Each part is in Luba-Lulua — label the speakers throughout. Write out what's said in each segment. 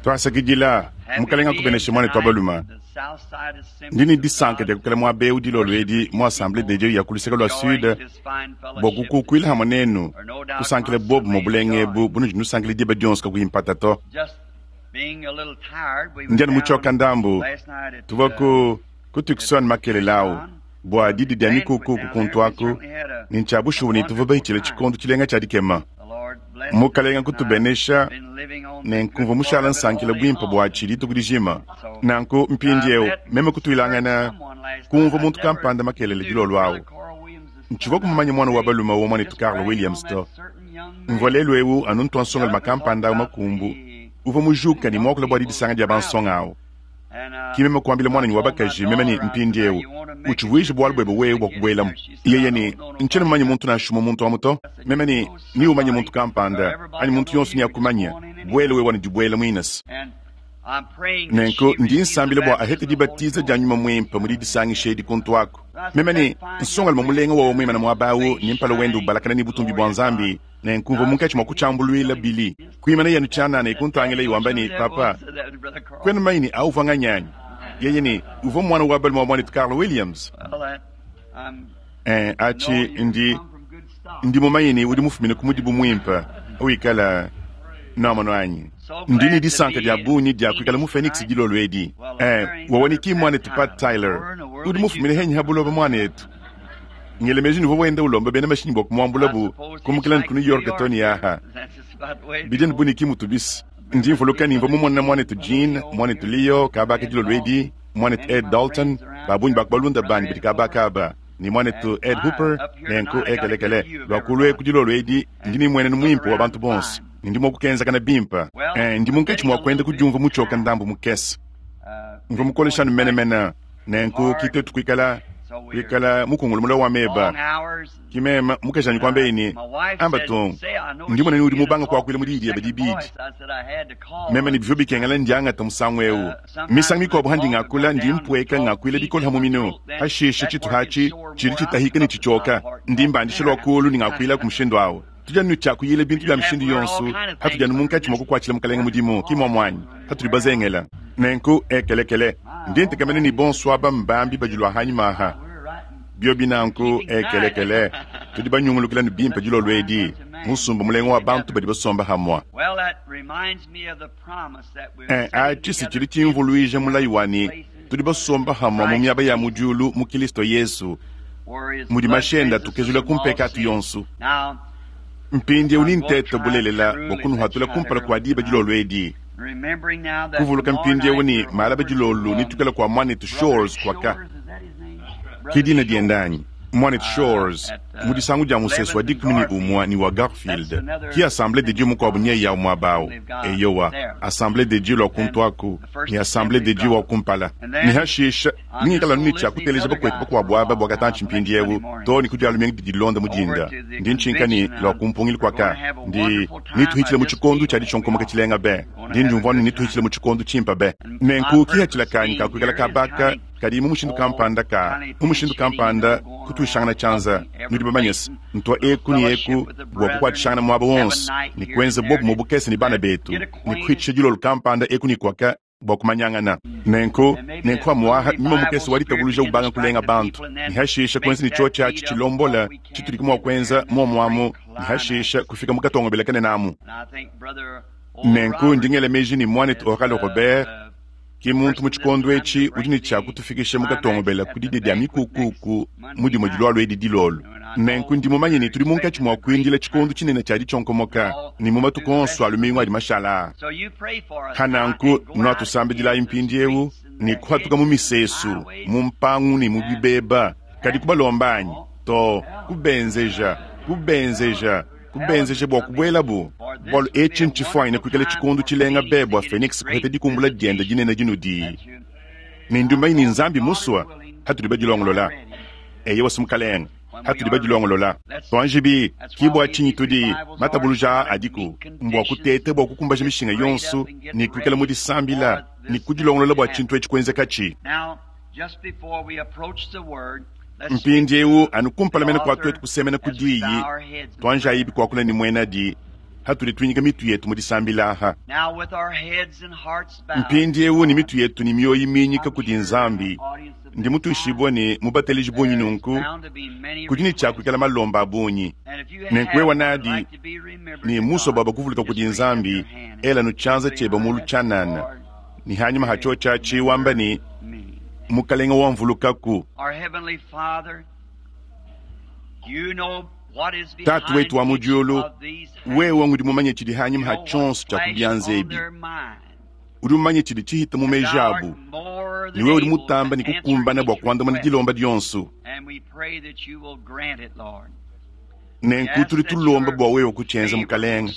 Speaker 1: Tuasakidila. Mukalenga akubeneshe muanetu wa baluma. Ndi ne disanka dia kuikala muaba eu dilolo edi mu Assemblee de Dieu ya ku luseke lua Sud bua kukukuila hamue nenu, kusankila bobumue bulenga ebu bunudi nusankila diba dionso kakuyi mpata to. Ndi anu mutshioka ndambu. Tuvua ku ku Tucson makelela au bua didi dia mikuku ku kuntu aku, ne ntshia bushuwa ne tuvua bahitshile tshikondo tshilenga tshia dikema. Mukalenga kutubenesha, ne nkumvua mushala nsankila buimpe buatshi dituku dijima. Nanku mpindieu meme kutuilangana kumvua muntu kampanda makelela dilolo au. Ntshivua kumumanya muana wa balume wa muanetu Carl Williams to. Mvua lelu eu anu ntua nsongalume kampanda au makumbu uvua mujuka ne muakula bua didisanga dia bansonga au. Ki meme kuambila muananyi wa bakaji meme ne, Mpindieu, utshivuije bualu buebe wewe bua kubuelamu. Yeye ne, Ntshiena mumanye muntu nansha umue muntu amu to. Meme ne, Neumanye muntu kampanda, anyi muntu yonso neakumanye. Buela wewe anu dibuela muinese. Nenku ndi nsambila bua ahete dibatiza dia Nyuma Muimpe mu didisangisha edi kuntu aku. Meme ne, Nsongalume mulenga wawa muimane muaba au ne mpala wende ubalakana ne butumbi bua Nzambi, Nenku mvua munkatshi mua kutshiambuluila Billy. Kuimanaye anu tshianana e kuntangilaye wamba ne, Papa, kuena mumanye ne, au uvua nganyi anyi? Yeye ne, Uvua muana wa balume wa muanetu Carl Williams. Ee, atshi ndi, ndi mumanye ne, udi mufumine ku mudibu muimpe. Wikala. Nwamonu anyi? Ndi ne disanka dia bungi dia kuikala mu Phoenix dilolo edi. Ee, wewe ne ki muanetu Pat Tyler. Udi mufumine henyi ha buloba, muanetu? Ngela meji ne uvua wenda ulomba bena mashinyi bua kumuambulabu kumukila ne ku New York too ne aha. Bidi anu bu ne ki mutu bis. Ndi mvuluka ne mvua mumone muanetu Gene, muanetu Leo kaba aka dilolo edi, muanetu Ed Daulton, ba bungi ba ku balunda banyi badi kaba aka aba, ne muanetu Ed Hooper, nenku ekelekele. Lua kulu eku dilolo edi, ndi ne mmuenenu muimpe wa bantu bonso, ne ndi mua kukenzakana bimpe. Eh, ndi munkatshi mua kuenda kudiumvua mutshioke ndambu mukese. Mvua mukolesha anu menemene. Nenku ki tuetu kuikala kuikala mukungulu mule wa meba. Ki meme mukajanyi kuambeyi ne, Amba tung, ndi mona ne udi mubanga kuakuila mu diyi diebe dibidi. Meme ne bivua bikengela ndiangata musangu eu. Misangu mikuabu handi ngakula ndi mpueka ngakuila bikole ha muminu, hashishe tshituha atshi tshidi tshitahika ne tshitshioka, ndi mbandisha lua kulu ne ngakuilaku mushindu au. Tudi anu ne tshia kuyila bintu bia mishindu yonso hatudi anu munkatshi mua kukuatshila Mukalenge mudimu, ki muamu anyi? Hatudi bazengela. Nenku, ekelekele, ndi ntekemena ne bonso aba mbambi badi lua hanyima aha. Biobi nanku, ekelekele, tudi banyungulukila ne bimpe dilolo edi, musumba mulenga wa bantu badi basomba hamua. Eh, atshi si tshidi tshimvuluija mulayi wa ne, tudi basomba hamua mu miaba ya mu diulu mu Kilisto Yesu, mudi mashi ende atukezula ku mpekatu yonso. Mpindieu nintete bulelela bua kunuhatula kumpala kua diba dilolo edi. Kuvuluka mpindieu ne malaba dilolo netuikale kua muanetu Shores kuaka. Ke dina diende anyi? Muanetu Shores, mu disangu dia musesu wa 11 ne wa Garfield. Ki Assemblee de Dieu mukuabu nyeyi au muaba au. Eyowa, Assemblee de Dieu lua kuntu aku, ne Assemblee de Dieu wa kumpala. Ne hashisha, nengikale anu ne tshia kuteleja bakuetu bakuabu aba bua katantshi mpindieu, too ne ku Dia lumingu didi dilonda mu dinda. Ndi ntshinka ne, lua ku mpungilu kuaka, ndi, netuhitshile mu tshikondo tshia ditshionkomoka tshilenga be. Ndi ndiumvua anu ne netuhitshile mu tshikondo tshimpe be. Nenku kihatshila kanyi ka kuikala kaba aka kadi mu mushindu kampanda ka, mu mushindu kampanda kutuishangana tshianza, nudi bamanye se, ntua eku ne eku bua kukuatshishangana muaba wonso ne kuenza buobumue bukese ne bana betu ne kuhitshisha dilolo kampanda eku ne kuaka bua kumanyangana. Nenku, nenku pamu'aha nyuma mukese wa ditabuluja ubanga kulenga bantu, ne hashisha kuenza ne tshiotshi atshi tshilombola tshitudi mua kuenza muomu amu, ne hashisha kufika mu katongobela kanene amu. Nenku ndi ngela meji ne muanetu Oral Robert ki muntu mu tshikondo etshi udi ne tshia kutufikisha mu katongobela ku didia dia mikukuku mu dimue dilualua edi dilolo. Nenku ndi mumanye ne tudi munkatshi mua kuindila tshikondo tshinene tshia ditshionkomoka ne mu matuku onso a lumingu adi mashala aa. Pa nanku nuatusambidilayi mpindieu ne kuhatuka mu misesu, mu mpangu ne mu bibeba, kadi kubalomba anyi? Too, kubenzeja, kubenzeja, kubenzeja bua kubuelabu, bualu etshi ntshifuanyine kuikala tshikondo tshilenga be bua Phoenix kuheta dikumbula diende dinene dinudi ne ndi mumanye ne Nzambi musua hatudi badilongolola. Eyowa, Mukalenge, hatudi badilongolola. Tuanjibi, ki bua tshinyi tudi matabuluja aa adiku, mbua kuteta bua kukumbaja mishinga yonso ne kuikala mu disambila ne kudilongolola bua tshintu etshi kuenzekatshi. Mpindieu, anu kumpala mene kua tuetu kusemena ku diyi, tuanjayibi kuakula ne muenadi. Hatudi tuinyika mitu yetu mu disambila aha. Mpindiewu ne mitu yetu ne mioyo miinyika kudi Nzambi, ndi mutuishibue ne mu bateleji bungi nunku kudi ne tshia kuikala malomba a bungi. Nenku wewa nadi ne musue bua bakuvuluka kudi Nzambi, ela nu tshianza tshiebe mulu tshianana, ne hanyima ha tshiotshi atshi wamba ne, Mukalenga wamvulukaku. Tatu wetu wa mu diulu, wewe ngudi mumanye tshidi hanyima ha tshionso tshia ku bianza ebi. Udi mumanye tshidi tshihita mu meji abu, ne wewe udi mutamba ne kukumbana bua kuandamuna dilomba dionso. Nenku tudi tulomba bua wewe kutshienza, Mukalenge.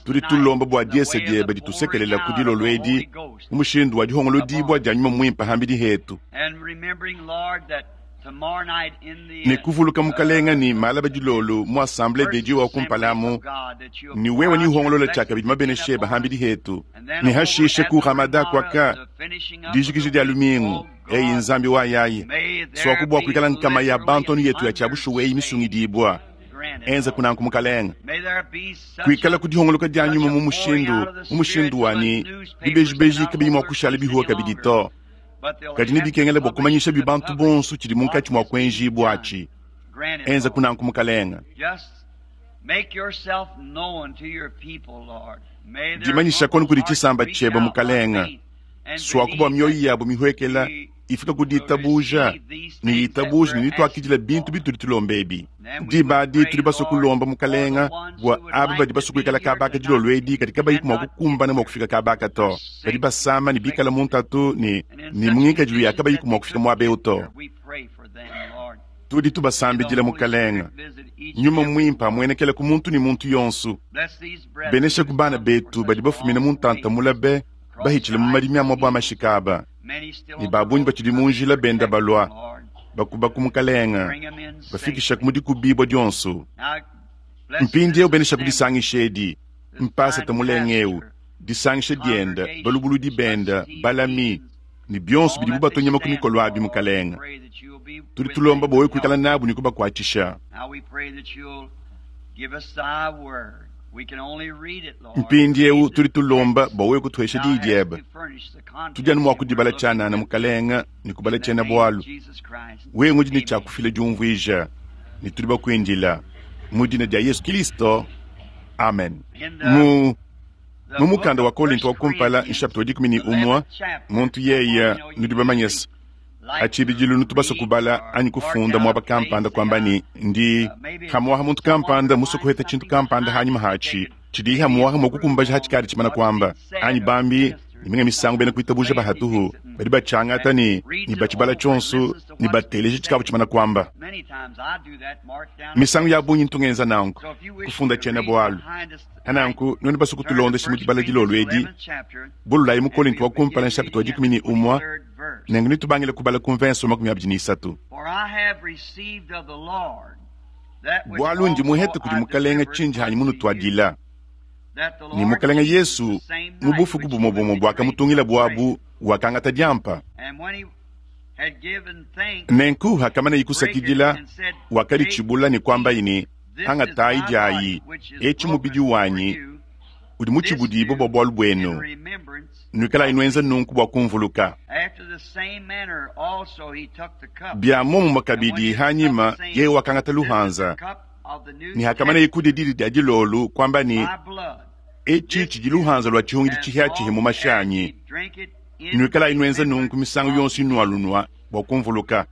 Speaker 1: Tudi tulomba bua diesa diebe ditusekelela ku dilolo edi mu mushindu wa dihongolodibua dia Nyuma Muimpe hambidi hetu. Ne kuvuluka, Mukalenga, ne malaba dilolo mu Assemblee de Dieu wa kumpala amu, ne wewe nihongolola tshiakabidi mabenesha ebe hambidi hetu, ne hashishe ku Ramada kuaka dijikija dia lumingu. Eyi Nzambi wa yayi, suaku bua kuikala nkama ya bantu anu yetu ya tshia bushuwa eyi misungidibua. Enza kunanku, Mukalenga. Kuikala ku dihongoloka dia nyuma mu mushindu mu mushindu wa ne bibejibeji kabiyi mua kushala bihuwa kabidi to. Kadi nebikengela bua kumanyishabi bantu bonso tshidi munkatshi mua kuenjibua atshi. Enza kunanku, Mukalenga. Dimanyisha konu kudi tshisamba tshiebe, Mukalenga. Suaku bua mioyo yabu mihuekela ifika ku ditabuja ne yitabuja ne nituakidila bintu bitudi tulomba ebi. Diba adi tudi basue kulomba Mukalenga bua aba badi basue kuikala kaba aka dilolo edi kadi kabayiku mua kukumbana mua kufika kaba aka to, badi basama ne bikala mu ntatu ne ne mu ngikadilu ya kabayiku mua kufika muaba eu to. Tudi tubasambidila Mukalenga, Nyuma Muimpe amuenekele ku muntu ne muntu yonso. Beneshaku bana betu badi bafumina mu ntanta mula be bahitshile mu madimi a muabu a mashika aba, ne ba bungi batshidi mu njila benda balua, bakuba ku Mukalenga, bafikishaku mu dikubibua dionso. Mpindieu beneshaku disangisha edi, mpasata mulenga eu, disangisha dienda, balubuludi benda, balami, ne bionso bidibu batua nyama ku mikolo abi, Mukalenga. Tudi tulomba bua wewe kuikala nabu ne kubakuatshisha. Mpindieu tudi tulomba bua wewe kutuhesha diyi diebe. Tudi anu mua kudibala tshianana, Mukalenga, ne kubala tshiena-bualu. Wewe ngudi ne tshia kufila diumvuija, ne tudi bakuindila. Mu dina dia Yesu Kilisto, amen. Mu mu mukanda wa Kolinto wa kumpala, nshapita wa 11, muntu yeye, nudi bamanye se, pa tshibidilu nutu basue kubala anyi kufunda muaba kampanda kuamba ne, ndi hamuaha muntu kampanda musue kuheta tshintu kampanda hanyima hatshi tshidi hamuaha mua kukumbaja hatshikadi tshimana kuamba, anyi bambi ne minga misangu bena kuitabuja ba hatuhu badi batshiangata ne ne batshibala tshionso ne bateleja tshikavua tshimana kuamba. Misangu ya bungi ntu ngenza nanku, kufunda tshiena-bualu. Nanku nuenu basue kutulondesha mu dibala dilolo edi, bululayi mu Kolinto wa kumpala nshapita wa 11, nenku netubangile kubala ku mvense wa 23. Bualu ndi muhete kudi Mukalenga tshindi hanyi munutuadila, ne Mukalenga Yesu mu bufuku bumue bumue buakamutungilabo abu wakangata diampa. Nenku hakamanaye kusakidila, wakaditshibula ne kuambaye ne, Angatayi diayi, etshi mubidi wanyi udi mutshibudibue bua bualu buenu, nuikalayi nuenza nunku bua kumvuluka. Bia muomumue kabidi, hanyima yeye wakangata luhanza, ne hakamaneye kudia didi dia dilolo, kuamba ne, Etshi tshidi luhanza lua tshihungidi tshihia-tshihia mu mashi anyi, nuikalayi nuenza nunku misangu yonso inualunua bua kumvuluka.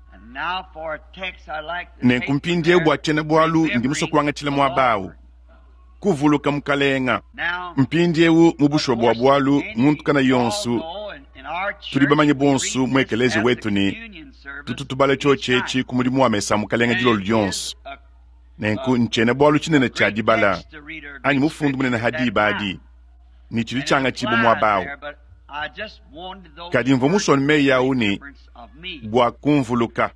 Speaker 1: Nenku mpindieu bua tshiena-bualu ndi musue kuangatshila muaba au, Kuvuluka Mukalenga. Mpindieu mu bushuwa bua bualu, muntu kana yonso, tudi bamanye bonso mu ekeleziya wetu ne tutu tubala tshiotshi etshi ku mudimu wa mesa a Mukalenga dilolo dionso. Nenku ntshiena-bualu tshinene tshia dibala anyi mufundu munene ha diba adi, ne tshidi tshiangatshibua muaba au. Kadi mvua musue meyi au ne bua kumvuluka.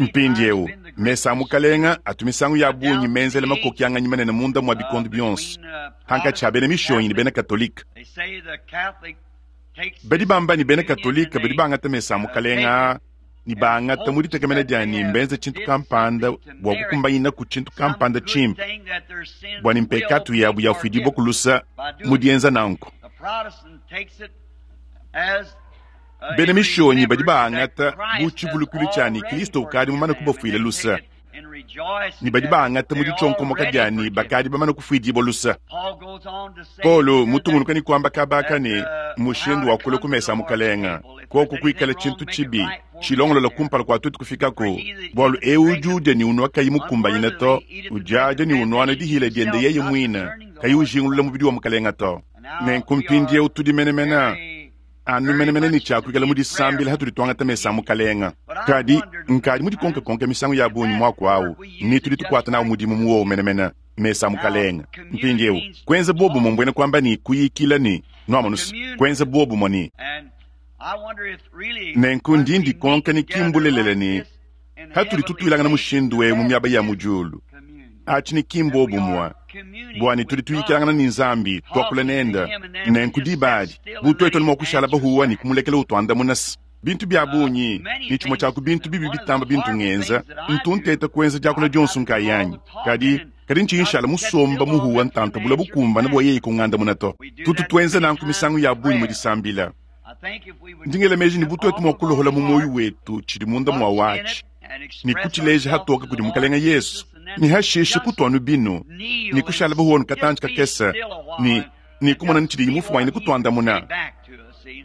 Speaker 1: Mpindieu, mesa a Mukalenga atu misangu ya bungi menzela makokianganyi manene munda mua bikondo bionso pankatshi ha bena Mishonyi ne bena Katolike. Badi bamba ne bena Katolike badi bangata mesa a Mukalenga aa. Ne baangata mu ditekemena dia ne mbenze tshintu kampanda bua kukumbanyinaku tshintu kampanda tshimpe, bua ne mpekatu yabu yafuidibua ku lusa mu dienza nanku. Bena Mishonyi badi baangata bu tshivulukilu tshia ne Kristo ukadi mumane kubafuila lusa, ne badi baangata mu ditshionkomoka dia ne bakadi bamane kufuidibua lusa. Paulo mutungunuka ne kuamba kaba aka ne, mushindu wa kulua ku mesa a Mukalenga, koku kuikala tshintu tshibi tshilongolola kumpala kua tuetu kufikaku, bualu eu udi udia ne unua kayi mukumbanyine to, udiadia ne unuana dihila diende yeye muine, kayi ujingulula mubidi wa Mukalenga to. Nenku mpindieu tudi menemene anu menemene ne tshia kuikala mu disambila hatudi tuangata mesa a Mukalenga. Kadi nkadi mudikonkekonke misangu ya bungi muaku au, ne tudi tukuata nawu mudimu mu wowu menemene, mesa a Mukalenga. Mpindieu, kuenza buobumue mbuena kuamba ne kuyikila ne, nuamonus, kuenza buobumue ne. Nenku ndi ndikonka ne ki mbulelela ne hatudi tutuilangana mushindu eu mu miaba ya mu diulu, atshi ne ki mbuobumue bua ne tudi tuyikilangana ne Nzambi, tuakula nende. Nenku diba adi, bu tuetu anu mua kushala bahuwa ne kumulekela utuandamuna se bintu bia bungi, ne tshimue tshia ku bintu bibi bitamba bintu ngenza, ntu nteta kuenza diakula dionso nkayanyi. Kadi, kadi ntshiyi nshala musomba muhuwa ntanta bula bukumbana bua yeye kungandamuna to. Tutu tuenza nanku misangu ya bungi mu disambila. Ndi ngela meji ne bu tuetu mua kulohola mu muoyo wetu tshidi munda mua watshi ne kutshileja hatoke kudi Mukalenge Yesu, ne hashishe kutua anu binu ne kushala bahuwa katantshi kakese ne ne kumona ne tshidiyi mufuanyine kutuandamuna.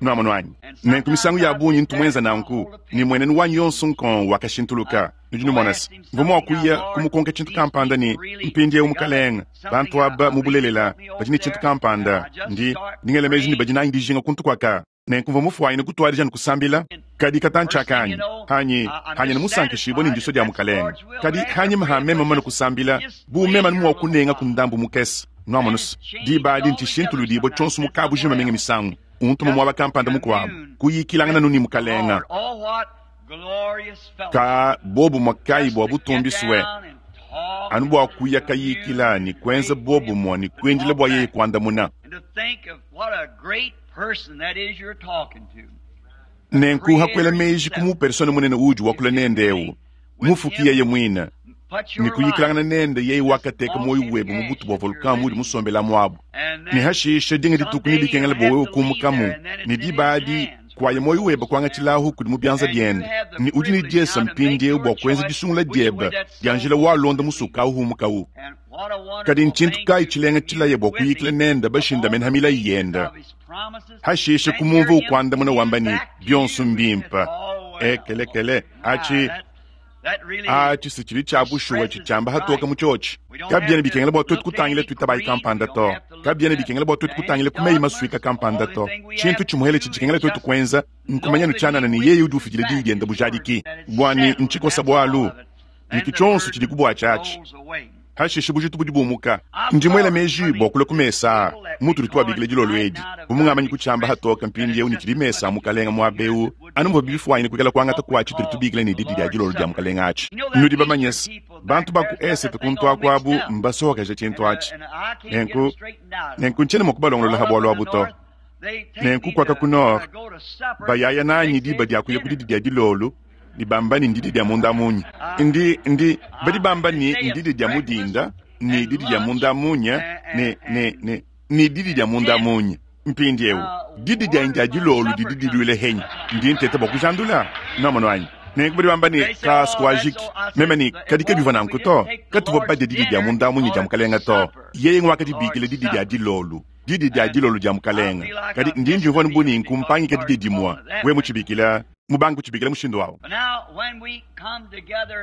Speaker 1: Nuamonu anyi? Nenku misangu ya bungi ntu muenza nanku, ne mmuenenu wanyi yonso nkong wakashintuluka. Nudi numona se, mvua mua kuya kumukonka tshintu kampanda ne, Mpindieu, Mukalenge, bantu aba mu bulelela badi ne tshintu kampanda. Ndi, ndi ngela meji ne badi nanyi dijinga kuntu kuaka. Nenku mvua mufuanyine kutuadija ne kusambila. Kadi katantshi aka anyi, anyi, anyi ne musankishibue ne ndisua dia Mukalenge. Kadi hanyima ha meme mumane kusambila, bu meme anu mua kunengaku ndambu mukese, nuamonu se, diba adi ntshishintuludibua tshionso mu kabujima minga misangu, untuma muaba kampanda mukuabu, kuyikilangana anu ne Mukalenge. Ka buobumue kayi bua butumbi sue, anu bua kuya kayikila ne kuenza buobumue ne kuindila bua yeye kuandamuna. Nenku hakuela meji ku mupersona munene uudi wakula nende eu, Mufuki yeye muine, ne kuyikilangana nende yeye wakateka muoyo webe mu butu bua volcan muudi musombelamu abu. Ne hashishe dinga dituku nebikengele bua wewe kumukamu, ne diba adi kuaya muoyo webe kuangatshilahu kudi mu bianza biende, ne udi ne diesa mpindieu bua kuenza disungula diebe dia njila walonda musuka au humukawu. Kadi ntshintu kayi tshilenga tshilaye bua kuyikila nende bashindamene ha milayi yende, hashishe kumumvua ukuandamuna wamba ne, bionso mbimpe? Ekelekele, atshi atshi si tshidi tshia bushuwa tshitshiamba hatoke mu tshiotshi. Kabiena bikengela bua tuetu kutangila tuitabayi kampanda to. Kabiena bikengela bua tuetu kutangila ku meyi masuika kampanda to. Tshintu tshimuele tshidi tshikengela tuetu kuenza nkumanya nu tshianana ne yeye udi ufidila diyi diende bujadiki. Bua ne ntshikosa bualu ne ke tshionso tshidi ku buatshi atshi. Hashishe bujitu budi bumuka. Ndi muela meji bua kulua ku mesa aa mutudi tuabikila dilolo edi, bu mungamanyi kutshiamba hatoke mpindieu ne tshidi mesa a Mukalenga muaba eu, anu muvua bifuanyine kuikala kuangata kua tshitudi tubikila ne didi dia dilolo dia Mukalenga atshi. Nudi bamanye se, bantu ba ku esete kuntu aku abu mbasohokeje tshintu atshi. Nenku, nenku ntshiena mua kubalongolola ha bualu abu to. Nenku kuaka ku nord, bayaya nanyi diba dia kuya ku didi dia dilolo, ne bamba ne ndidi dia munda munya. Ndi, ndi, badi bamba ne ndidi dia mu dinda, ne didi dia munda munya, ne, ne, ne, ne didi dia munda munya. Mpindieu, didi dianyi dia dilolo didi diluile henyi? Ndi nteta bua kujandula. Nwamonu anyi? Nenku badi bamba ne, Ka sikuajiki. Meme ne, Kadi kabivua nanku to. Katuvua badia didi dia munda munya dia Mukalenga to. Yeye nguakadibikila didi dia dilolo, didi dia dilolo dia Mukalenga. Kadi ndi ndiumvua anu bu ne nkumpangika didi dimue. Wewe mutshibikila mubange kutshibikila mushindu au.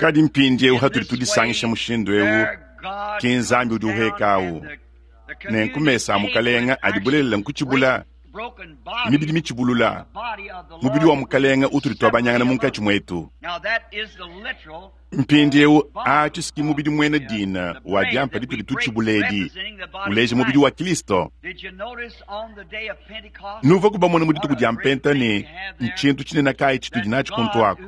Speaker 1: Kadi mpindieu hatudi tudisangisha mushindu eu, ki Nzambi udi uheka au. Nenku mesa a Mukalenga adi bulelela nkutshibula mibidi mitshibulula, mubidi wa Mukalenga utudi tuabanyangana munkatshi muetu. Mpindieu atshi si mubidi muena dina wa diampa ditudi tutshibula edi, uleja mubidi wa Kristo. Nuvuaku bamone mu dituku dia Mpenta ne, ntshintu tshinene kayi tshitudi natshi kuntu aku?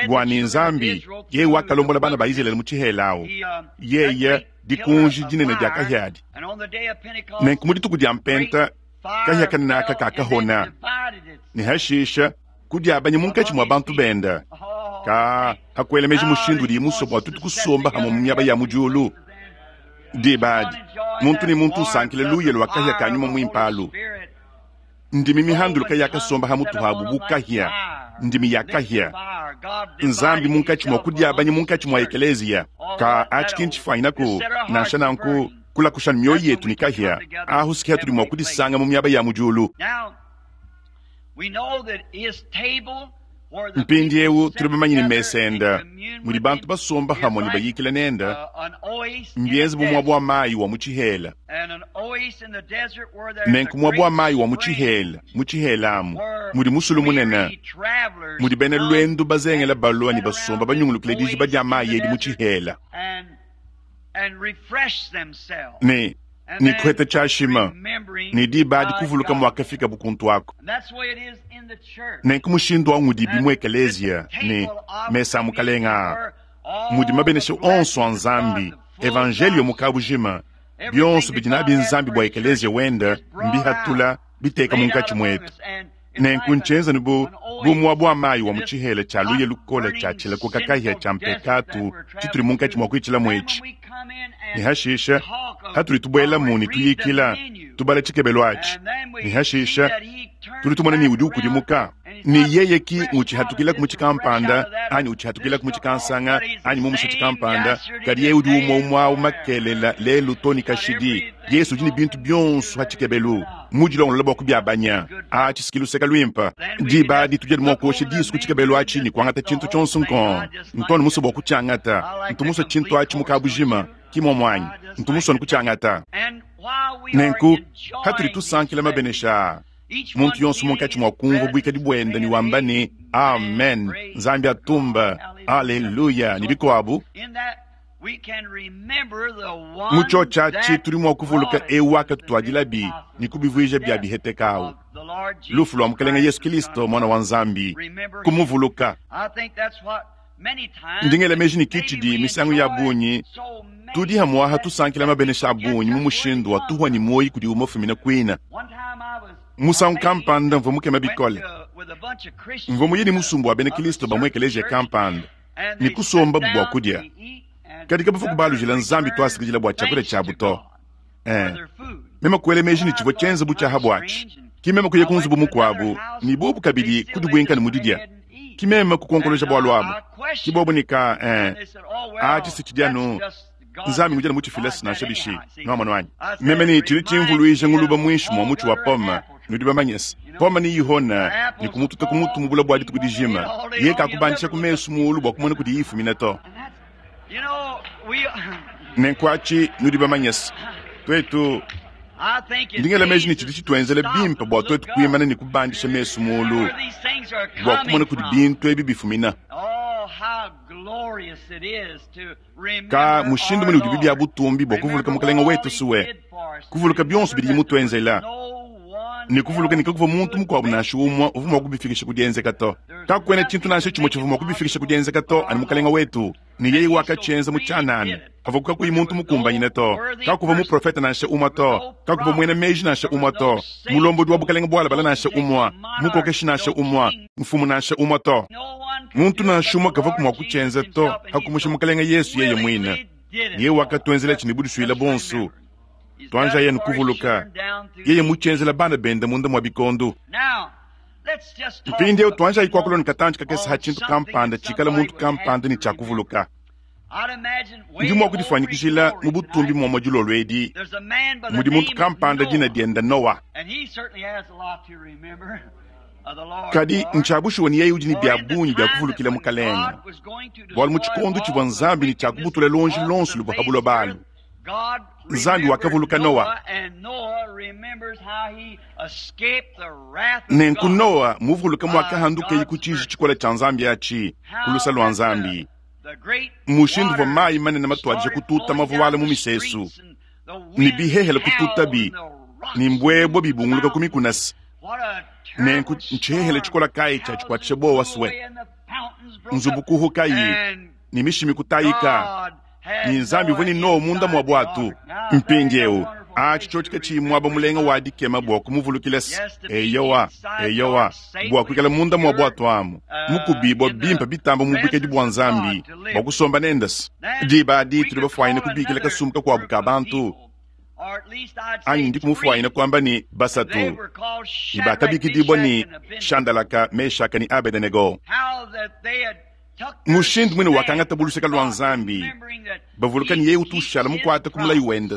Speaker 1: Bua ne Nzambi yeye wakalombola bana ba Izalele mu tshihela awu, yeye dikunji dinene dia kahia adi. Nenku mu dituku dia Mpenta, kahia kanene aka kakahona, ne hashisha. Kudiabanya munkatshi mua bantu benda. Ka hakuela meji mushindu udiye musue bua tuetu kusomba hamue mu miaba ya mu diulu. Diba adi, muntu ne muntu usankila luya lua kahia ka nyuma muimpe alu. Ndimi mihanduluka yakasomba ha mutu habu bu kahia, ndimi ya kahia. Nzambi munkatshi mua kudiabanya munkatshi mua ekeleziya. Ka atshi ki ntshifuanyinaku, nansha nanku, kulakusha mioyo yetu ne kahia. Ahu si hatudi mua kudisanga mu miaba ya mu diulu. Mpindieu tudi bamanye ne mesa enda mudi bantu basomba hamue ne bayikila nenda mbienze bu muaba wa mayi wa mu tshihela. Nenku muaba wa mayi wa mu tshihela, mu tshihela amu mudi musulu munene mudi bena luendu bazengela balua ne basomba banyungulukile dijiba dia mayi edi mu tshihela ne ne kuheta tshiashima ne diba adi kuvuluka muakafikabu kuntu aku. Nenku mushindu au ngudibi mu ekeleziya ne mesa a Mukalenga aa mudi mabenesha onso a Nzambi, evanjeliyo mu kabujima, bionso bidi nabi Nzambi bua ekeleziya wenda mbihatula biteka munkatshi muetu. Nenku ntshienza ne bu bu muaba wa mayi wa mu tshihela tshia luya lukole tshia tshilakuka kahia tshia mpekatu tshitudi munkatshi mua kuitshilamu etshi. Ne hashisha hatudi tubuelamu ne tuyikila, tubala tshikebelu atshi, ne hashisha tudi tumona ne udi ukudimuka ne yeye ki ngutshihatukilaku mu tshikampanda anyi utshihatukilaku mu tshikansanga anyi mumusha tshikampanda, kadi yeye udi umue umue au makelela lelu to ne kashidi. Yesu udi ne bintu bionso ha tshikebelu, mudilongolola bua kubiabanya. Atshi si luseka luimpe. Diba adi tudi anu mua kuosha disu ku tshikebelu atshi ne kuangata tshintu tshionso nkong. Ntu anu musue bua kutshiangata. Ntu musue tshintu atshi mu kabujima. Ki muomu anyi? Ntu musue anu kutshiangata. Nenku, hatudi tusankila mabenesha aa, muntu yonso munkatshi mua kumvua buikadi buende ne wamba ne, Amen, Nzambi atumba, Aleluya, ne bikuabu. Mu tshiotshi atshi tudi mua kuvuluka eu wakatutuadilabi ne kubivuija bia biheteka au, lufu lua Mukelenge Yesu Kilisto, Muana wa Nzambi, kumuvuluka. Ndi ngela meji ne ki tshidi misangu ya bungi tudi hamuaha tusankila mabenesha a bungi mu mushindu wa tuhua ne muoyo kudiwu mafumina kuina. Musangu kampanda mvua mukema bikole, mvua muye ne musumba wa bena Kilisto ba mu ekeleziya kampanda ne kusombabu bua kudia, kadi kabavua kubalujila Nzambi tuasakidila bua tshiakudia tshiabu to. Eh, meme kuela meji ne tshivua tshienza bu tshiaha buatshi. Ki meme kuya ku nzubu mukuabu ne bobu kabidi kudibuinka ne mu didia. Ki meme kukonkoloja bualu abu. Ki bobu ne ka eh, atshi si tshidi anu Nzambi ngudi anu mutshifile nansha bishi. Nuamonu anyi? Meme ne tshidi tshimvuluija nguluba muinshi mua mutshi wa pome. Nudi bamanye se, pome neyihone ne kumututa ku mutu mu bula bua dituku dijima. Yeye kakubandisha ku mesu muulu bua kumona kudiyi ifumina to. Nenku atshi nudi bamanye se, tuetu, ndi ngela meji ne tshidi tshituenzela bimpe bua tuetu kuimana ne kubandisha mesu muulu bua kumona kudi bintu ebi bifumina. Ka mushindu mune udibi bia butumbi bua kuvuluka Mukalenge wetu Sue, kuvuluka bionso bidiye mutuenzela, ne kuvuluka ne kakuvua muntu mukuabu nansha umue uvua mua kubifikisha ku dienzeka to. Kakuena tshintu nansha tshimue tshivua mua kubifikisha ku dienzeka to, anu Mukalenge wetu, ne yeye wakatshienza mu tshianana, pavuaku kakuyi muntu mukumbanyine to. Kakuvua muprofete nansha umue to, kakuvua muena meji nansha umue to, mulombodi wa bukalenge bualabala nansha umue, mukokeshi nansha umue, mfumu nansha umue to. Muntu nansha umue kavuaku mua kutshienza to, pa kumusha Mukalenge Yesu yeye muine. Yeye wakatuenzelatshi ne budisuile buonso. Tuanjayi anu kuvuluka, yeye mutshienzela bana bende munda mua bikondo. Mpindieu tuanjayi kuakula ne katantshi kakese ha tshintu kampanda tshikala muntu kampanda ne tshia kuvuluka. Ndi mua kudifuanyikijila mu butumbi muamua dilolo edi mudi muntu kampanda dina diende Noa. Kadi ntshia bushuwa ne yeye udi ne bia bungi bia kuvulukila Mukalenge, bualu mu tshikondo tshivua Nzambi ne tshia kubutula luonji luonso luvua pa buloba alu, Nzambi wakavuluka Noa. Nenku Noa muvuluke muakahandukeye ku tshiji tshikole tshia Nzambi atshi, ku luse lua Nzambi, mushindu uvua mayi manene matuadije kututa mavuala mu misesu, ne bihehele kututabi, ne mbuebue bibunguluka ku mikuna se. Nenku ntshihehele tshikola kayi tshia tshikuatshisha buowa sue, nzubu kuhukayi, ne mishimi kutayika, ne Nzambi uvua ne Noa munda mua buatu. Mpindieu, Atshi tshiotshi katshiyi muaba mulenga wa dikema bua kumuvulukila's! Eyowa, eyowa, bua kuikala munda mua buatu amu, mukubibua bimpe bitambe mu buikadi bua Nzambi, bua kusomba nende's! Diba adi tudi bafuanyine kubikila kasumbu kakuabu ka bantu, anyi ndiku mufuanyine kuamba ne, basatu, ne bakabikidibua ne, Shandalaka, Meshaka ne Abedenego. Mushindu muine wakangatabu luseke lua Nzambi, bavuluka ne, yeye utu ushala mukuate ku mulayi wende,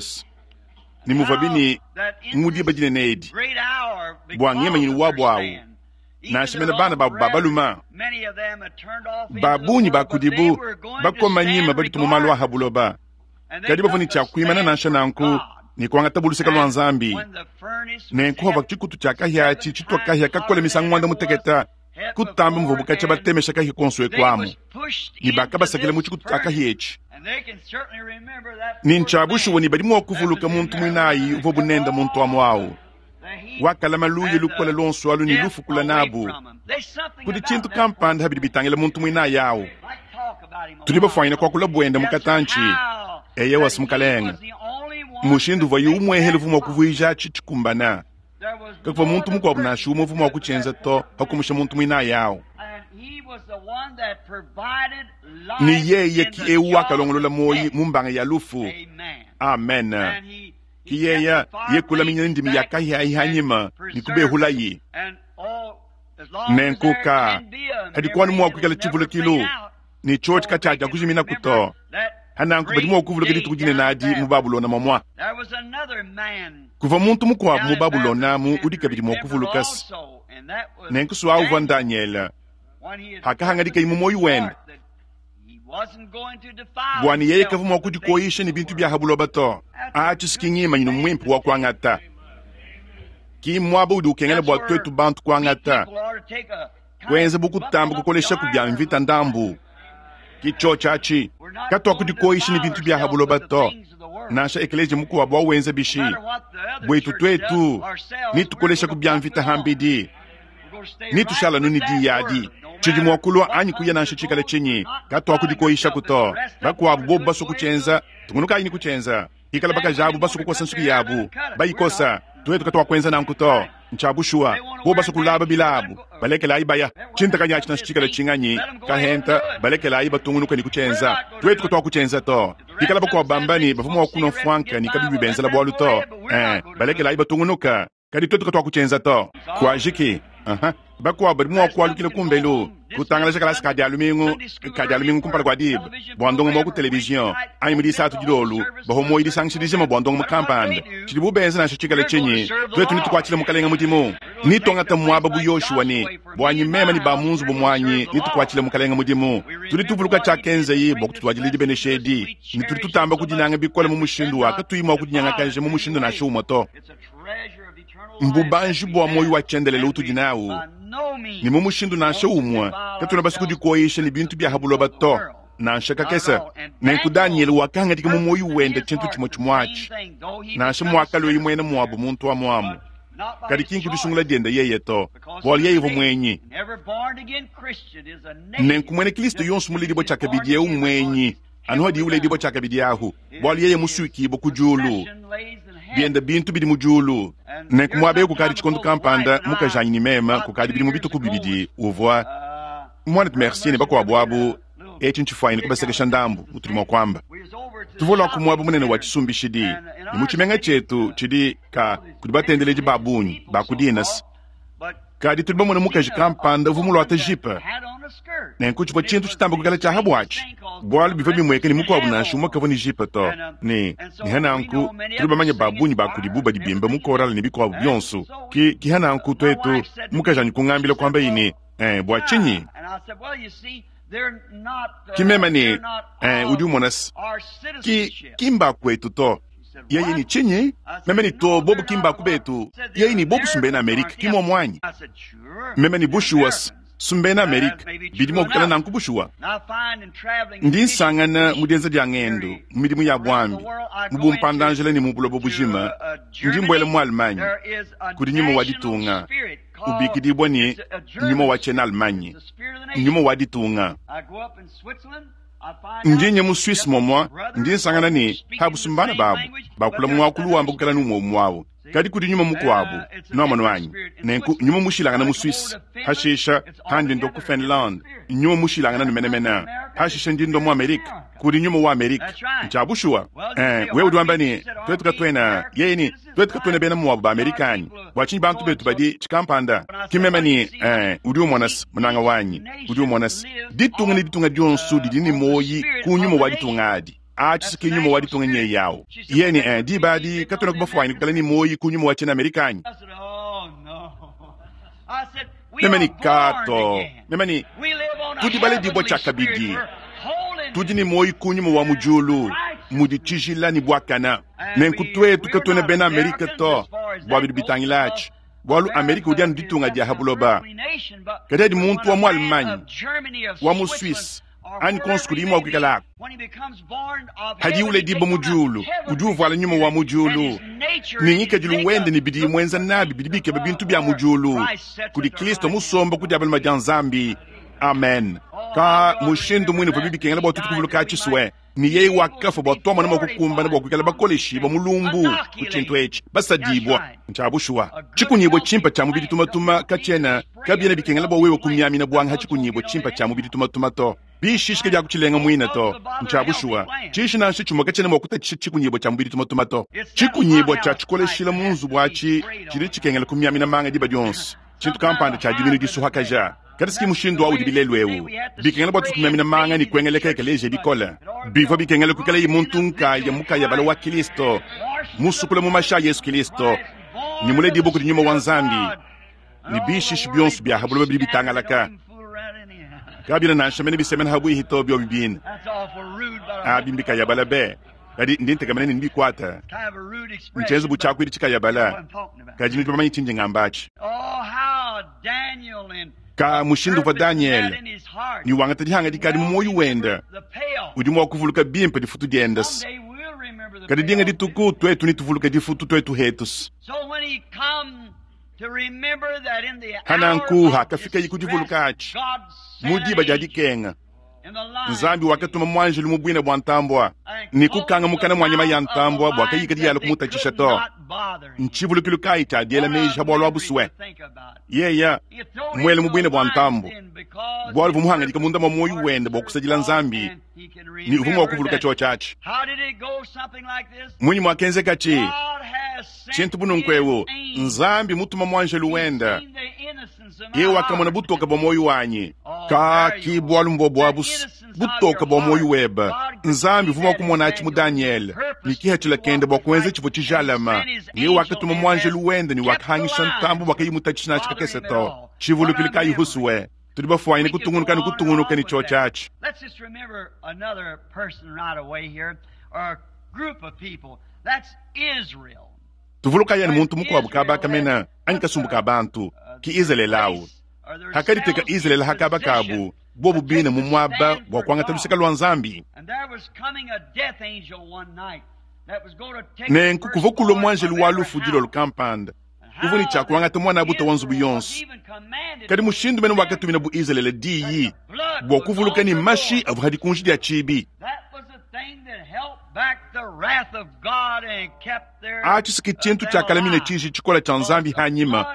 Speaker 1: ne muvuabi ne mu diba dinene edi, bua ngemanyinu wabu au, nansha mene bana babu ba balume, ba bungi ba kudibu bakoma nyima baditua mu malu a ha buloba, kadi bavua ne tshia kuimana nansha nanku ne kuangatabu luseke lua Nzambi. Nenku pavua tshikutu tshia kahia atshi tshitua kahia kakole misangu muanda mutekete, kutamba muvuabu katshia batemesha kahia kuonso eku amu, ne bakabasakila mu tshikutu tshia kahia etshi. Ne ntshia bushuwa ne badi mua kuvuluka muntu muinayi uvuabu nende muntu amu au wakalama luya lukole luonso alu ne lufu kula nabu. Kudi tshintu kampanda pa bidi bitangila muntu muinayi au. Tudi bafuanyine kuakula buende mu katantshi. Eyowa, Mukalenge. Mushindu uvuaye umuehela uvua mua kuvuijatshi tshikumbana. Kakuvua muntu mukuabu nansha umue uvua mua kutshienza to, pa kumusha muntu muinayi au. Ne yeye ki eu wakalongolola muoyo mu mbanga ya lufu. Amen. Ki yeye ye kulaminyina ndimi ya kahia ayi hanyima ne kubehulayi. Nenku ka kadi kuanu mua kuikala tshivulukilu ne tshiotshi katshiadia kujiminaku to. Hananku badi mua kuvuluka dituku dinene adi mu Babulona muamua. Kuvua muntu mukuabu mu Babulona amu udi kabidi mua kuvuluka se, nenku sua uvua Ndanyele pakahangadikaye mu muoyo wende bua ne yeye kavua mua kudikoyisha ne bintu bia ha buloba to. Atshi si ki ngimanyinu muimpe wa kuangata, ki mmuaba udi ukengela bua tuetu bantu kuangata, kuenza bu kutamba kukoleshaku bia mvita ndambu. Ki tshiotshi atshi. Katuakudikoyisha ne bintu bia ha buloba to, nansha ekeleziya mukuabu awenza bishi. Buetu tuetu, netukoleshaku bia mvita hambidi, netushala anu ne diyi adi. Tshidi mua kulua anyi kuya nansha tshikale tshinyi, katuakudikoyishaku to. Bakuabu bobu basue kutshienza, tungunukayi ne kutshienza. Pikala bakaji abu basue kukosa nsuki yabu, bayikosa. Tuetu katuakuenza nanku to. Ntshia bushuwa. Bobu basue kulaba bilabu, balekelayi baya. Tshintakanyi atshi nansha tshikale tshinganyi, kahenta, balekelayi batungunuke ne kutshienza. Tuetu katuakutshienza to. Pikala bakuabu bamba ne, bavua mua kunua mfuanka ne kabiyi bibenzela bualu to, ee, balekelayi batungunuka. Kadi tuetu katuakutshienza to. Kuajiki. Uh-huh. Bakuabu badi mua kualukila kumbelu, kutangalaja kalasa ka Dia lumingu ka Dia lumingu kumpala kua diba bua ndongamu wa ku televizion anyi mu Disatu dilolo bavua muoyo disangisha dijima bua ndongamu kampanda. Tshidibu benza nansha tshikale tshinyi, tuetu netukuatshile Mukalenge mudimu. Netuangate muaba bu Yoshua ne, Buanyi meme ne ba mu nzubu muanyi netukuatshile Mukalenge mudimu. Tudi tuvuluka tshiakenzaye bua kututuadila dibenesha edi, ne tudi tutamba kudinanga bikole mu mushindu wa katuyi mua kudinyangakaja mu mushindu nansha umue to. Mbubanji bua muoyo wa tshiendelele utudi nawu, ne mu mushindu nansha umue katuena basue kudikoyisha ne bintu bia ha buloba to, nansha kakese. Nenku Danyele wakahangadika mu muoyo wende tshintu tshimue tshimue atshi, nansha muakalueye muena muabu muntu amu-amu, kadi ki nku disungula diende yeye to, bualu yeye uvua muenyi. Nenku muena Kristo yonso muledibue tshiakabidi eu mmuenyi anu hadiye uledibua tshiakabidi ahu, bualu yeye musuikibue ku diulu, biende bintu bidi mu diulu. Nenku muaba eu kukadi tshikondo kampanda, mukajanyi ne meme, kukadi bidimu bitue ku bibidi, uvua muanetu Mercier ne bakuabu abu, etshi ntshifuanyine kubasekesha ndambu, mutudi mua kuamba. Tuvua lua ku muaba munene wa tshisumbishidi, ne mu tshimenga tshietu tshidi ka kudi batendeledi ba bungi ba ku dinas. Kadi tudi bamone mukaji kampanda uvua muluate jipe. Nenku tshivua tshintu tshitamba kuikala tshia pa buatshi, bualu bivua bimueka ne mukuabu nansha umue kavua ne jipe to. Ne, ne nanku tudi bamanye ba bungi ba kudibu badi bimba mu korale ne bikuabu bionso. Ki, ki nanku tuetu, mukajanyi kungambila kuambaye ne, Eh, bua tshinyi? Ki meme ne, eh, udi umona se, ki, ki mba kuetu to. Yeye ne tshinyi? Meme ne to, bobu ki mba ku betu. Yeye ne bobu si mbena Amerike, ki muomu anyi? Meme ne bushuwa si mbena Amerike, bidi mua kuikala nanku bushuwa. Ndi nsangana mu dienza dia ngendu, mu midimu ya buambi, mu bumpanda-njila ne mu buloba bujima, ndi mbuela mu Allemagne kudi nyuma wa ditunga ubikidibua ne nyuma wa tshiena-Allemagne, nyuma wa ditunga. Ndi nya mu Suisse momwa, ndi nsangana ne, habusu mbana babu, bakula mwakulu wamba kukala ne umwe umwe awu. Kadi kudi nyuma mukuabu, nwamonu anyi? Nenku nyuma mushilangana mu Suisse, hashisha handi ndua ku Finlande, nyuma mushilangana ne menemene, hashisha ndi ndua mu Amerique, kudi nyuma wa Amerique. Ntshia bushuwa. Ee, wewe udi wamba ne, Tuetu katuena, yeye ne, tuetu katuena bena muabu ba Amerique anyi? Bua tshinyi bantu betu badi tshikampanda? Ki meme ne, Ee, udi umona's, munanga wanyi, udi umona's, ditunga ne ditunga dionso didi ne muoyi ku nyuma wa ditunga adi. Atshi ki nyuma wa ditunga nyeye awu. Yeye ne, Ee, diba adi katuenaku bafuanyine kuikala ne muoyi ku nyuma wa tshiena Amerika anyi? Meme ne, Ka to. Meme ne, Tudi baledibua tshiakabidi. Tudi ne muoyi ku nyuma wa mu diulu, mudi tshijila ne buakana. Nenku tuetu katuena bena Amerika to, bua bidi bitangila atshi, bualu Amerika udi anu ditunga dia ha buloba. Kadi adi muntu wa mu Allemagne, wa mu Suisse, anyi konso kudiyi mua kuikala aku. Padiye uledibua mu diulu, udi uvuala nyuma wa mu diulu, ne ngikadilu wende ne bidiye muenza nabi bidi bikeba bintu bia mu diulu, kudi Kristo musomba ku dia balume dia Nzambi. Amen. Ka mushindu muine uvuabi bikengela bua tuetu kuvuluka tshisue ne yeye wakafua bua tuamona mua kukumbana bua kuikala bakoleshibua mu lumbu ku tshintu etshi, basadibua. Ntshia bushuwa, tshikunyibua tshimpe tshia mubidi tumatuma katshiena kabiena bikengela bua wewe kumiamina buanga ha tshikunyibua tshimpe tshia mubidi tumatuma to. Bishishi kabiakutshilenga muine to. Ntshia bushuwa, tshishi nansha tshimue katshiena mua kutatshisha tshikunyibua tshia mubidi tumatuma to. Tshikunyibua tshia tshikoleshila mu nzubu atshi tshidi tshikengela kumiamina manga diba dionso, tshintu kampanda tshia diminu disuhakaja. Kadi si mushindu au udibi lelu eu. Bikengela bua tuetu kumiamina manga ne kuengeleka ekeleziya bikole. Bivua bikengela kuikalaye muntu nkaya mukayabala wa Kilisto, musukula mu mashi a Yesu Kilisto, ne muledibue kudi Nyuma wa Nzambi, ne bishishi bionso bia ha buloba bidi bitangalaka kabiena nansha mene bisemena ha buihi to biobi bine. Abi mbikayabala be, kadi ndi ntekemena ne nebikuate. Ntshienze bu tshiakuidi tshikayabala, kadi nudi bamanye tshindi ngamba atshi. Ka mushindu uvua Danyele ne wangata dihangadika adi mu muoyo wende, udi mua kuvuluka bimpe difutu diende. Kadi dinga dituku tuetu netuvuluke difutu tuetu hetu. Hananku hakafikaye ku divuluka atshi mu diba dia dikenga, Nzambi wakatuma muanjelu mu buina bua ntambua ne kukanga mukana mua nyama ya ntambua bua kayikadi yalua kumutatshisha to. Ntshivulukilu kayi tshia diela meji ha bualu abu sue? Yeya muele mu buina bua ntambua bualu uvua muhangadika munda mua muoyo wende bua kusadila Nzambi ne uvua mua kuvuluka tshiotshi atshi. Munyi muakenzekatshi? Tshintu bu nunku eu, Nzambi mutuma muanjelu wende, yeye wakamona butoke bua muoyo wanyi. Ka ki bualu mbua buabu butoke bua muoyo webe. Nzambi uvua mua kumona atshi mu Danyele ne kihatshila kende bua kuenza tshivua tshijalama. Yeye wakatuma muanjelu wende ne wakahangisha ntambu bua kayimutatshishi nansha kakese to. Tshivulukilu kayi husue? Tudi bafuanyine kutungunuka ne kutungunuka ne tshiotshi atshi. Tuvulukayi anu muntu mukuabu kaba kamena anyi kasumbu ka bantu, ki Izalele awu. Hakaditeka Izalele ha kaba kabu bobu bine mu muaba bua kuangata luseke lua Nzambi. Nenku kuvua kulua muanjelu wa lufu dilolo kampanda uvua ne tshia kuangata muanabute wa nzubu yonso. Kadi mushindu mene wakatuminabu Izalele diyi bua kuvuluka ne mashi avua ha dikunji dia tshibi. Atshi ke tshintu tshiakalamina tshiji tshikole tshia Nzambi hanyima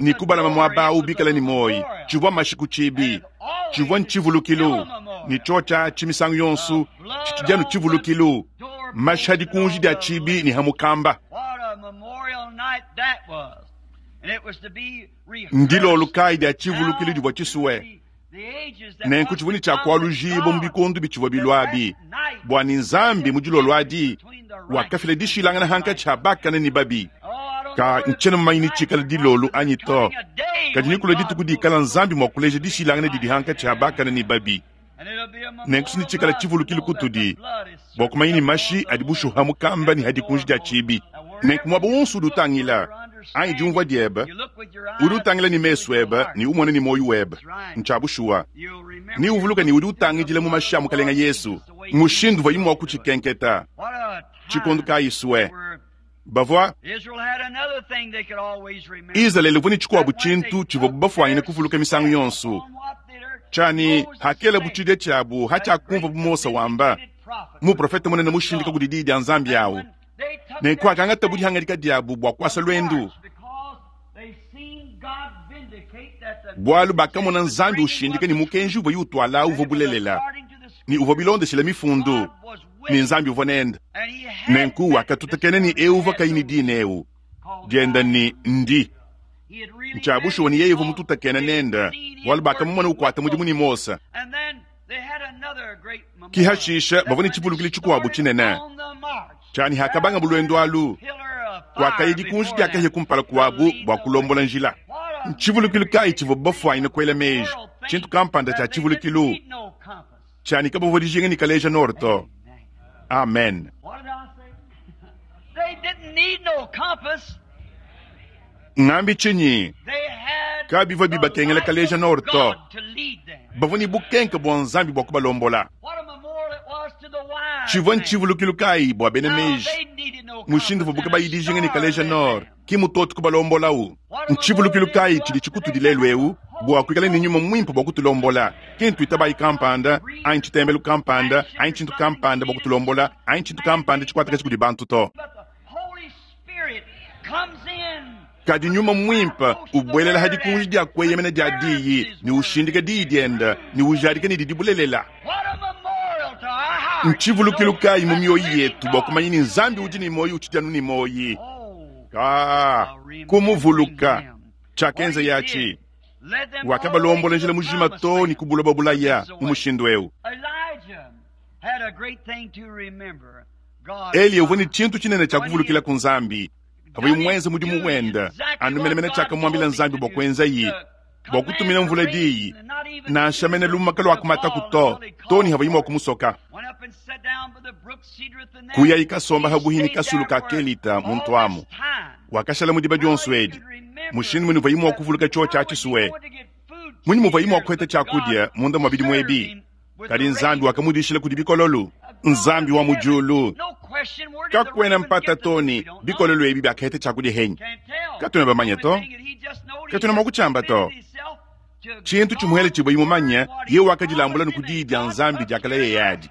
Speaker 1: ne kubalama muaba au bikale ne muoyo. Tshivua mashi ku tshibi, tshivua ntshivulukilu, ne tshiotshi atshi misangu yonso tshitshidi anu tshivulukilu, mashi ha dikunji dia tshibi ne ha mukamba. Ndilolo kayi dia tshivulukilu divua tshisue Nenku tshivua ne tshia kualujibua mu bikondo bitshivua bilua abi, bua ne Nzambi mu dilolo adi wakafila dishilangana hankatshi ha bakane ne babi. Ka ntshiena mumanye ne tshikala dilolo anyi to, kadi nekulue dituku dikala Nzambi mua kuleja dishilangana didi hankatshi ha bakane ne babi. Nenku ne tshikala tshivulukilu kutudi bua kumanya ne mashi adi bushuha mukamba ne ha dikunji dia tshibi. Nenku muaba wonso udi utangila anyi diumvua diebe, udi utangila ne mesu ebe ne umona ne muoyo webe. Ntshia bushuwa. Ne uvuluka ne udi utangidila mu mashi a Mukalenge Yesu. Mushindu uvuaye mua kutshikenketa tshikondo kayi sue. Bavua Izalele uvua ne tshikuabu tshintu tshivuabu bafuanyine kuvuluka misangu yonso. Tshia ne, hakelabu tshidia tshiabu hatshiakumvua bu Mose wamba, muprofete munene mushindika kudi Diyi dia Nzambi awu. Nenku hakangatabu dihangadika diabu bua kuasa luendu, bualu bakamona Nzambi ushindika ne mukenji uvuaye utuala uvua bulelela ne uvua bilondeshile Mifundu, ne Nzambi uvua nende. Nenku wakatutakena ne eu uvua kayi ne dina eu dienda ne Ndi. Ntshia bushuwa ne yeye uvua mututakena nende, bualu bakamumona ukuata mudimu ne Mose. Ki hashisha bavua ne tshivulukilu tshikuabu tshinene tshia ne hakabangabu luendu alu, kuakaya dikunji dia kahia kumpala kuabu bua kulombola njila. Ntshivulukilu kayi tshivuabu bafuanyine kuela meji? Tshintu kampanda tshia tshivulukilu tshia ne kabavua dijinga ne kaleja nord to. Amen. Ngambi tshinyi? Kabivua bibakengela kaleja nord to. Bavua ne bukenke bua Nzambi bua kubalombola. Tshivua ntshivulukilu kayi bua bena meji mushindu uvuabu kabayi dijinga ne kaleja nord ki mutoto kubalombolawu? Ntshivulukilu kayi tshidi tshikutudi lelu eu bua kuikala ne nyuma muimpe bua kutulombola, ki ntuitabayi kampanda anyi tshitembelu kampanda anyi tshintu kampanda bua kutulombola anyi tshintu kampanda tshikuatakaja kudi bantu to. Kadi nyuma muimpe ubuelela ha dikunji dia kueyemena dia Diyi ne ushindika Diyi diende ne ujadika ne didi bulelela. Ntshivulukilu kayi mu mioyo yetu bua kumanya ne Nzambi udi ne muoyo utshidi anu ne muoyo? Ka kumuvuluka tshiakenza atshi, wakabalombola njila mujima too ne ku buloba bulaya mu mushindu eu. Eliya uvua ne tshintu tshinene tshia kuvulukila ku Nzambi pavuaye muenze mudimu wende anu menemene tshiakamuambila Nzambi bua kuenzaye, bua kutumina mvula diyi, nansha mene lumaka lua kumataku to, too ne havuaye mua kumusoka. Kuyayi kasomba habuhi ne kasulu ka Kelita muntu amu. Wakashala mu diba dionso edi. Mushindu munyi uvuaye mua kuvuluka tshiotshi atshi sue? Munyi muvuaye mua kuheta tshiakudia munda mua bidimu ebi? Kadi Nzambi wakamudishila kudi bikololu. Nzambi wa mu diulu, kakuena mpata to ne bikololu ebi biakaheta tshiakudia henyi. Katuena bamanye to, katuena mua kutshiamba to. Tshintu tshimuhele tshivuaye mumanye, yeye wakadilambula ne ku diyi dia Nzambi diakalayeye adi.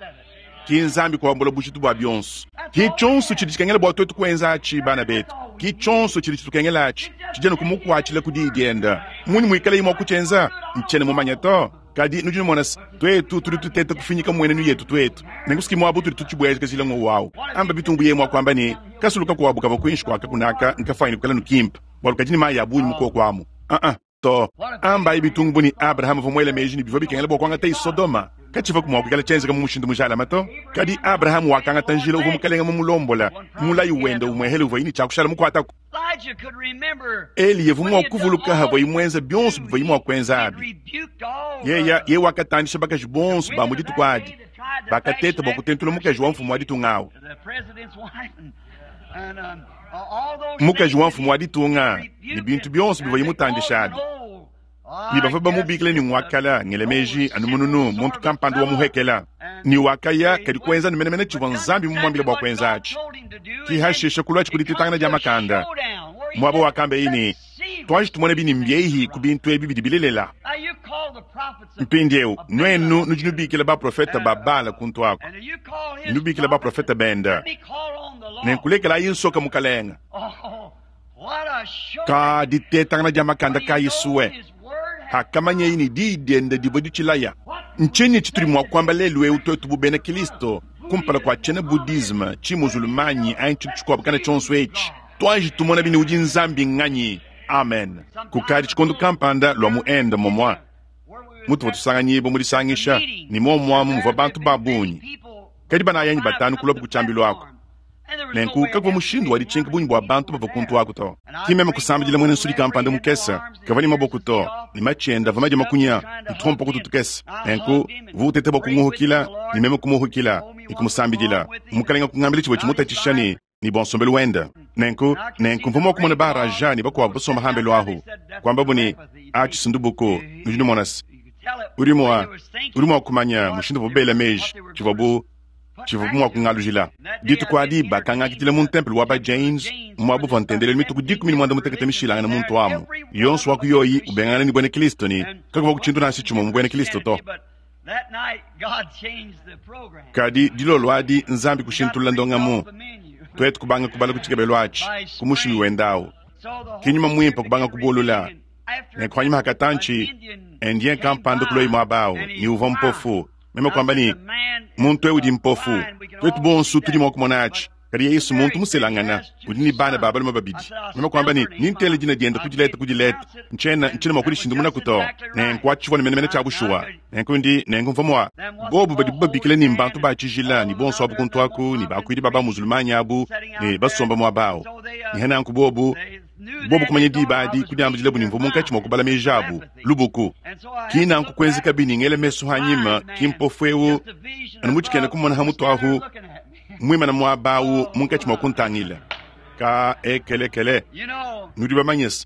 Speaker 1: Ki Nzambi kuambula bujitu bua bionso. Ki tshionso tshidi tshikengela bua tuetu kuenza atshi, bana betu. Ki tshionso tshidi tshitukengela atshi, tshidi anu kumukuatshila ku diyi diende. Munyi muikaleye mua kutshienza? Ntshiena mumanye to. Kadi nudi numona se, tuetu tudi tuteta kufinyika mmuenenu yetu tuetu, nenku si ki muaba utudi tutshibuejikajila ng'wowu au. Amba bitumbu yeye mua kuamba ne, kasulu kakuabu kavua kuinshi kua kakuna aka nkafuanyine kuikala ne kimpe, bualu kadi ne mayi a bungi mu kuoku amu. Aa, to. Ambayi bitungu bu ne, Abrahama uvua muele meji ne, bivua bikengela bua kuangataye Sodoma. Katshivuaku mua kuikala tshienzeka mu mushindu mujalame to. Kadi Abrahama wakangata njila uvua Mukalenge mumulombola, mulayi wende umuehele uvuaye ne tshia kushala mukuataku. Eliya uvua mua kuvuluka havuaye muenza bionso bivuaye mua kuenza abi. Yeya ye wakatandisha bakaji bonso ba mu dituku adi bakateta bua kutentula mukaji wa mfumu wa ditunga awu. Mukaji wa mfumu wa ditunga ne bintu bionso bivuaye mutandisha abi. Ne bavua bamubikila ne ngua kala, ngela meji anu mununu, muntu kampanda wa muhekela. Ne wakaya kadi kuenza ne menemene tshivua Nzambi mumuambile bua kuenza atshi. Ki hashisha kuluatshi ku ditetangana dia makanda, muaba wakambeye ne, Tuanji tumone bi ne mbiehi ku bintu ebi bidi bilelela. Mpindieu nuenu nudi nubikila baprofete ba Bala kuntu aku, nubikila baprofete bende, nenku lekelayi nsoka mukalenge. Ka ditetangana dia makanda kayi sue hakamanyeyi ne diyi diende divua ditshilaya. Ntshinyi tshitudi mua kuamba lelu'eu tuetu bu bena Kristo kumpala kua tshiena Budisme, tshi-Muzulmanyi anyi tshintu tshikuabu kana tshionso etshi? Tuanji tumonabi ne udi Nzambi nnganyi. Amen. Kukadi tshikondo kampanda lua mu Inde momua mutuvua tusanganyibua mu disangisha, ne muomuamu muvua bantu ba bungi. Kadi banayi anyi batanu kuluabu ku tshiambilu aku. Nenku kakuvua mushindu wa ditshinka bungi bua bantu bavua kuntu aku to. Ki meme kusambidila muena nsudi kampanda mukese, kavua ne maboko to, ne matshi ende avua madie makunya ne tuompoku tukese. Nenku uvua uteta bua kunguhukila, ne meme kumuhukila ne kumusambidila. Mukalenge kungambila tshivua tshimutatshisha ne ne bua nsombelu wende. Nenku, nenku mvua mua kumona ba Raja ne bakuabu basomba hambelu ahu, kuambabu ne, Atshi sindubuku, nudi numona se, udi mua, udi mua kumanya mushindu uvuabu bela meji, tshivuabu. Tshivua mua kungalujila. Dituku adi bakangakidila mu ntempelo wa ba Jains, muaba uvua ntendelelu mitue ku 16 mishilangane muntu amu, yonso wa ku yoyi ubengangana ne Buena-Kristo ne kakuvua tshintu nansha tshimue mu Buena-Kristo to. Kadi dilolo adi Nzambi kushintulula ndongamu, tuetu kubanga kubala ku tshikebelu atshi ku mushimi wende au. Ke nyuma muimpe kubanga kubulula. Ne kuanyima ha katantshi, Indien kampanda kuloyi muaba au ne uvua mpofu. Meme kuamba ne, muntu eu udi mpofu. Tuetu bonso tudi mua kumona atshi. Kadi Yesu muntu muselangana udi ne bana ba balume babidi. Meme kuamba ne, nintele dina diende ku dileta ku dileta. Ntshiena ntshiena mua kudishindamunaku to. Nenku atshi tshivua ne menemene tshia bushuwa. Nenku ndi nenku mvua mua bobu badibu babikila ne mbantu ba tshijila ne bonso abu kuntu aku ne bakuidi ba bamuzulumanyi abu ne basomba muaba au. Ne nanku bobu bobu kumanya diba adi kudiambidilabu ne mvua munkatshi mua kubala meji abu lubuku. Ki nanku kuenzekabi ne ngela mesu anyima ki mpofu eu anu mutshikena kumona ha mutu ahu muimana muaba au munkatshi mua kuntangila. Ka ekelekele nudi bamanye se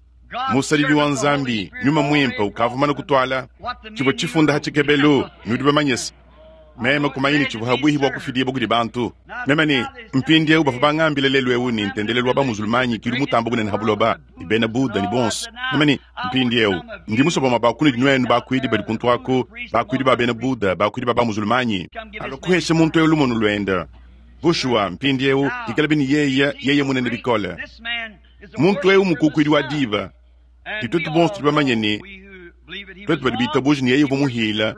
Speaker 1: musadidi wa Nzambi nyuma muimpe ukavua mumane kutuala tshivua tshifunda ha tshikebelu. Nudi bamanye se meme kumanya ne tshivua habuihi bua kufidibua kudi bantu. Meme ne mpindieu bavua bangambile lelu eu ne ntendelelu wa bamuzulumanyi ki udi mutamba bunene ha buloba ne bena Buddha ne bonso. Meme ne mpindieu ndi musue bamue ba kunudi nuenu bakuidi badi kuntu aku, bakuidi ba bena Buddha, bakuidi ba bamuzulumanyi, alua kuhesha muntu eu lumonu luende. Bushuwa mpindieu ikalabi ne yeye yeye munene bikole. Muntu eu mukukuidi wa diba, ne tuetu bonso tudi bamanye ne tuetu badi bitabuje ne yeye uvua muhila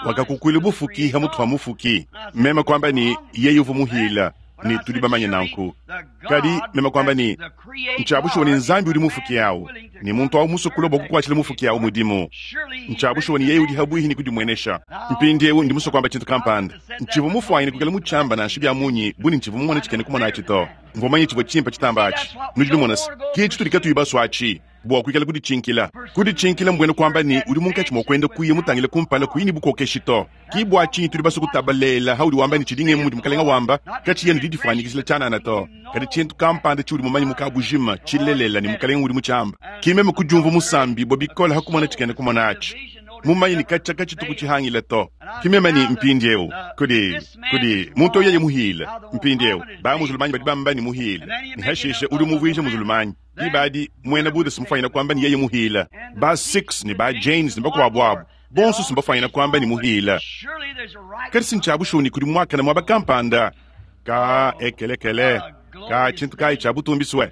Speaker 1: wakakukuila bufuki ha mutu ha mufuki. Meme kuamba ne yeye uvua muhila ne tudi bamanye nanku. Kadi meme kuamba ne ntshia bushuwa ne Nzambi udi mufuki au ne muntu au musue kulua bua kukuatshila mufuki au mudimu. Ntshia bushuwa ne yeye udi habuihi ne kudimuenesha. Mpindieu ndi musue kuamba tshintu kampanda. Ntshivua mufuanyine kuikala mutshiamba nansha bia munyi bu ne ntshivua mumone tshikena kumona atshi to. Mvua mumanye tshivua tshimpe tshitamba atshi. Nudi numona se, ke tshitudi katuyi basue atshi bua kuikala kuditshinkila. Kuditshinkila mbuena kuamba ne udi munkatshi mua kuenda kuya mutangile kumpala kuyi ne bukokeshi to. Ki bua tshinyi tudi basue kutabalela haudi wamba ne tshidi ngemu mudi mukalenga wamba, katshiyi anu didifuanyikijila tshianana to, kadi tshintu kampanda tshiudi mumanye mu kabujima tshilelela ne mukalenga udi mutshiamba. Ki meme kudiumvua musambibue bikole ha kumona tshikena kumona atshi, mumanye ne katshia katshitu kutshihangila to. Ki meme ne mpindieu kudi kudi muntu yeye muhile mpindieu ba muzulumanyi badi bamba ne muhile ne hashishe udi umuvuija muzulumanyi. Diba adi muena Buddha simufuanyina kuamba ne yeye muhile, ba Sikhs ne ba Jains ne bakuabu abu bonso simbafuanyina kuamba ne muhile. Kadi si ntshia bushuwa ne kudi muakane muaba kampanda ka ekelekele ka tshintu kayi tshia butumbi sue.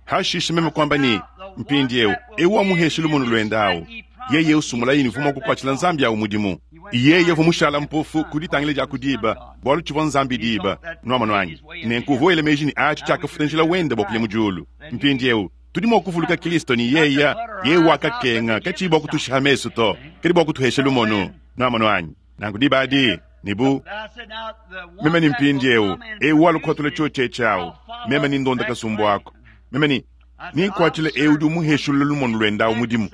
Speaker 1: Hashishe meme kuamba ne mpindieu eu wamuhesha lumonu luende au yeye usumulaye ne uvua mua kukuatshila Nzambi au mudimu. Yeye uvua mushala mpofu ku ditangila dia ku diba, bualu tshivua Nzambi diba. Nuamonu anyi? Nenku uvua wela meji ne atshi tshiakafuta njila wende bua kuya mu diulu. Mpindieu tudi mua kuvuluka Kristo ne yeye yeye wakakenga katshiyi bua kutushiha mesu to, kadi bua kutuhesha lumonu. Nuamonu anyi? Nanku diba adi ne bu meme ne mpindieu eu walua kuhatula tshiotshi etshi au, meme ne ndonda kasumbu ako, meme ne ninkuatshila eu udi umuheshulula lumonu luende au mudimu.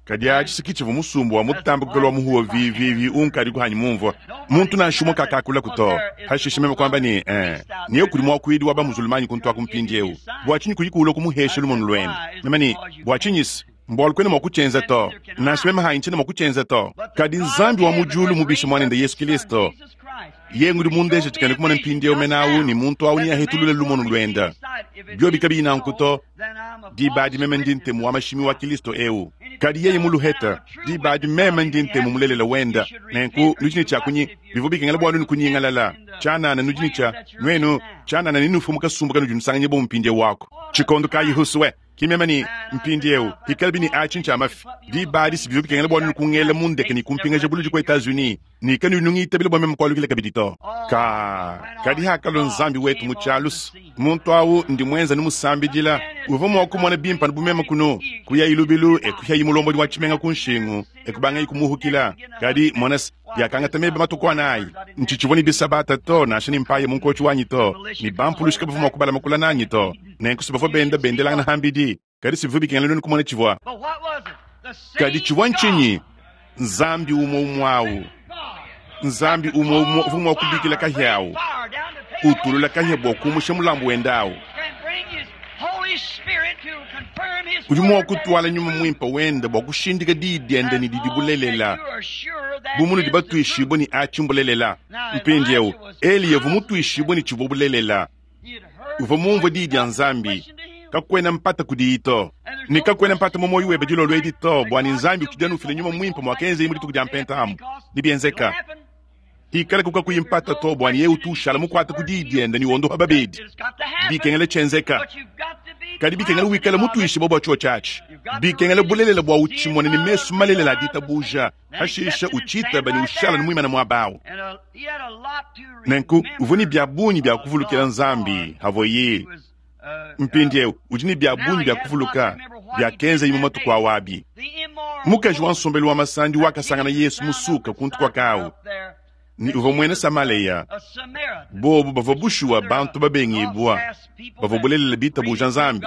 Speaker 1: Kadi atshi si kitshivua musumba wa mutambe kuikala wa muhuwa vivivi unkadi kuhanyi mumvua. Muntu nansha umue kakakulaku to. Hashishe meme kuamba ne, eh, ne kudi muakuidi wa bamuzulumanyi kuntu aku mpindieu. Bua tshinyi kuyi kuulua kumuhesha lumonu luende? Meme ne, bua tshinyi se? Mbualu kuena mua kutshienza to. Nansha meme hanyi tshiena mua kutshienza to. Kadi Nzambi wa mu diulu mubishe muanende Yesu Kristo. Yeye ngudi mundeje tshikena kumona mpindieu mene au ne muntu au neahetulule lumonu luende. Biobi kabiyi nanku to, diba adi meme ndi ntemu wa mashimi wa Kristo eu. Kadi yeye muluhete, diba adi meme ndi ntemu mulelela wende. Nenku nudi ne tshia kunyi bivua bikengela bua nuenu kunyingalala. Tshianana nudi ne tshia nuenu tshianana ne nufu mu kasumbu kanudi nusanganyibua mu mpindieu wako. Tshikondo kayi husue ki meme ne mpindieu ikalabi ne atshi ntshia mafi. Diba adi si bivua bikengela bua nuenu kungela mu ndeke ne kumpingaja buludi ku Etats-Unis ne kanuyi nungitabila bua meme kualukila kabidi to. Ka kadi hakalua Nzambi wetu mu tshialusa, muntu au ndi muenza numusambidila uvua mua kumona bimpe bu meme kunu kuyayi lubilu e kuyayi mulombodi wa tshimenga ku nshingu e kubangayi kumuhukila. Kadi mona se biakangata meba matuku anayi ntshitshivua ne bisabata to nansha ne mpaye mu nkotshi wanyi to ne bampulushi kabavua mua kubala makula nanyi to. Nenku si bavua benda bendelangana hambidi, kadi si bivua bikengela nuenu kumona tshivua. Kadi tshivua ntshinyi? Nzambi umue umue au, Nzambi umue umue uvua mua kubikila kahia au, utulula kahia bua kumusha mulambu wende au. Udi mua kutuala nyuma muimpe wende bua kushindika diyi diende ne didi bulelela. Bu munudi batuishibue ne atshi mbulelela. Mpindieu, Eliya uvua mutuishibue ne tshivua bulelela. Uvua mumvue diyi dia Nzambi. Kakuena mpata kudiyi to. Ne kakuena mpata mu muoyo webe dilolo edi to, bua ne Nzambi utshidi anu ufila Nyuma Muimpe muakenzeye mu dituku dia Mpenta amu. Nebienzeka. Hikalaku kakuyi mpata to, bua ne yeye utu ushala mukuate ku diyi diende ne wondopa babedi. Bikengela tshienzeka. Kadi bikengela wikale mutuishibue bua tshiotshi atshi. Bikengela bulelela bua utshimone ne mesu malelela a ditabuja, pashishe utshitaba ne ushala ne muimane muaba au. Nenku uvua ne bia bungi bia kuvulukila Nzambi havuaye mpindieu udi ne bia bungi bia kuvuluka biakenzaye mu matuku awu abi. Mukaji wa nsombelu wa masandi wakasangana Yesu musuka kuntu kua kawu ne uvua muena Samalea. Bobu bavua bushuwa bantu babengibua, bavua bulelela bitabuja Nzambi.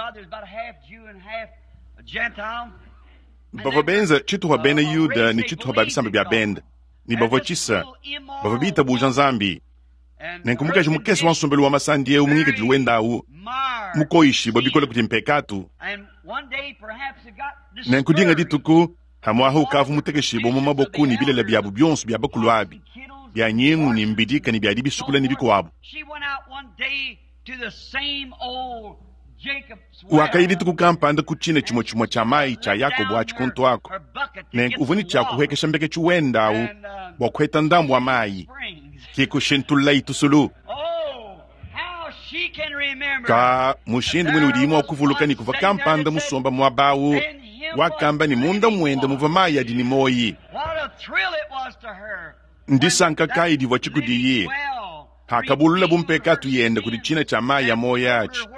Speaker 1: Bavua benza tshituha bena Yuda ne tshituha ba bisamba bia bende, ne bavua tshisa, bavua bitabuja Nzambi. Nenku mukaji mukese wa nsombelu wa masandi eu mu ngikadilu wende au mukoyishibue bikole kudi mpekatu. Nenku dinga dituku hamuaha ukavua mutekeshibue mu maboko ne bilele biabu bionso bia bakulu abi bia nyingu ne mbidika ne bia dibisukula ne bikuabu. Wakaya dituku kampanda ku tshina tshimue tshimue tshia mayi tshia Yakobo atshi kuntu aku. Nenku uvua ne tshia kuhuekesha mbeketshi wende au bua kuheta ndambu wa mayi. Ke kushintululayi tusulu. Ka mushindu mune udiyi mua kuvuluka ne kuvua kampanda musomba muaba au wakamba ne munda muende muvua mayi adi ne muoyi. Ndisanka kayi divua tshikudiyi hakabululabu mpekatu yende kudi tshina tshia mayi a muoyo atshi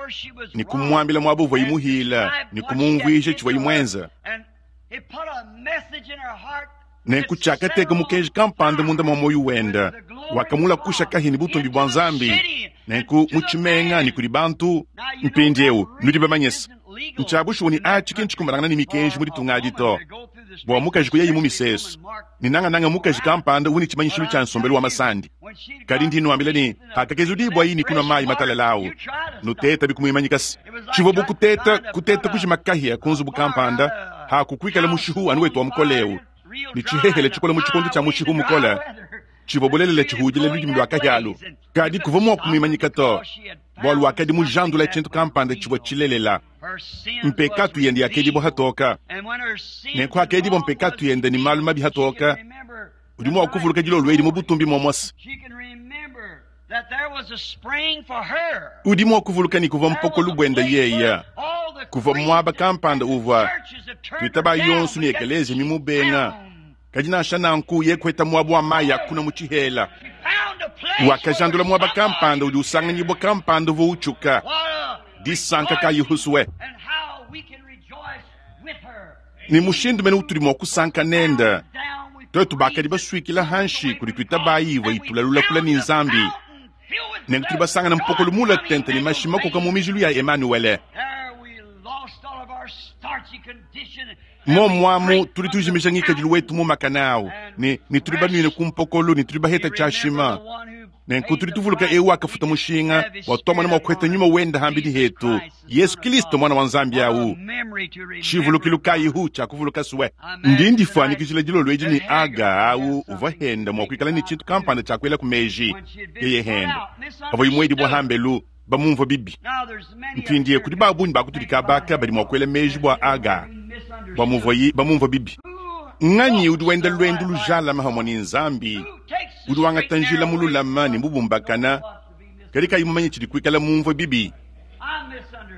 Speaker 1: ne kumuambila muaba uvuaye muhila ne kumumvuija tshivuaye muenza. Nenku tshiakateka mukenji kampanda munda mua muoyo wende, wakamulakusha kahi ne butumbi bua Nzambi, nenku mu tshimenga ne kudi bantu. Mpindieu nudi bamanye se, ntshia bushuwa ne atshi ki ntshikumbanangana ne mikenji mu ditunga adi to, bua mukaji kuyaye mu misesu, ne nangananga mukaji kampanda udi ne tshimanyishilu tshia nsombelu wa masandi. Kadi ndi nnuambila ne, pakakezudibua ne kunua mayi matalala au, nutetabi kumuimanyika se tshivua bu kuteta kuteta kujima kahia ku nzubu kampanda, hakukuikala mushihu anu wetu wa mukole eu, ne tshihehele tshikole mu tshikondo tshia mushihu mukole, tshivua bulelela tshihudila ludimi lua kahia alu. Kadi kuvua mua kumuimanyika to, bualu wakadi mujandula tshintu kampanda tshivua tshilelela. Mpekatu yende yakedibua hatoka. Nenku hakedibua mpekatu yende ne malu mabi hatoka, udi mua kuvuluka dilolo edi mu butumbi muomuose. Udi mua kuvuluka ne kuvua mpokolo buende yeye, kuvua muaba kampanda uvua tuitaba yonso ne ekelezia mimubenga, kadi nansha nanku ye kueta muaba wa mayi akuna mu tshihela. Wakajandula muaba kampanda udi usanganyibua kampanda uvua utshuka. Disanka kayi husue! Ne mushindu mene utudi mua kusanka nende tuetu bakadi basuikila hanshi kudi tuitabayi ivua itulalulakula ne Nzambi, nenku tudi basangana mpokolo mula tente ne mashi makoka mu mijilu ya Emanuele. Momuamu tudi tujimija ngikadilu wetu mu makana au ne, ne tudi banuine ku mpokolo ne tudi baheta tshiashima. Nenku tudi tuvuluka eu wakafuta mushinga bua tuamona mua kuheta nyuma wende hambidi hetu, Yesu Kristo mwana wa Nzambi au. Tshivulukilu kayihu tshia kuvuluka sue. Ndi ndifuanyikijila dilolo edi ne Aga au uvua henda mua kuikala ne tshintu kampanda tshia kuela ku meji. Yeye henda pavua muedibua hambelu bamumvua bibi. Mpindieu kudi ba bungi ba kutudi kabaka badi mua kuela meji bua Aga bua muvuaye bamumvua bibi. Nganyi udi wenda luendu lujalama hamue ne Nzambi, udi wangata njila mululama ne mubumbakana, kadi kayi mumanye tshidi kuikala mumvue bibi?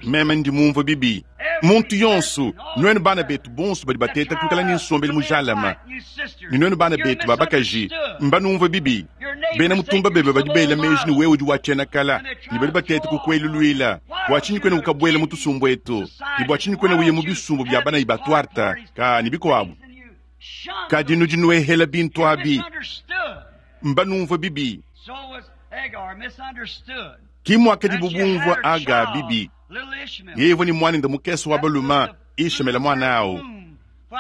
Speaker 1: Meme ndi mumvue bibi. Muntu yonso, nuenu bana betu bonso badi bateta kuikala ne nsombelu mujalama, ne nuenu bana betu ba bakaji, mbanumvue bibi. Bena mutumba bebe badi bela meji ne wewe udi wa tshiena kala, ne badi bateta kukueluluila. Bua tshinyi kuena ukabuela mu tusumbu etu? Ne bua tshinyi kuena uya mu bisumbu bia banayi ba tuarte ka ne bikuabu? Kadi nudi nuehela bintu abi, mbanumvue bibi. Ki muakadibu bumvua Aga bibi. Yeye uvua ne muanende mukese wa balume Ishemele muana au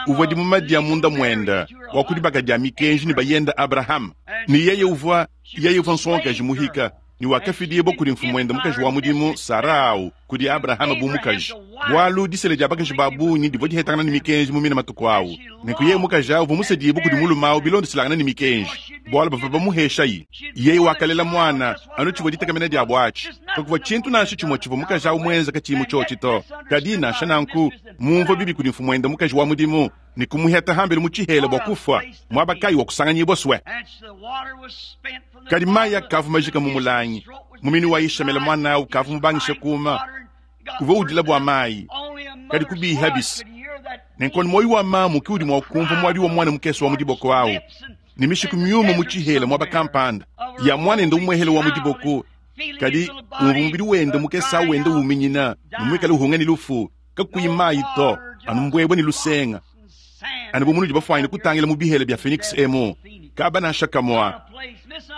Speaker 1: uvua dimuma dia munda muende wa ku dibaka dia mikenji ne bayende Abrahama, ne yeye uvua yeye uvua nsongakaji muhika ne wakafidibua kudi mfumuende mukaji wa mudimu Sara au kudi Abrahama bu mukaji. Bwalu disela dya bakaji ba bungi divwa dihetangana ne mikenji mu mine matuku awu. Nenku yeye mukaji awu uvwa musedibwe kudi mulume awu bilondeselangana ne mikenji, bwalu bavwa bamuheshayi. Yeye wakalela mwana, anu civwa ditekemena dyabo aci. Kakuvwa cintu nansha cimwe civwa mukaji awu mwenze kaciyi mu cyoci to. Kadi, nansha nanku, mumvwa bibi kudi mfumwende mukaji wa mudimu, ne kumuheta hambelu mu cihela bwa kufwa, mwaba kayi wa kusanganyibwa swe. Kadi mayi akavwa majika mu mulangi, muminu wa Yishamele mwana awu kavwa mubangishe kuuma. Uvwa udila bwa mayi, kadi kubiiha bisa. Nenku anu muoyo wa mamu ke udi mua kumvua muadi wa muana mukese wa mu diboko au, ne mishiku miume mu tshihela muaba kampanda ya muanende umuehele wa mu diboko, kadi umvua mubidi wende mukese au wenda uminyina ne muikale uhunga ne lufu, kakuyi mayi to, anu mbuebue ne lusenga. Anu bu munudi bafuanyine kutangila mu bihela bia Phoenix emu, kaba nansha kamua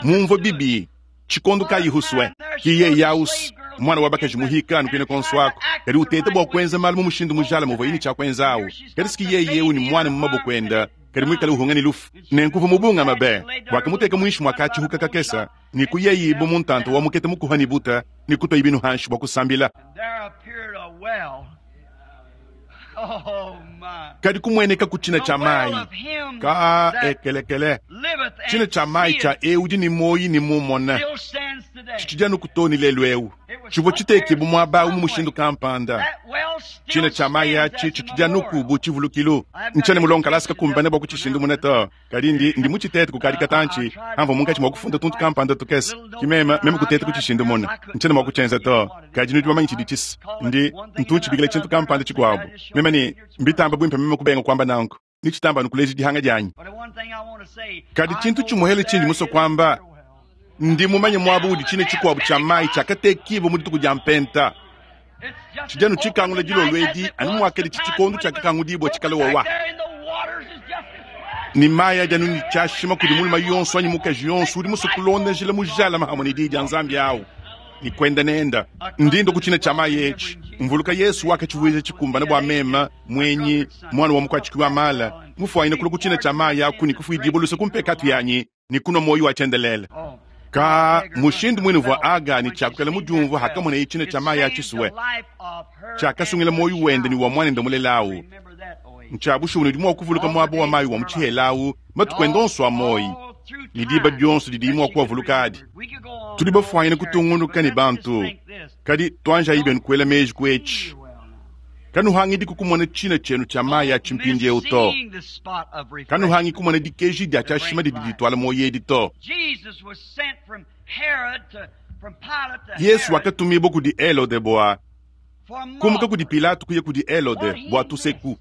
Speaker 1: mumvua bibi. Tshikondo kayi Husue? Ki yeye aus, muana wa bakaji muhika anu kuine konso aku, kadi uteta bua kuenza malu mu mushindu mujalame uvuaye ne tshia kuenza au. Kadi si ki yeye eu ne muana mu maboko enda, kadi muikale uhunga ne lufu. Nenku uvua mubungame be! Wakamuteka muinshi mua katshihuka kakese, ne kuyayi bu mu ntanta wa mukete mukuha ne buta, ne kutuayi binu hanshi bua kusambila. Kadi kumueneka ku tshina tshia mayi ka ekelekele, tshina tshia mayi tshia eu udi ne muoyo ne mumona, tshitshidi anu too ne lelu eu. Tshivua tshitekibue muaba au mu mushindu kampanda. Tshina tshia mayi atshi tshitshidi anuku bu tshivulukilu. Ntshiena mulonge kalasa kakumbane bua kutshishindumuna to. Kadi ndi, ndi mutshitete kukadi katantshi, amvua munkatshi mua kufunda tuntu kampanda tukese. Ki meme, meme kuteta kutshishindumuna. Ntshiena mua kutshienza to. Kadi nudi bamanye tshidi tshisa. Ndi, ntu ntshibikila tshintu kampanda tshikuabu. Meme ne, mbitamba buimpe meme kubenga kuamba nanku. Netshitamba anu kuleja dihanga dianyi. Kadi tshintu tshimuehele tshindi musue kuamba, ndi mumanye muaba udi tshina tshikuabu tshia mayi tshiakatekibua mu dituku dia Mpenta. Tshidi anu tshikangula dilolo edi anu muakaditshi tshikondo tshiakakangudibua tshikale wawa. Ne mayi adi anu ne tshiashima kudi mulume yonso anyi mukaji yonso udi musue kulonda njila mujalame hamue ne Diyi dia Nzambi awu ne kuenda nenda. Ndi ndua ku tshina tshia mayi etshi, mvuluka Yesu wakatshivuija tshikumbane bua meme, muenyi, muana wa mukuatshiki wa mala, mufuanyine kulua ku tshina tshia mayi aku ne kufuidibua luse ku mpekatu yanyi ne kunua muoyo wa tshiendelele. Ka mushindu muine uvua Aga ne tshiakukala mudiumvua hakamoneye tshina tshia mayi a tshisue tshiakasungila muoyo wende ne wa muanende mulela au. Ntshia bushuwa ne udi mua kuvuluka muaba wa mayi wa mu tshihela au matuku ende onso a muoyo ne diba dionso didiye mua kuavuluka adi. Tudi bafuanyine kutungunuka ne bantu, kadi tuanjayi bienu kuela meji ku etshi. Kanuhangidiku kumona tshina tshienu tshia mayi atshi mpindieu to. Kanuhangi kumona dikeji dia tshiashima didi dituala muoyo edi to. Yesu wakatumibua kudi Helode bua kumuka kudi Pilato kuya kudi Helode bua tuseku.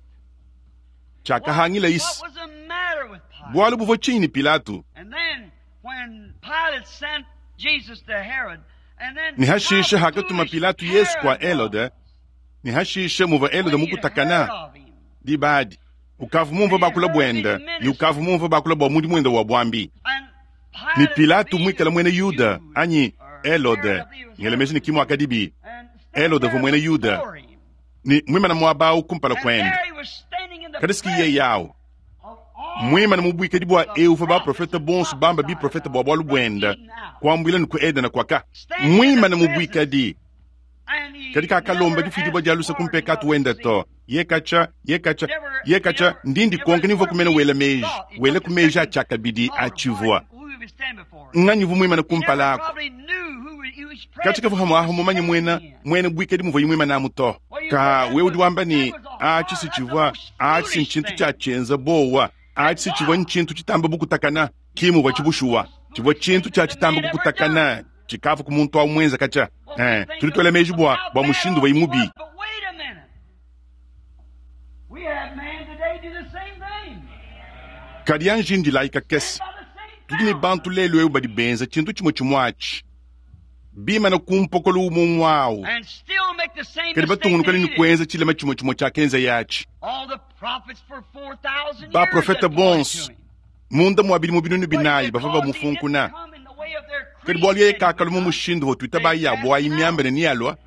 Speaker 1: Tshiakahangila isi. Bualu buvua tshinyi ne Pilato? Ne hashishe hakatuma Pilato Yesu kua Helode, ne hashishe muvua Helode mukutakana diba adi, ukavua mumvue bakula buende ne ukavua mumvue bakula bua mudimu wende wa buambi. Ne Pilato muikale muena Yuda anyi Helode, ngela meji ne ki muakadibi, Helode uvua muena Yuda ne muimana muaba au kumpala kuende. Kadi si yeye au muimane mu buikadi bua eu uvua baprofete bonso bamba biprofete bua bualu buende, kuambuila ne ku Edena kuaka muimane mu buikadi. Kadi kakalomba difidibua dia luse ku mpekatu wende to. Ye katshia, ye katshia, ye katshia, ndi ndikonka ni mvua kumena wela meji, wela ku meji a tshiakabidi a tshivua. Nganyi uvua muimane kumpala aku? Katshia kavua hamuaha mumanye muena muena buikadi muvuaye muimane amu to. Ka wewe udi wamba ne, atshi si tshivua, atshi si ntshintu tshia tshienza bowa, atshi si tshivua ntshintu tshitamba bukutakana. Ki muvua tshibushuwa, tshivua tshintu tshia tshitamba kukutakana tshikavua ku muntu au muenza katshia. Eh, tudi tuela meji bua bua mushindu uvuaye mubi. Kadi anji indilayi kakese. Tudi ne bantu lelu eu badi benza tshintu tshimue tshimue atshi, bimana ku mpokolo umue umue au, kadi batungunuka ne kuenza tshilema tshimue tshimue tshiakenzaye atshi. Baprofete bonso munda mua bidimu binunu binayi bavua bamufunkuna, kadi bualu yeye kakalua mu mushindu uvua tuitabayi yabu ayi miambe ne nealua,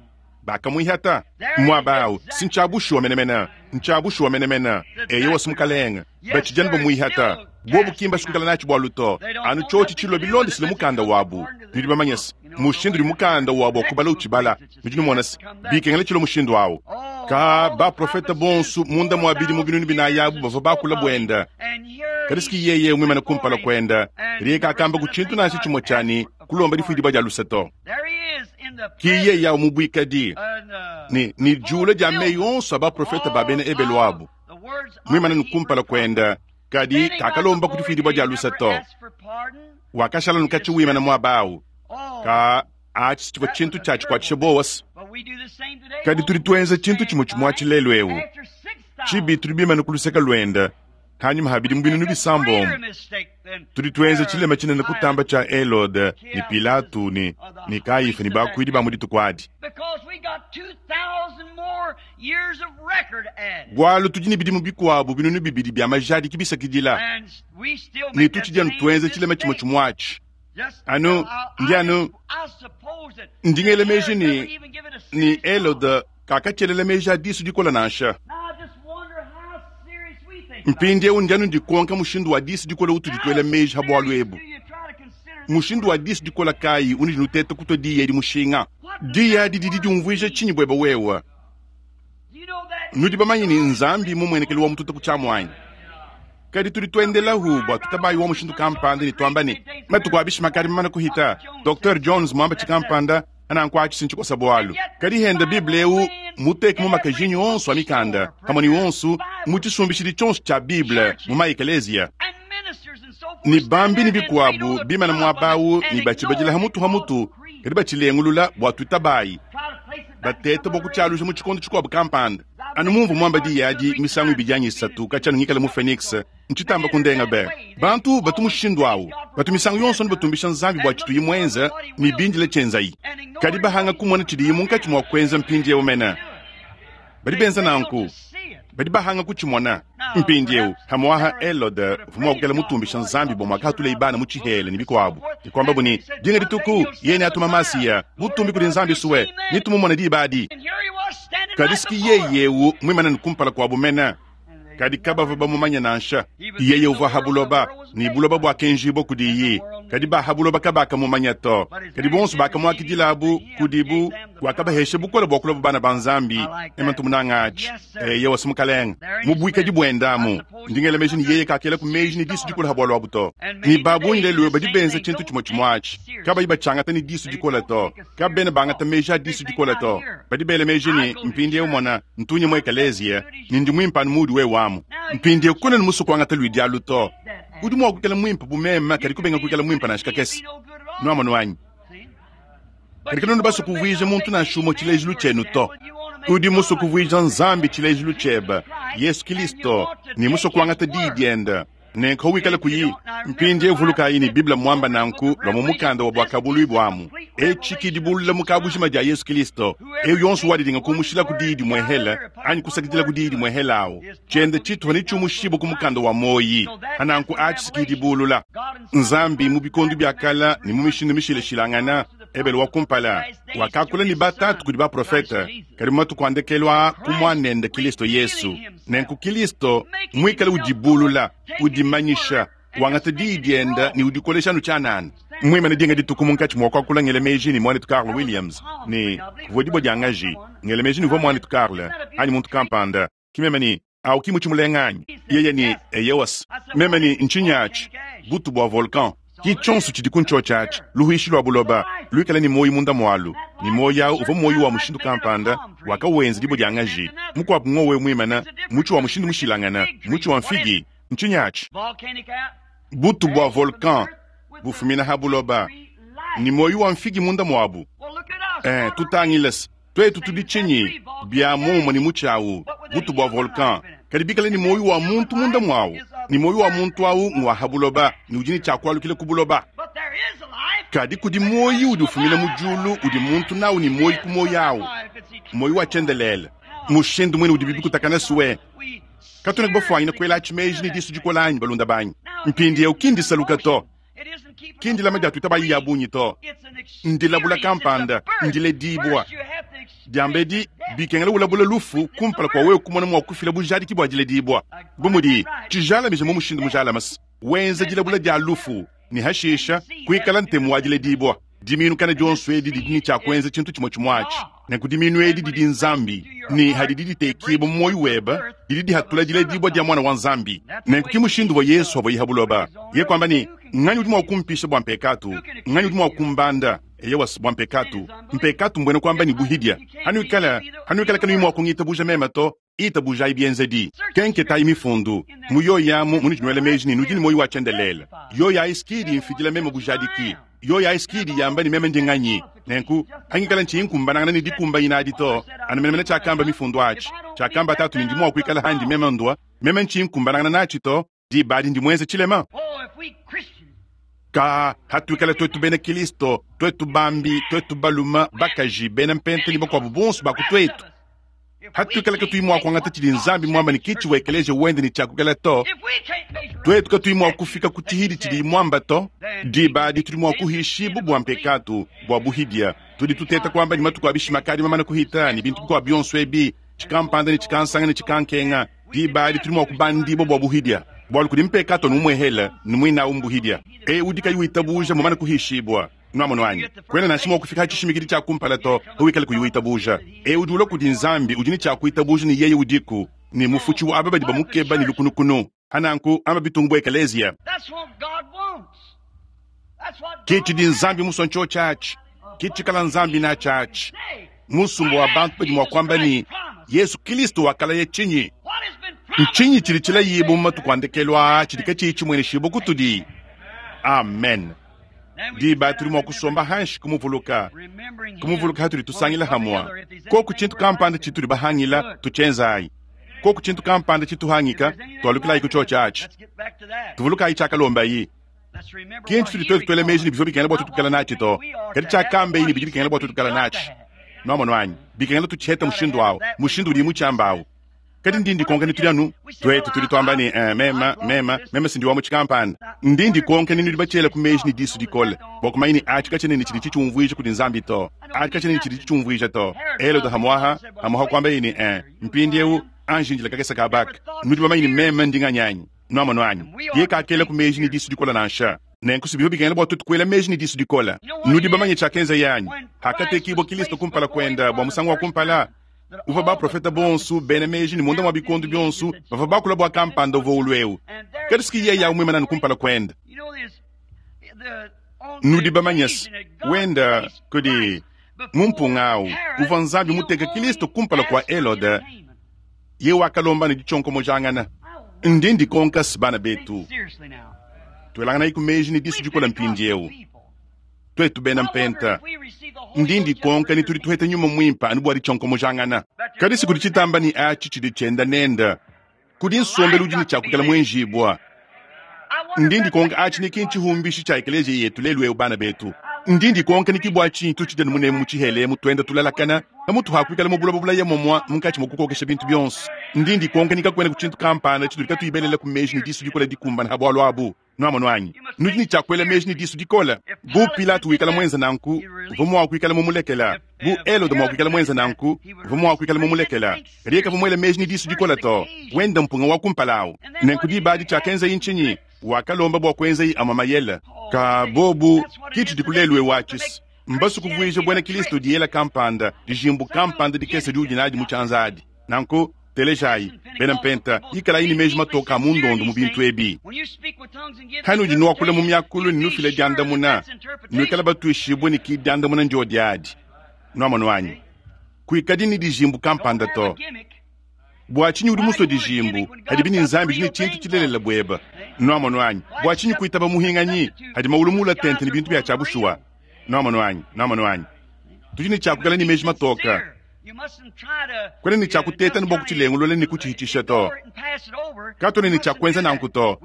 Speaker 1: bakamuihata muaba au. Si ntshia bushuwa menemene, ntshia bushuwa menemene. Eyowa, si mukalenge, batshidi anu bamuihata. Bobu ki mbasukukala natshi bualu to, anu tshiotshi tshilua bilondeshile mukanda wabu. Nudi bamanye se, mushindu udi mukanda wabu wa kubala utshibala, nudi numona se, bikengela tshilua mushindu au. Ka baprofete bonso munda mua bidimu 4000 abu bavua bakula buenda. Kadi siki yeye muimane kumpala kuenda, kadi kakamba ku tshintu nansha tshimue tshia ne kulomba difuidibua dia luse to. Ki yeye awu mu buikadi ne ne diula dia meyi onso a baprofete ba bena Ebelu abu muimane ne kumpala kuenda, kadi kakalomba ku difuidibua dia luse to. Wakashala nukatshi wimana muaba awu. Ka atshi tshivua tshintu tshia tshikuatshisha buowa. Kadi tudi tuenza tshintu tshimue tshimue atshi lelu eu. Tshibi tudi bimane ku luseke luenda hanyima ha bidimu 6000. Tudi tuenza tshilema tshinene kutamba tshia Helode ne Pilato ne ne Kayifa ne bakuidi ba mu dituku adi. Bualu tudi ne bidimu bikuabu 2000 bia majadiki bisakidila, ne tutshidi anu tuenza tshilema tshimue tshimue atshi. Anu ndi anu ndi ngela meji ne ne Helode kakatshelela meji a disu dikola nansha. Mpindieu ndi anu ndikonka mushindu wa disu dikola utudi tuela meji ha bualu ebu. Mushindu wa disu dikola kayi unudi nuteta kutua diyi edi mushinga? Diyi adi didi diumvuija tshinyi buebe wewe? Nudi bamanye ne Nzambi mumuenekelu wa mututa ku tshiamu anyi? Kadi tudi tuendelahu bua tutabayi wa mushindu kampanda ne tuamba ne matuku a bishima kadi mamana kuhita. Dr. Jones muamba tshikampanda ananku atshi sintshikosa bualu. Kadi henda Bible eu muteke mu makajinyi onso a mikanda pamue ne onso mu tshisumbishidi tshionso tshia Bible mu maekeleziya ne bambi ne bikuabu bimana muaba awu ne batshibadila ha mutu ha mutu, kadi batshilengulula bua tuitabayi bateta bua kutshialuja mu tshikondo tshikuabu kampanda. Anu mumvua muamba diyi adi misangu ibidi anyi isatu katshia anu ngikale mu Phoenix, ntshitamba kundenga be. Bantu batu mushindu awu, batu misangu yonso anu batumbisha Nzambi bua tshituyi muenza ne bindile tshienzayi, kadi bahanga kumona tshidiyi munkatshi mua kuenza mpindieu mene. Badi benza nanku, badi bahanga kutshimona. Mpindieu hamuaha Helode uvua mua kuikala mutumbisha Nzambi bua muakahatuleye bana mu tshihela ne bikuabu, ne kuambabu ne dinga dituku yeye neatuma Masiya, butumbi kudi Nzambi suwe, ne tumumone diba adi. Kadi siki yeye eu muimane ne kumpala kuabu mene, kadi kabavua bamumanye nansha. Yeye uvua ha buloba, ne buloba buakenjibua kudiyi, kadi ba ha buloba kabakamumanya to. Kadi bonso bakamuakidilabu kudibu, wakabahesha bukole bua kulua bana ba Nzambi. Ema ntumunanga atshi. Eyewa si mukalenge mu buikadi buendamu. Ndi ngela meji ne yeye kakela ku meji ne disu dikola ha bualu abu to. Ne ba bungi lelu badi benza tshintu tshimue tshimue atshi, kabayi batshiangata ne disu dikola to. Kabena bangata meji a disu dikola to. Badi bela meji ne, mpindieu mona, ntunye mu ekeleziya, ne ndi muimpe anu muudi wewe amu. Mpindieu kuena ne musue kuangata luidi alu to. Udi mua kuikala muimpe bu meme, kadi kubenga kuikala muimpe nansha kakese. Nuamonu anyi? Kadi kanuena basue kuvuija muntu nansha umue tshilejilu tshienu to. Udi musue kuvuija Nzambi tshilejilu tshiebe, Yesu Kilisto, ne musue kuangata diyi diende. Nenku wikale kuyi mpindieu vulukayi ne Bible muamba nanku lua mu mukanda wa Buakabuluibua amu. Etshi ki dibulula mu kabujima dia Yesu Kilisto. Eu yonso wadidinga kumushila ku diyi dimuehele anyi kusakidila ku diyi dimuehele awu, tshiende tshituha netshiumushibue ku mukanda wa muoyi. Hananku atshi ki dibulula. Nzambi mu bikondo bia kala ne mu mishindu mishilashilangana, Ebele wa kumpala wakakula ne batatu kudi baprofete, kadi mu matuku a ndekelu aa ku Muanende Kilisto Yesu. Nenku Kilisto muikale udibulula, udimanyisha, wangata diyi diende ne udikolesha anu tshianana. Muimane dinga dituku munkatshi mua kuakula ngela meji ne muanetu Carl Williams ne kuvua dibue dia ngaji. Ngela meji ne uvua muanetu Carl anyi muntu kampanda. Ki meme ne, Awu ki mutshi mulenga anyi? Yeye ne, Eyowa. Meme ne, Ntshinyi atshi? Butu bua volcan. Ki tshionso tshidi ku ntshiotshi atshi, luhuishi lua buloba, luikale ne muoyo munda mualu. Ne muoyo awu uvua muoyo wa mushindu kampanda, wakawenza dibue dia ngaji. Mukuabu ngowe muimane, mutshi wa mushindu mushilangane, mutshi wa mfigi. Ntshinyi atshi? Butu bua volcan bufumina ha buloba, ne muoyo wa mfigi munda muabu. Tutangile tuetu tudi tshinyi? Bia muomumue ne mutshi awu, butu bua volcan, kadi bikale ne muoyo wa muntu munda muawu, ne muoyo wa muntu awu ngua ha buloba ne udi ne tshia kualukila ku buloba. Kadi kudi muoyo udi ufumina mu diulu udi muntu nawu ne muoyo ku muoyo awu, muoyo wa tshiendelele. Mushindu muine udibi bikutakana suwe, katuena bafuanyine kuela atshi meji ne disu dikola anyi, balunda banyi? Mpindieu ki ndisaluka to, ki ndilama dia tuitabayi ya bungi to, ndilabula kampanda, ndiledibua. Diambedi bikengela ulabula lufu kumpala kua wewe kumona mua kufila bujadiki bua diledibua. Bu mudi tshijalamija mu mushindu mujalame, wenza dilabula dia lufu ne hashisha kuikala ntemu wa diledibua. Diminu kana dionso edi didi ne tshia kuenza tshintu tshimue tshimue atshi. Nenku diminu edi didi Nzambi. Ne hadidi ditekibua mu muoyo webe, didi dihatula diledibua dia Muana wa Nzambi. Nenku ki mushindu uvua Yesu avuaye ha buloba. Yeye kuamba ne, Nganyi udi mua kumpisha bua mpekatu? Nganyi udi mua kumbanda? Eyowa, bua mpekatu. Mpekatu mbuena kuamba ne buhidia. Hanuikala, hanuikala kanuyi mua kungitabuja meme to, itabujayi bienzedi. Kenketayi mifundu. Mu yoyi amu munudi nuela meji ne nudi ne muoyo wa tshiendelele. Yoyi ayi si idi imfidila meme bujadiki. Yoyi ayi si idi yamba ne meme ndi nganyi. Nenku, hangikala ntshiyi nkumbanangana ne dikumbanyina adi to, anu menemene tshiakamba mifundu atshi, tshiakamba Tatu ne ndi mua kuikala handi meme ndua, meme ntshiyi nkumbanangana natshi to, diba adi ndi muenze tshilema. Ka, hatuikala tuetu bena Kilisto, tuetu bambi, tuetu balume, bakaji, bena mpenta ne bakuabu bonso ba ku tuetu, hatuikala katuyi mua kuangata tshidi Nzambi muamba ne kitshi wa ekeleziya wende ne tshiakukala to, tuetu katuyi mua kufika ku tshihidi tshidiyi muamba to, diba adi tudi mua kuhishibua bua mpekatu, bua buhidia. Tudi tuteta kuamba ne matuku a bishima akadi mamane kuhita ne bintu bikuabu bionso ebi, tshikampanda ne tshikansanga ne tshikankenga, diba adi tudi mua kubandibua bua buhidia, bualu kudi mpekato anu umuehele ne muinawu mbuhidia. Eu udi kayi witabuja mumane kuhishibua. Nuamonu anyi? Kuena nansha mua kufika ha tshishimikidi tshia kumpala to, pawikala kuyi witabuja. Eu udi ulua kudi Nzambi udi ne tshia kuitabuja ne yeye udiku, ne mufutshi wa aba badi bamukeba ne lukunukunu. Ha nanku, amba bitungu bu ekeleziya. Ke tshidi Nzambi musue ntshiotshi atshi. Ke tshikala Nzambi natshi atshi. Musumba wa bantu badi mua kuamba ne, Yesu Kilisto wakalaya tshinyi? Ntshinyi tshidi tshilayibua mu matuku a ndekelu aa tshidi katshiyi tshimueneshibua kutudi? Amen. Diba tudi mua kusomba hanshi kumuvuluka, kumuvuluka hatudi tusangila hamua. Koku tshintu kampanda tshitudi bahangila, tutshienzayi. Koku tshintu kampanda tshituhangika, tualukilayi ku tshiotshi atshi. Tuvulukayi tshiakalombayi. Ki ntshitudi tuetu tuela meji ne bivua bikengela bua tuetu kukala natshi to, kadi tshiakambayi ne bidi bikengela bua tuetu kukala natshi. Nuamonu anyi? Bikengela tutshihete mushindu awu, mushindu udiyi mutshiamba awu. Kadi ndi ndikonka ne tudi anu tuetu tudi tuamba ne, eh, mema, mema, mema si ndi wa mu tshikampanda. Ndi ndikonka ne nudi batshiela ku meji ne disu dikole bua kumanya ne atshi katshiena ne tshidi tshitshiumvuija kudi Nzambi to. Atshi katshiena ne tshidi tshitshiumvuija to. Helode hamuaha, hamuaha kuambaye ne, eh, mpindieu anji indila kakese kaba aka. Nudi bamanye ne meme ndi nganyi anyi? Nuamonu anyi? Yeye kakela ku meji ne disu dikole nansha. Nenku si bivua bikengela bua tuetu kuela meji ne disu dikole. Nudi bamanye tshiakenzaye anyi? Hakatekibua Kilisto kumpala kuende bua musangu wa kumpala, uvua baprofete bonso bena meji ne munda mua bikondo bionso bavua bakula bua kampanda uvua ulua eu. Kadi si yeye au muimane anu kumpala kuende. Nudi bamanye se, wenda kudi mu mpunga au uvua Nzambi muteke Kilisto kumpala kua Helode, yeye wakalomba ne ditshionkomojangana. Ndi ndikonka se, bana betu, tuelanganayi ku meji ne disu dikole mpindieu. Tuetu bena mpenta, ndi ndikonka ne tudi tuheta nyuma muimpe anu bua ditshionkomojangana. Kadi si kudi tshitamba ne atshi tshidi tshienda nenda. Kudi nsombelu udi ne tshia kuikala muenjibua. Ndi ndikonka atshi ne ki ntshihumbishi tshia ekeleziya yetu lelu eu, bana betu. Ndi ndikonka ne ki bua tshinyi tutshidi anu munemu mu tshihela emu tuenda tulalakana pamutu ha kuikala mu buloba bulaya momua munkatshi mua kukokesha bintu bionso. Ndi ndikonka ne kakuena ku tshintu kampanda tshitudi katuyi belela ku meji ne disu dikole dikumbana ha bualu abu. Nuamonu anyi? Nudi ne tshia kuela meji ne disu dikole. Bu Pilato wikala muenze nanku, uvua mua kuikala mumulekela. Bu Helode mua kuikala muenze nanku, uvua mua kuikala mumulekela. Kadi yeye kavua muele meji ne disu dikole to. Wenda mpunga wa kumpala au. Nenku diba adi tshiakenzaye ntshinyi? Wakalomba bua kuenzaye amue mayele. Ka bobu, ki tshidiku lelu'eu atshi. Mbasue kuvuija buena Kristo diyela kampanda, dijimbu kampanda dikese diudi nadi mu tshianza adi. Nanku, telejayi, bena mpenta, ikalayi ne meji matoke a mu ndondo mu bintu ebi. Hanudi nuakula mu miakulu ne nufila diandamuna, nuikale batuishibue ne ki diandamuna ndiodi adi. Nuamonu anyi? Kuikadi ne dijimbu kampanda to. Bua tshinyi udi musue dijimbu, hadibi ne Nzambi udi ne tshintu tshilelela buebe? Nuamonu anyi? Bua tshinyi kuitaba muhinganyi, hadi mawulu mula tente ne bintu bia tshia bushuwa? Nuamonu anyi? Nuamonu anyi? Tudi ne tshia kuikala ne meji matoke. Kuena ne tshia kuteta ne bua kutshilengulula ne kutshihitshisha to. Katuena ne tshia kuenza nanku to.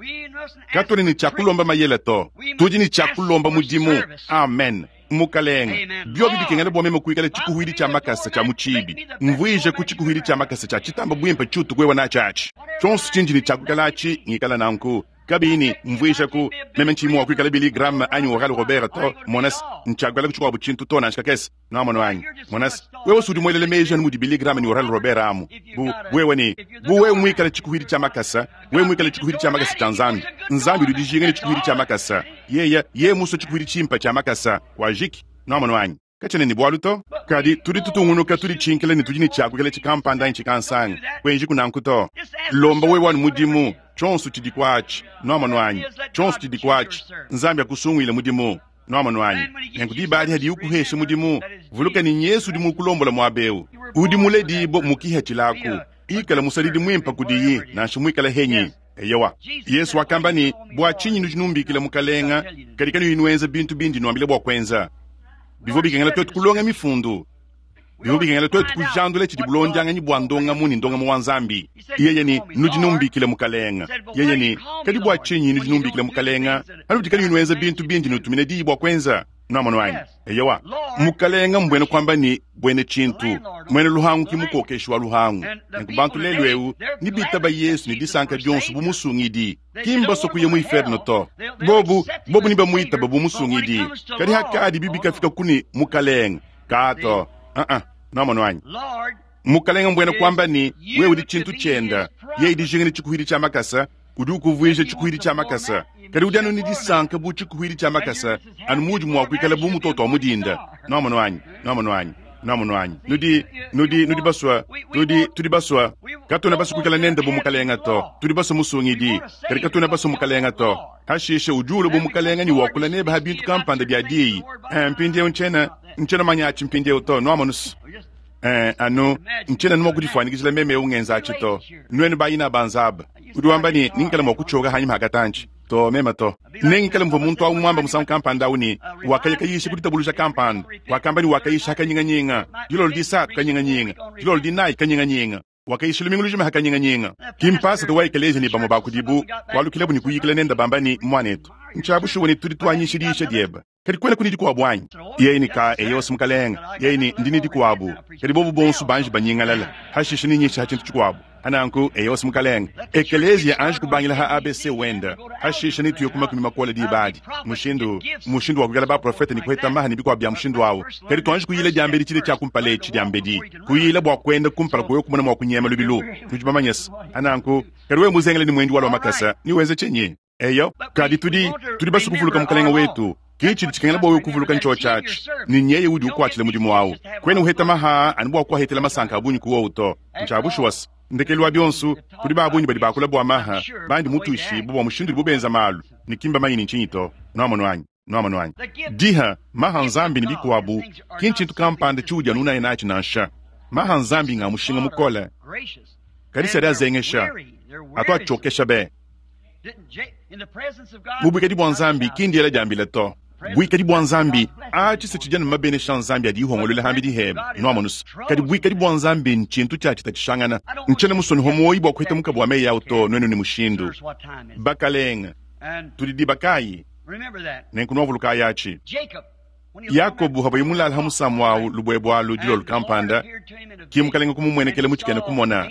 Speaker 1: Katuena ne tshia kulomba mayele to. Tudi ne tshia kulomba mudimu. Amen. Mukalenge, biobi bikengela bua meme kuikala tshikuhuidi tshia makasa tshia mu tshibi, mvuije ku tshikuhuidi tshia makasa tshia tshitamba buimpe tshiutu kuewa natshi atshi. Tshionso tshindi ne tshia kuikala atshi, ngikala nanku. Kabiyi ne, mvuija ku, meme ntshiyi mua kuikala Billy Graham anyi Oral Robert to, mona se, ntshiakuikala ku tshikuabu tshintu to nansha kakese. Nwamonu anyi? Mona se, wewe si udi muelele meji anu mudi Billy Graham ne Oral Robert amu. Bu wewe ne, bu wewe muikale tshikuhidi tshia makasa, wewe muikale tshikuhidi tshia makasa tshia Nzambi. Nzambi udi dijinga ne tshikuhidi tshia makasa. Yeye, yeye musue tshikuhidi tshimpe tshia makasa, wajiki. Nwamonu anyi? Katshiena ne bualu to. Kadi tudi tutungunuka tuditshinkila ne tudi ne tshia kuikala tshikampanda anyi tshikansanga. Kuenjiku nanku to. Lomba wewe anu mudimu, tshionso tshidi kuatshi. Nwamonu anyi? Tshionso tshidi kuatshi. Nzambi akusunguile mudimu. Nwamonu anyi? Nenku diba adi hadiye ukuhesha mudimu, vuluka ne Nyesu udi mukulombola muaba eu. Udi muledibue mu kihatshilaku. Ikala musadidi muimpe kudiyi, nansha muikale henyi. Eyowa. Yesu wakamba ne, Bua tshinyi nudi numbikila Mukalenga, kadi kanuyi nuenza bintu bindi nuambila bua kuenza? Bivua bikengela tuetu kulonga Mifundu. Bivua bikengela tuetu kujandula tshidi bulondianganyi bua ndongamu ne ndongamu wa Nzambi. Yeye ne, Nudi numbikila Mukalenga. Yeye ne, Kadi bua tshinyi nudi numbikila Mukalenga, panudi kanuyi nuenza bintu bindi nutumina diyi bua kuenza? Nuamonu anyi? Eyowa. Mukalenga mbuena kuamba ne, buena tshintu. Muena luhangu ki mukokeshi wa luhangu. Nenku bantu lelu eu nebitaba Yesu ne disanka dionso bu Musungidi. Ki mbasue kuya mu iferno to. Bobu, bobu nebamuitaba bu Musungidi. Kadi hakadi bikafika ku ne, Mukalenga, kaa to. Uh-uh. Nuamonu anyi? Mukalenga mbuena kuamba ne, wewe udi tshintu tshienda. Yeye dijinga ne tshikuhidi tshia makasa, udi ukuvuija tshikuhidi tshia makasa. Kadi udi anu ne disanka bu tshikuhidi tshia makasa, anu muudi mua kuikala bu mutoto wa mu dinda. Nuamonu anyi? Nuamonu anyi? Nuamonu anyi? Nudi, nudi, nudi basua, tudi, tudi basua. Katuena basua kuikala nende bu mukalenga to. Tudi basua musungidi, kadi katuena basua mukalenga to. Hashishe udi ulua bu mukalenga ne wakula nebe ha bintu kampanda bia diyi. Eh, mpindieu ntshiena, ntshiena manya atshi mpindieu to. Nuamonu? Eh, anu ntshiena anu mua kudifuanyikijila meme eu ngenza atshi to. Nuenu bayina ba Nzaba, udi wamba ne, ningikala mua kutshioka hanyima ha katantshi. To, meme to. Nengikale muvua muntu au muamba musangu kampanda au ne, wakaya kayisha ku ditabuluja kampanda. Wakamba ne wakayisha ha kanyinganyinga, dilolo disatu kanyinganyinga, dilolo dinayi kanyinganyinga. Wakayisha lumingu lujima ha kanyinganyinga. Ki mpasata wa ekeleziya ne bamue ba kudibu kualukilabu ne kuyikila nende bamba ne, Muanetu, ntshia bushuwa ne tudi tuanyisha diyisha diebe. Kadi kuenaku ne dikuabu anyi? Yeye ne, Ka, eyo, si mukalenge. Yeye ne, Ndi ne dikuabu. Kadi bobu bonso banji banyingalala. Hashishe nenyishe ha tshintu tshikuabu. Hananku, eyo, si mukalenge. Ekeleziya anji kubangila ha ABC wenda. Hashishe netuye ku makumi makole diba adi. Mushindu, mushindu wa kuikala baprofete ne kuheta maha ne bikuabu bia mushindu awu. Kadi tuanji kuyila diambedi tshile tshia kumpala etshi diambedi. Kuyila bua kuenda kumpala kua wewe kumona mua kunyema lubilu. Nudi bamanye se. Hananku, kadi wewe muzengele ne muendi wa lua makasa, newenze tshinyi? Eyo, kadi tudi, tudi basue kuvuluka Mukalenge wetu. Ke tshidi tshikengela bua wewe kuvuluka ntshiotshi atshi, ne nyeye udi ukuatshila mudimu awu. Kuena uheta maha anu bua kuahetela masanka a bungi ku wowu to. Ntshia bushuwa se, ndekelu wa bionso, kudi ba bungi badi bakula bua maha, bandi mutuishibue bua mushindu udibu benza malu, ne ki mbamanye ne ntshinyi to. Nuamonu anyi? Nuamonu anyi? Diha, maha Nzambi ne bikuabu, ki ntshintu kampanda tshiudi anu unaya natshi nansha. Maha Nzambi nga mushinga mukole, kadi si adi azengesha, atu atshiokesha be. Mu buikadi bua Nzambi ki ndiela diambila to. Buikadi bua Nzambi atshi se tshidi anu mabenesha a Nzambi adi ihongoluela hambidi hebe. Nuamonus? Kadi buikadi bua Nzambi ntshintu tshia tshitatshishangana. Ntshiena musue muoyi bua kuheta mukabu wa meyi au to, nuenu ne mushindu. Bakalenga, tudi diba kayi? Nenku nuavulukayi atshi. Yakobo havuaye mulale ha musamu au lubuebue alu dilolo kampanda, ki Mukalenge kumumuenekela mu tshikena kumona,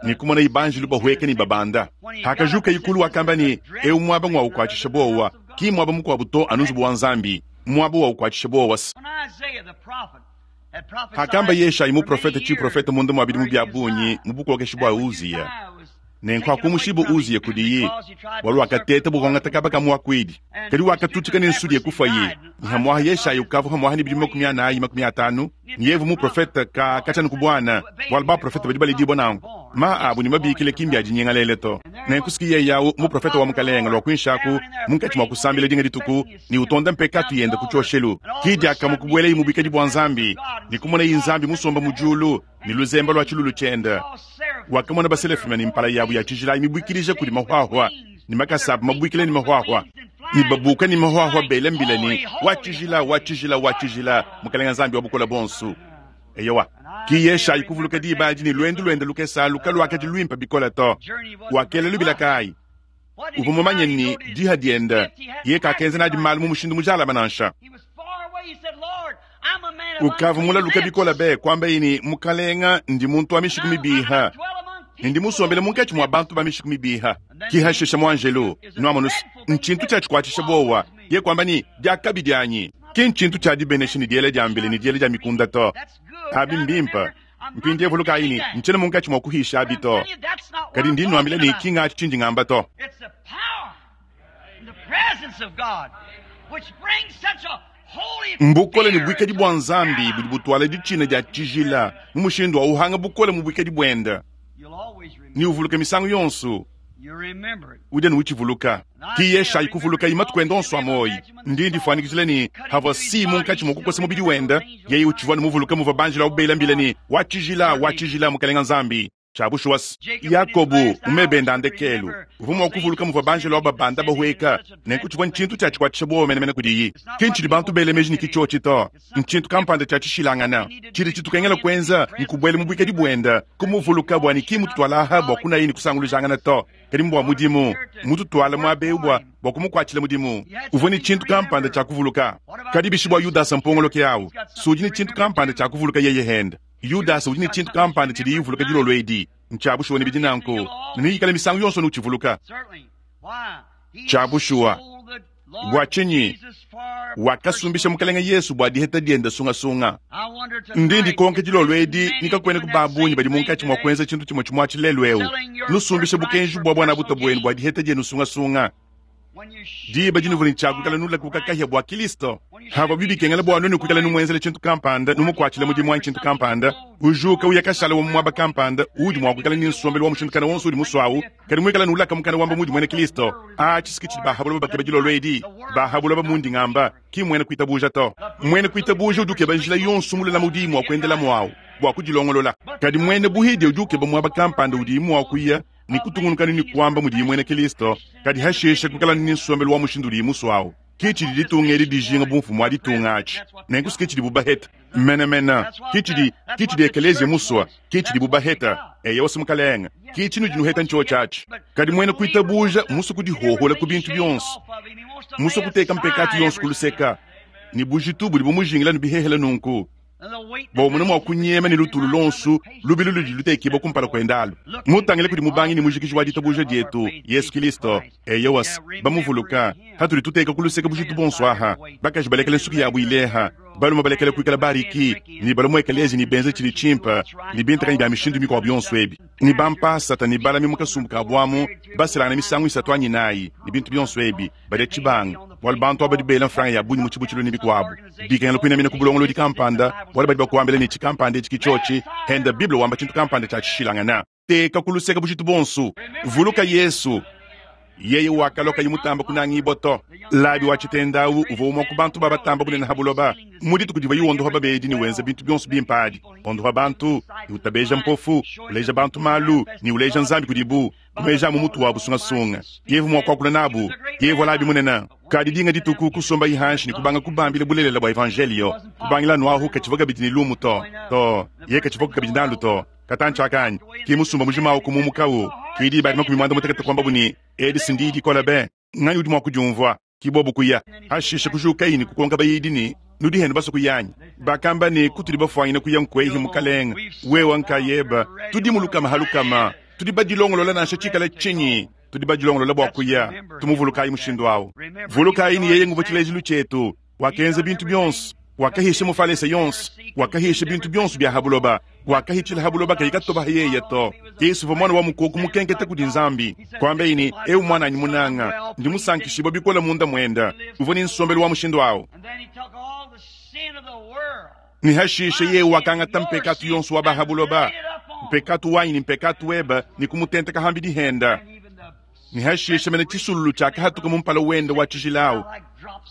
Speaker 1: ne kumona ibanjilu bahueka ne babanda. Hakajukaye kulu wakamba ne, Eu muaba ngua ukuatshisha buowa, ki muaba mukuabu to anu nzubu wa Nzambi, muaba wa ukuatshisha buowa. Hakamba Yeshayi muprofete tshiprofete munda mua bidimu bia bungi mu bukokeshi bua Uziya, nenku hakumushibua Uziya kudiyi, bualu wakateta bua kuangata kaba ka muakuidi, kadi wakatutshika ne nsudi kufuaye. Ne hamuaha Yeshayi ukavua hamuaha ne bidimu 40 50, ne yevu muprofete ka katshia ku buana, bualu baprofete badi baledibua nanku, maha abu ne mabikila ki mbia dinyingalele to. Nenku siki yeye au muprofete wa Mukalenge lua kuinshi aku munkatshi mua kusambila dinga dituku ne utonda mpekatu yende ku tshioshelu, ki diakamue kubuelaye mu buikadi bua Nzambi ne kumonaye Nzambi musomba mu diulu ne luzemba lua tshilulu tshiende. Wakamona baselafima ne mpala yabu ya tshijila mibuikilija kudi mahuahua ne makasa abu mabuikila ne mahuahua ne babuka ne mahuahua bela mbila ne, Wa tshijila, wa tshijila, wa tshijila, Mukalenge Nzambi wa bukole buonso. Eyowa, ki Yeshayi kuvuluka diba adi ne luendu luende lukese alu kaluakadi luimpe bikole to. Wakela lubila kayi? Uvua mumanye ne, diha diende yeye kakenza nadi malu mu mushindu mujalame nansha. Ukavua mulaluke bikole be, kuambaye ne, Mukalenga, ndi muntu wa mishiku mibiha, ne ndi musombele munkatshi mua bantu ba mishiku mibiha. Ki hashisha muanjelu, nuamonu, ntshintu tshia tshikuatshisha buowa. Ye kuamba ne, Diakabi dianyi! Ki ntshintu tshia dibenesha ne diela dia mbila ne diela dia mikunda to. Abi mbimpe. Mpindieu vulukayi ne, ntshiena munkatshi mua kuhisha abi to, kadi ndi nnuambila ne, ki ngatshi tshindi ngamba to. Mbukole ne buikadi bua Nzambi budi butuala ditshina dia tshijila mu mushindu wa uhanga bukole mu buikadi buende. Ne uvuluka misangu yonso, udi anu utshivuluka. Ki Yeshayi kuvulukayi matuku ende onso a muoyo. Ndi ndifuanyikijila ne, havua si munkatshi mua kukosa mubidi wende, yeye utshivua anu muvuluke muvua banjelu abu bela mbila ne, Wa tshijila, wa tshijila, Mukalenge Nzambi. Tshia bushuwa se, Yakobo mu meba ende a ndekelu uvua mua kuvuluka muvua banjelu aba babanda bahueka, nenku tshivua ntshintu tshia tshikuatshisha buowa menemene kudiyi. Ki ntshidi bantu bela meji ne ki tshiotshi to. Ntshintu kampanda tshia tshishilangana. Tshidi tshitukengela kuenza nkubuela mu buikadi buende, kumuvuluka bua ne ki mmututuala aha bua kunaya ne kusangulujangana to, kadi mbua mudimu. Mmututuala muaba eu bua bua kumukuatshila mudimu. Uvua ne tshintu kampanda tshia kuvuluka. Kadi bishi bua Yudasa mpongoloke au? Si udi ne tshintu kampanda tshia kuvuluka yeye hende. Yudasa udi ne tshintu kampanda tshidiye uvuluka dilolo edi. Ntshia bushuwa ne bidi nanku, ne neikale misangu yonso anu utshivuluka. Tshia bushuwa. Bua tshinyi? Wakasumbisha Mukalenge Yesu bua diheta diende sungasunga. Ndi ndikonka dilolo edi ni kakuenaku ba bungi badi munkatshi mua kuenza tshintu tshimue tshimue atshi lelu eu, nusumbisha bukenji bua buanabuta buenu bua diheta dienu sungasunga. Diba dinuvua ne tshia kuikala nulakuka kahia bua Kilisto, havuabi bikengela bua nuenu kuikala numuenzela tshintu kampanda, numukuatshila mudimu anyi tshintu kampanda, ujuka uya kashala wa mu muaba kampanda uudi mua kuikala ne nsombelu wa mushindu kana wonso udi musuawu, kadi muikala nulaka mukana wamba muudi muena Kilisto. Aa, tshisiki tshidi ba ha buloba bakeba dilolo edi, ba ha buloba mundi ngamba, ki mmuena kuitabuja to. Muena kuitabuja udi ukeba njila yonso mululame udiyi mua kuendelamu awu bua kudilongolola. Kadi muena buhidia udi ukeba muaba kampanda udiyi mua kuya ne kutungunuka ne kuamba mudiye muena Kristo, kadi hashishe kuikala ne nsombelu wa mushindu udiye musue au. Ke tshidi ditunga edi dijinga bu mfumu wa ditunga atshi. Nenku ke tshidibu baheta menemene. Ke tshidi, ke tshidi ekeleziya musue. Ke tshidibu baheta. Eyowa, Mukalenge. Ke tshinudi nuheta ntshiotshi atshi. Kadi muena kuitabuja mmusue kudihohola ku bintu bionso, mmusue kuteka mpekatu yonso ku luseka, ne bujitu budi bumujingila ne bihehele nunku. Bua umone mua kunyema ne lutulu luonso lubilu ludi lutekibua kumpala kuende alu. Mutangile kudi mubangi ne mujikiji wa ditabuja dietu, Yesu Kilisto. Eyowa, bamuvuluka, patudi tuteka ku luseke bujitu buonso aha, bakaji balekele nsuki yabu ileha, balume balekele kuikala bariki, ne balue mu ekeleziya ne benze tshidi tshimpe, ne bintakanyi bia mishindu mikuabu yonso ebi, ne bampasata ne balami mu kasumbu ka buamu baselangane misangu isatu anyi inayi, ne bintu bionso ebi, badia tshibanga, bualu bantu aba badi bela mfranga ya bungi mu tshibutshilu ne bikuabu. Bikengela kuinamina ku bulongolodi kampanda, bualu badi bakuambila ne, tshikampanda etshi ke tshiotshi, henda Bible wamba tshintu kampanda tshia tshishilangana. Teka ku luseke bujitu buonso. Vuluka Yesu, yeye wakalua kayi mutamba kunangibua to. Labi wa tshitenda au uvua umue ku bantu ba batamba bunene ha buloba. Mu dituku divuaye wondopa babedi ne wenza bintu bionso bimpe adi, wondopa bantu, ne utabeja mpofu, uleja bantu malu, ne uleja Nzambi kudibu, ku meji a mu mutu wabu sungasunga. Yevu mua kuakula nabu, yevu Labi munene. Kadi dinga dituku kusombaye hanshi ne kubanga kubambila bulelela bua evanjelio. Kubangila anu ahu katshivua kabidi ne lumu to, to, ye katshivuaku kabidi nalu to. Katantshi aka anyi? Ki musumba mujima awu kumumukawu. Ki diba adi 16 kuambabu ne, Edi si ndiyi dikole be! Nganyi udi mua kudiumvua? Ki bobu kuya. Hashishe kujukayi ne kukonka bayidi ne, Nudi henu basue kuya anyi? Bakamba ne, Kutudi bafuanyine kuya nkuehi, Mukalenge, wewe nkayebe. Tudi mu lukama ha lukama. Tudi badilongolola nansha tshikale tshinyi. Tudi badilongolola bua kuya. Tumuvulukayi mushindu au. Vulukayi ne yeye nguvua tshilejilu tshietu. Wakenza bintu bionso, wakahisha mufalese yonso, wakahisha bintu bionso bia ha buloba, wakahitshila ha buloba kayi katoba yeye to. Yesu uvua muana wa mukoko mukenketa kudi Nzambi, kuambaye ne, Eu muananyi munanga, ndi musankishibue bikole munda muende. Uvua ne nsombelu wa mushindu au. Ne hashishe yeye wakangata mpekatu yonso wa ba ha buloba, mpekatu wanyi ne mpekatu webe, ne kumutenteka hambidi hende. Ne hashishe mene tshisululu tshiakahatuka mu mpala wende wa tshijila au,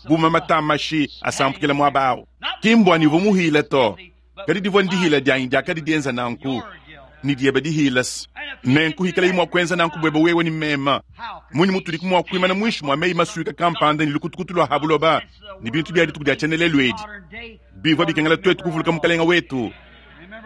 Speaker 1: bu mamata a mashi asampukila muaba au. Ki mbua ne uvua muhile to, kadi divua ndihila dianyi diakadi dienza nanku, ne diebe dihila. Nenku hikalayi mua kuenza nanku buebe wewe ne meme, munyi mutudiku mua kuimana muinshi mua meyi masuika kampanda ne lukutukutu lua ha buloba ne bintu bia dituku dia tshiendelelu edi? Bivua bikengela tuetu kuvuluka Mukalenge wetu,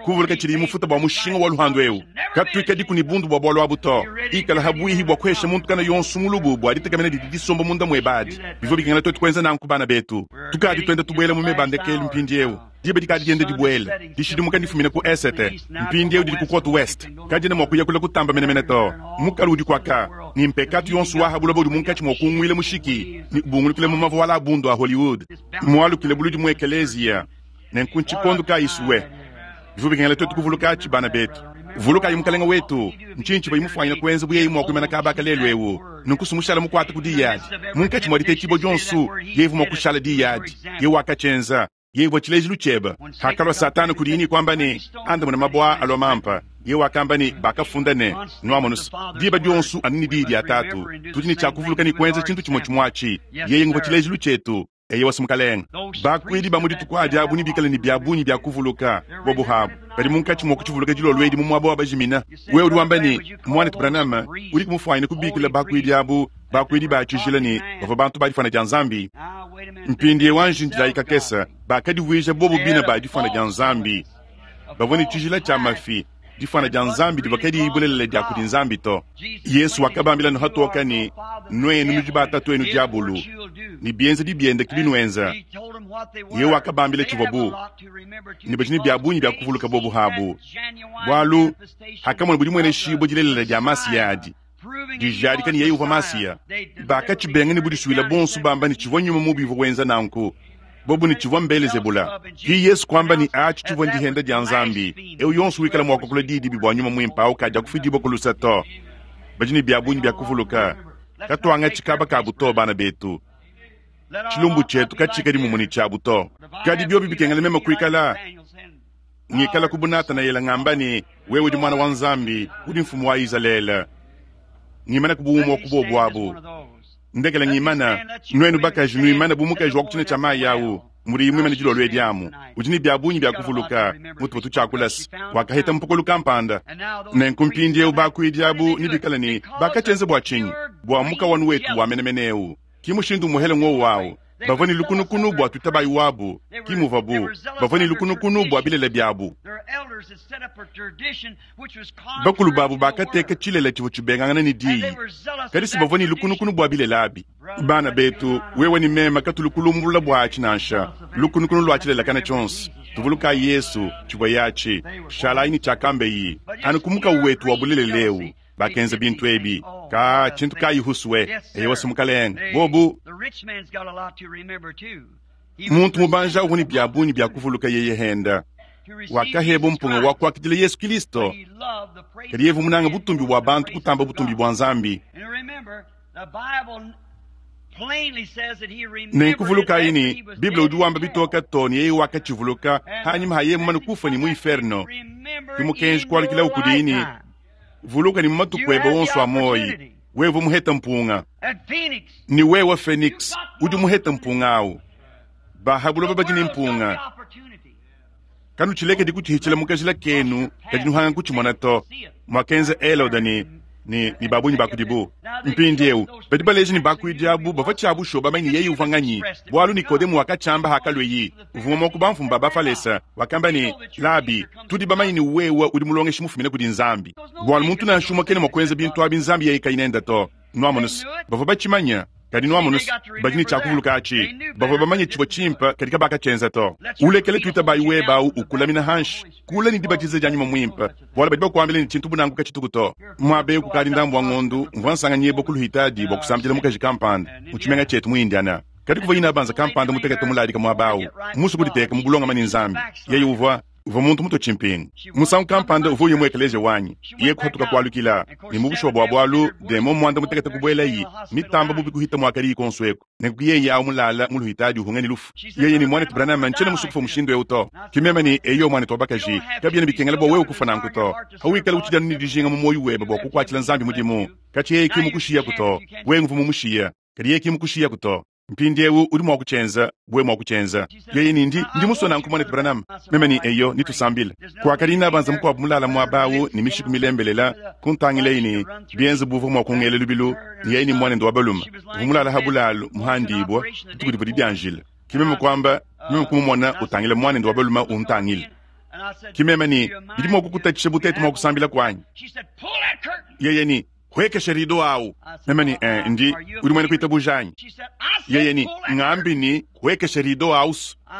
Speaker 1: kuvuluka tshidiyi mufuta bua mushinga wa luhandu eu. Katuikadiku ne bundu bua bualu abu to. Ikala habuihi bua kuhesha muntu kana yonso mulubu bua ditekemena didi disomba munda muebe adi. Bivua bikengela tuetu kuenza nanku bana betu. Tukadi tuenda tubuela mu meba a ndekelu mpindieu. Diba dikadi dienda dibuela. Dishidimuka ndifumine ku esete, mpindieu didi ku kote west. Kadiena mua kuya kule kutamba menemene to. Mukalu udi kuaka, ne mpekatu yonso wa ha buloba udi munkatshi mua kunguila mushiki ne ubungulukila mu mavuala a bundu a Hollywood. Mualukile buludi mu ekeleziya. Nenku ntshikondo kayi sue? Bivua bikengela tuetu kuvulukatshi, bana betu. Vulukayi Mukalenge wetu. Ntshinyi tshivuaye mufuanyine kuenza bu yeye mua kuimana kaba aka lelu eu? Nunku sumushala mukwate ku diyi adi. Munkatshi mwa diteeciibwa dyonso, yeye uvwa mwa kushala diyi adi. Yeye wakacyenza. Yeye uvwa cileejilu cyebe. Hakalwa Sataana kudiye ne kwamba ne, Andamuna mabwe aa alwa mampa. Yeye wakamba ne, Bakafunda ne, nwamonu's, diba dyonso anu ne Diyi dya Taatu. Tudi ne cya kuvuluka ne kwenza cintu cimwe-cimwe aci. Yeye nguvwa cileejilu cyetu. Eyowa, Mukalenge. Bakuidi ba mu dituku adi abu nebikale ne bia bungi bia kuvuluka. Bobu abu badi munkatshi mua kutshivuluka dilolo edi mu muaba wa bajimina. Wewe udi wamba ne, Muanetu Branham, udiku mufuanyine kubikila bakuidi abu bakuidi ba tshijila ne bavua bantu ba difuana dia Nzambi? Mpindieu anji ndilayi kakese. Bakadivuija bobu bine ba difuana dia Nzambi. Bavua ne tshijila tshia mafi. Difuana dia Nzambi divua kadiyi bulelela dia kudi Nzambi to. Yesu wakabambila ne hatoka ne, Nuenu nudi ba tatuenu diabulu, ne bienzedi biende ke binuenza. Yeye wakabambila tshivuabu ne badi ne bia bungi bia kuvuluka bobu abu, bualu hakamona budimueneshibua dilelela dia Masiya adi dijadika ne yeye uvua Masiya, bakatshibenga ne budisuile buonso bamba ne tshivua nyuma mubi uvua wenza nanku, bobu ne tshivua m'Belezebula. Ki Yesu kuamba ne atshi tshivua ndihenda dia Nzambi. Eu yonso wikala mua kuakula diyi dibi bua nyuma muimpe au kadiakufidibua ku luse to. Badi ne bia bungi bia kuvuluka. Katuangatshi kaba kabu to, bana betu. Tshilumbu tshietu katshikadi mumue ne tshiabu to. Kadi biobi bikengela meme kuikala ngikala ku bu Natanaele ngamba ne, Wewe udi Muana wa Nzambi, udi Mfumu wa Izalele. Ngimana ku bu umue wa ku bobu abu. Ndekela ngimana, nuenu bakaji nuimane bu mukaji wa ku tshina tshia mayi awu, mudiyi muimane dilolo edi amu. Udi ne bia bungi bia kuvuluka, mutuvua tutshiakula se, wakaheta mpokolo kampanda. Nenku mpindieu bakuidi abu nebikale ne, Bakatshienza bua tshinyi? Bua mukawanu wetu wa menemene eu. Ki mushindu umuhele ng'wowu awu. Bavua ne lukunukunu bua tutabayi wabu, ki muvuabu bavua ne lukunukunu bua bilele biabu. Bakulu babu bakateka tshilele tshivua tshibengangana ne diyi, kadi si bavua ne lukunukunu bua bilele abi. Bana betu, wewe ne meme katulu kulumbulula bua atshi nansha, lukunukunu lua tshilele kana tshionso. Tuvulukayi Yesu, tshivua yatshi. Shalayi ne tshiakambeyi anu ku mukawu wetu wa bulelela eu. Bakenza bintu ebi. Ka tshintu kayi husue. Eyowa si Mukalenge. Bobu. Muntu mubanja uvua ne bia bungi bia kuvuluka yeye henda. Wakaheba mpunga wa kuakidila Yesu Kilisto. Kadi yeye uvua munange butumbi bua bantu kutamba butumbi bua Nzambi. Nenku vulukayi ne, Bible udi wamba bitoka too ne yeye wakatshivuluka hanyima ha yeye mumane kufua ne mu inferno. Ke mukenji kualukilawu kudiyi ne, Vuluka ne mu matuku ebe onso a muoyi, wewe uvua muhete mpunga. Ne wewe Phoenix, udi muhete mpunga awu. Ba ha buloba badi ne mpunga. Kanutshilekedi kutshihitshila mu kajila kenu kadi nuhanga kutshimona to, muakenza Helode ne ne ne ba bungi ba kudibu. Mpindieu badi baleja ne bakuidi abu bavua tshia bushuwa bamanye ne yeye uvua nganyi, bualu Nikodemo wakatshiamba hakalueyi, uvua umue wa ku bamfumu ba Bafalese, wakamba ne, Labi, tudi bamanye ne wewe udi mulongeshi mufumine kudi Nzambi, bualu muntu nansha umue kena mua kuenza bintu abi Nzambi yeye kayi nende to. Nuamonu's, bavua batshimanye. Kadi nuamonu's, badi ne tshia kuvuluka atshi. Bavua bamanye tshivua tshimpe, kadi kabakatshienza to. Ulekele tuitabayi webe au ukulamina hanshi kule ne dibatiza dia Nyuma Muimpe, bualu badi bakuambila ne tshintu bu nanku katshituku to. Muaba eu kukadi ndambu wa ngondu, mvua nsanganyibua ku luhitadi bua kusambidila mukaji kampanda mu tshimenga tshietu mu Indiana. Kadi kuvua inabanza kampanda mutekete muladika muaba au, musue kuditeka mu bulongame ne Nzambi. Yeye uvua uvua muntu mutue tshimpingu. Musangu kampanda uvua uya mu ekeleziya wanyi, yeye kuhatuka kualukila, ne mu bushuwa bua bualu, demon muanda mutekete kubuelayi, mitamba bubi kuhita muakadiyi kuonso eku. Nenku yeye awu mulala mu luhitadi uhunga ne lufu. Yeye ne, Muanetu Branham, ntshiena musue kufua mushindu eu to. Ke meme ne, Eyo, muanetu wa bakaji, kabiena bikengela bua wewe kufua nanku to. Pawikala utshidi anu ne dijinga mu muoyo webe bua kukuatshila Nzambi mudimu, katshia yeye ki mmukushiyaku to. Wewe nguvua mumushiye, kadi yeye ki mmukushiyaku to. Mpindiewu udi mua kutshienza, wewe mua kutshienza. Yeye ne, Ndi, ndi musue nanku, Muanetu Branham. Meme ne, Eyo, netusambile. Kuakadi inabanza mukuabu mulala muaba awu ne mishiku milembelela, kuntangileyi ne, bienze bu uvua mua kungela lubilu, ne yeye ne muanende wa balume uvua mulala ha bulalu muhandibua dituku divua didianjila. Ke meme kuamba, meme kumumona utangila muanende wa balume untangila. Ke meme ne, Bidi mua kukutatshisha bu tuetu mua kusambila kuanyi? Yeye ne, Huekesha rido awu. Meme ne, Eh, ndi, udi muena kuitabuja anyi? Yeye ne, Ngambi ne, huekesha rido awu.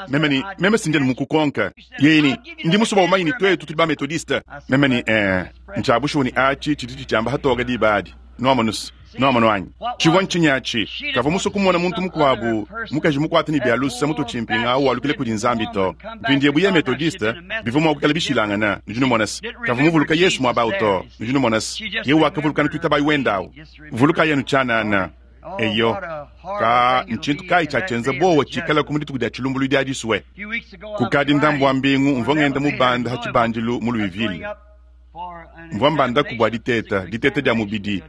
Speaker 1: Meme ne, Meme si ndi anu mukukonka. Yeye ne, Ndi musue bua umanye ne tuetu tudi ba-Methodiste. Meme ne, Eh, ntshia bushuwa ne atshi tshidi tshitshiamba hatoka diba adi. Nuamonu's. Nwamonu anyi? Civwa ncinyi aci? Kavwa muswe kumona muntu mukwabo, mukaji mukwate ne bya luse mutwe cimpinga awu walukila kudi Nzambi to. Mpindyewu yeye Methodiste, bivwa mwa kwikala bishilangana, nudi numona's. Kavwa muvuluka Yesu mwaba awu to, nudi numona's. Yeye wakavuluka anu twitabayi wende awu. Vulukayi anu cyanaana. Eyo. Kaa, ncintu kaayi cyacyenza bowa ciikalaku mu dituku dya cilumbulwidi adi swe? Kukadi ndambu wa mbingu, mvwa ngenda mubanda ha cibandilu mu Louisville. Mvwa mbandaku bwa diteta, diteta dya mubidi,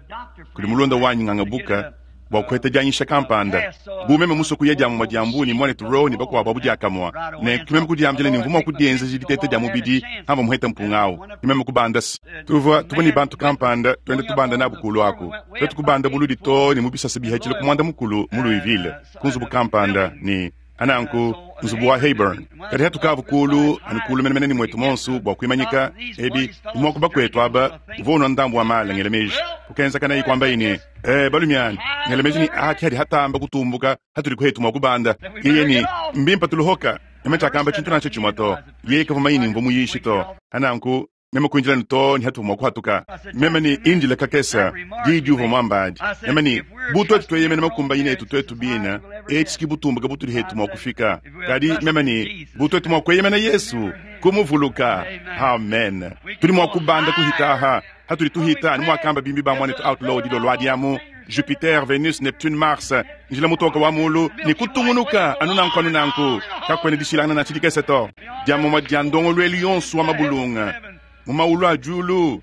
Speaker 1: kudi mulunda wanyi Nganga Booker, bwa kuheta dyanyisha kampanda. Bu meme muswe kuya dyamumwa dya mbu ne Mwanetu Rowe ne bakwabo abu dyakamwa, nenku ki meme kudyambila ne mvwa mwa kudyenzeja diteta dya mubidi hamvwa muheta mpunga awu. Ki meme kubanda's. Tuvwa, tuvwa ne bantu kampanda twenda tubanda nabu kuulu aku. Twetu kubanda buludi too ne mu bisasa bihacile ku mwanda-mukulu mu Louisville, ku nzubu kampanda, ne, Nanku, nzubu wa Heyburn. Kadi hatukavu kuulu, anu kuulu menemene ne muetu muonso bua kuimanyika ebi, umue wa ku bakuetu aba uvua unua ndambu wa maala, ngela meji. Kukenzakanayi kuambaye ne, Ee, balumiana, ngela meji ne aa ki hadi hatamba kutumbuka hatudi kuetu mua kubanda. Yeye ne, Mbimpe tuluhoka. Meme tshiakamba tshintu nansha tshimue to. Yeye kavua manye ne mvua muyishi to. Nanku, Meme kuindila ne too ne hatuvua mua kuhatuka. Meme ne, Indila kakese, diyi diuvua muamba adi. Meme ne, Bu tuetu tueyemena makumbanyina etu tuetu bine, etshi ki butumbuke butudi hetu mua kufika. Kadi, meme ne, bu tuetu mua kueyemena Yesu, kumuvuluka. Amen. Tudi mua kubanda kuhita aha, hatudi tuhita, anu muakamba bimbi ba muanetu Outlaw dilolo adi amu, Jupiter, Venus, Neptune, Mars, njila mutoke wa mulu, ne kutungunuka anu nanku anu nanku. Kakuena dishilangana nansha dikese to. Dia mumue dia ndongoluelu yonso wa mabulunga mu mawulu a diulu.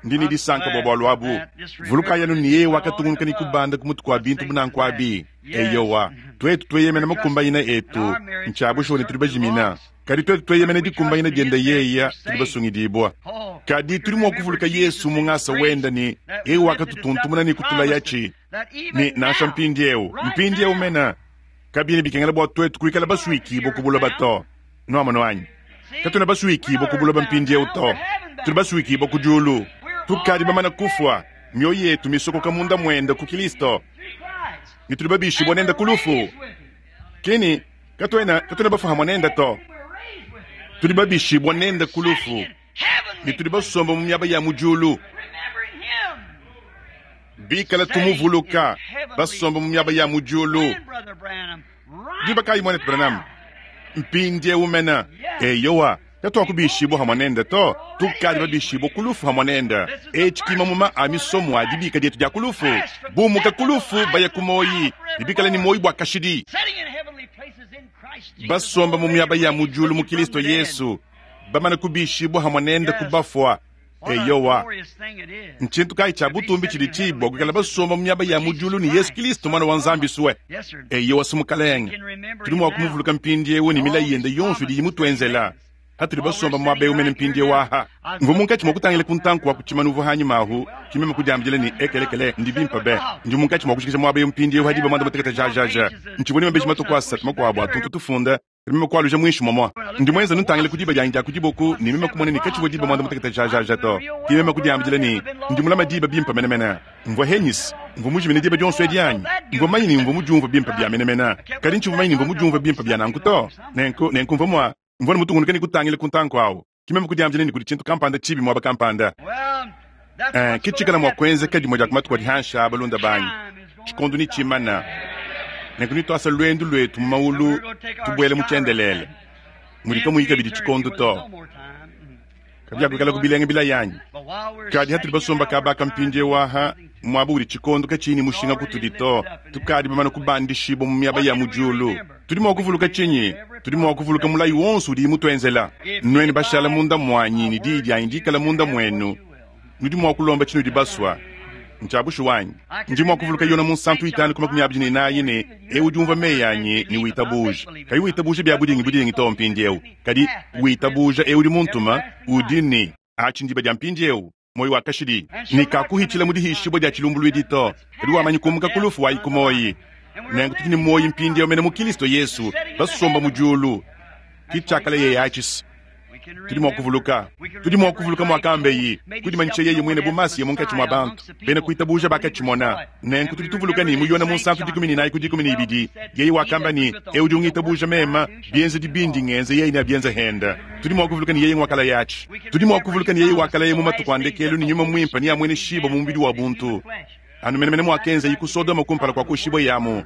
Speaker 1: Ndi ne disanka bua bualu abu. Vulukayi anu ne, yeye wakatungunuka ne kubanda ku mutu kua bintu bu nanku abi. Eyowa, tuetu tueyemena makumbanyina etu, ntshia bushuwa ne tudi bajimina. Kadi tuetu tueyemena dikumbanyina diende yeye, tudi basungidibua. Kadi tudi mua kuvuluka Yesu mu ngasa wende ne yeye wakatutuntumuna ne kutulayatshi ne, nansha mpindieu, mpindieu mene, kabiena bikengela bua tuetu kuikala basuikibue ku buloba to. Nuamonu anyi? Katuena basuikibue ku buloba mpindieu to. Tudi basuikibue ku diulu. Tukadi bamane kufua, mioyo yetu misokoka munda muende ku Kilisto, ne tudi babishibue nende ku lufu. Kini, katuena, katuena bafua hamue nende to. Tudi babishibua nende ku lufu ne tudi basomba mu miaba ya mu diulu. Bikala tumuvuluka, basomba mu miaba ya mu diulu. Diba kayi, Muanetu Branham? Mpindiewu mene. Eyowa. Katuakubishibua hamue nende to, tukadi babishibue ku lufu hamue nende. Etshi ki mamuma a misomo a dibika dietu dia ku lufu, bumuka ku lufu baya ku muoyi, ne bikale ne muoyi bua kashidi, basomba mu miaba ya mu diulu mu Kilisto Yesu, bamane kubishibua hamue nende ku bafua. Eyowa, ntshintu kayi tshia butumbi tshidi tshibi bua kuikala basomba mu miaba ya mu diulu ne Yesu Kilisto Muana wa Nzambi sue? Eyowa, su Mukalenge, tudi mua kumuvuluka mpindieu ne milayi yende yonso idiyi mutuenzela patudi basomba muaba eu mene mpindieu aha. Mvua munkatshi mua kutangila ku ntanku wa ku tshimanu uvua hanyima ahu, ki meme kudiambila ne, Ekelekele, ndi bimpe be. Ndi munkatshi mua kujikija muaba eu mpindieu ha diba muanda mutekete jajaja. Ntshivua ne mabeji matue ku asatu makuabu a tuntu tufunda. Meme kualuja muinshi muamua. Ndi muenza ntangila ku diba dianyi dia ku diboku ne meme kumona ne katshivua diba muanda mutekete jajaja to. Ke meme kudiambidila ne, Ndi mulame diba bimpe menemene. Mvua henyis? Mvua mujimine diba dionso edi anyi? Mvua manye ne mvua mudiumvue bimpe bia menemene, kadi ntshivua manye ne mvua mudiumvue bimpe bia nanku to. Nenku, nenku mvua mua, mvua ne mutungunuke ne kutangila ku ntanku awu. Ke meme kudiambidila ne kudi tshintu kampanda tshibi muaba kampanda. Eh, ke tshikala mua kuenzeka dimue dia ku matuku adi hanshi aa, balunda banyi. Tshikondo netshimana, nenku netuasa luendu luetu mu mawulu tubuela mu tshiendelele, mudi kamuyi kabidi tshikondo to. Kabiakuikalaku bilenga bilaya anyi? Kadi hatudi basomba kaba aka mpindieu aha, muaba udi tshikondo katshiyi ne mushinga kutudi to, tukadi bamane kubandishibua mu miaba ya mu diulu. Tudi mua kuvuluka tshinyi? Tudi mua kuvuluka mulayi wonso udiyi mutuenzela. Nuenu bashala munda muanyi ne diyi dianyi dikala munda muenu, nudi mua kulomba tshinudi basua. Ntshia bushuwa anyi? Ndi mua kuvuluka Yona Munsantu itanu ku makumi abidi ne inayi ne, Eu udi umvua meyi anyi ne witabuja, kayi witabuja bia budingi budingi too mpindieu, kadi witabuja eu udi muntuma, udi ne. Atshi ndiba dia mpindieu, muoyo wa kashidi, ne kakuhitshila mu dihishibua dia tshilumbuluidi to, kadi wamanyi kumuka ku lufu wayi ku muoyi. Nenku tudi ne muoyi mpindieu mene mu Kilisto Yesu, basomba mu diulu. Ki tshiakalayeye atshi. Tudi mua kuvuluka, tudi mua kuvuluka muakambeyi, kudimanyisha yeye muine bu Masiya munkatshi mua bantu. Bena kuitabuja bakatshimona. Nenku tudi tuvuluka ne, mu Yone Munsantu 14 ku 12, yeye wakamba ne, Eu udi ungitabuja meme, bienzedi bindi ngenza yeye neabienze hende. Tudi mua kuvuluka ne yeye nguakalaya atshi. Tudi mua kuvuluka ne yeye wakalaya mu matuku a ndekelu ne Nyuma Muimpe neamueneshibue mu mubidi wa buntu. Anu menemene muakenzayi ku Sodoma kumpala kua kuoshibwaye amu.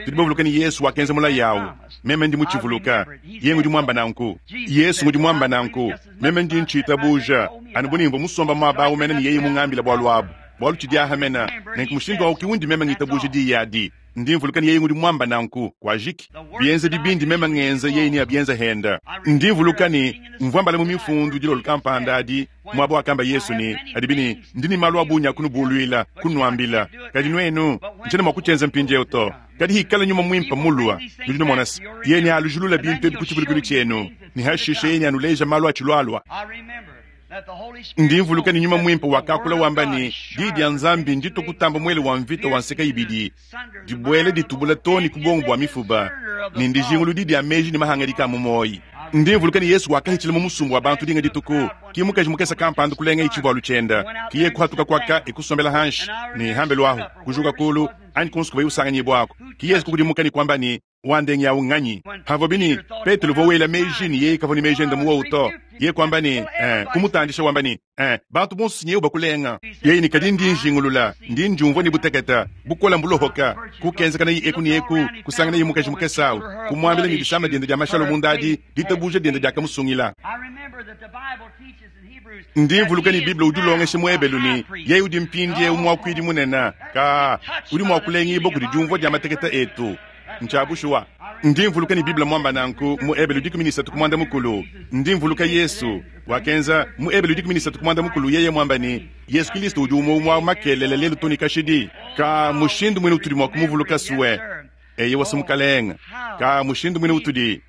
Speaker 1: Tudi bavuluke ne Yesu wakenza mulayi awu. Meme ndi mutshivuluka. Yeye ngudi muamba nanku. Yesu ngudi muamba nanku. Meme ndi ntshiitabuuja, anu bu ne mvwa musomba mwaba awu mene ne Yeye mungambila bwalu abu. Bwalu tshidi aha mene. Nenku mushindu awu ki undi meme ngitabuuja Diyi adi. Ndi mvuluka ne Yeye ngudi mwamba nanku. Kwajiki. Bienzedi bindi meme ngenza, Yeye neabyenze henda. Ndi mvuluka ne mvwa mbala mu Mifundu dilolo kampanda adi, mwaba wakamba Yesu ne, Adibi ne, Ndi ne malu a bungi a kunubuluila, kunuambila, kadi nuenu, ntshiena mua kutshienza mpindiewu to. Kadi hikala Nyuma Muimpe mulua, nudi numona se, Yeye nealujulule bintu ebi ku tshivulukilu tshienu, ne hashishe Yeye neanuleje malu atshilualua. Ndi mvuluka ne Nyuma Muimpe wakakula wamba ne, Diyi dia Nzambi nditue kutamba muele wa mvita wa nseka ibidi, dibuela ditubula too ne ku buongo bua mifuba, ne ndijinguludi dia meji ne mahangadika a mu muoyi. Ndi mvuluka ne Yesu wakahitshila mu musumba wa bantu dinga dituku, ki mukaji mukese kampanda kulengaye tshivualu tshienda, ki yeye kuhatuka kuaka e kusombela hanshi, ne hambelu ahu, kujuka kulu, anyi kunsu kuvuaye usanganyibuaku, ki Yesu kukudimuka ne kuamba ne, Wandengi awu nnganyi? Pavuabi ne, Petelo uvua wela meji ne yeye kavua ne meji ende mu wowu to. Yeye kuamba ne, Ee, kumutandisha wamba ne, Ee, bantu bonso si nyewu bakulenga. Yeye ne, Kadi ndi njingulula, ndi ndiumvua ne butekete, bukole mbulohoka. Kukenzakanaye eku ne eku, kusanganaye mukaji mukese awu, kumuambila ne disama diende dia mashalo munda adi, ditabuja diende diakamusungila. Ndi mvuluka ne Bible udi ulongesha mu Ebelu ne, yeye udi mpindieu muakuidi munene, ka, udi mua kulengibua kudi diumvua dia matekete etu. Ntshia bushuwa. Ndi mvuluka ne Bible muamba nanku mu Ebelu 13 ku muanda mukulu. Ndi mvuluka Yesu wakenza mu Ebelu 13 ku muanda mukulu yeye muamba ne, Yesu Kilisto udi umue umue wa makelela lelu too ne kashidi. Ka mushindu muine utudi mua kumuvuluka sue. Eyowa se Mukalenga. Ka mushindu muine utudi.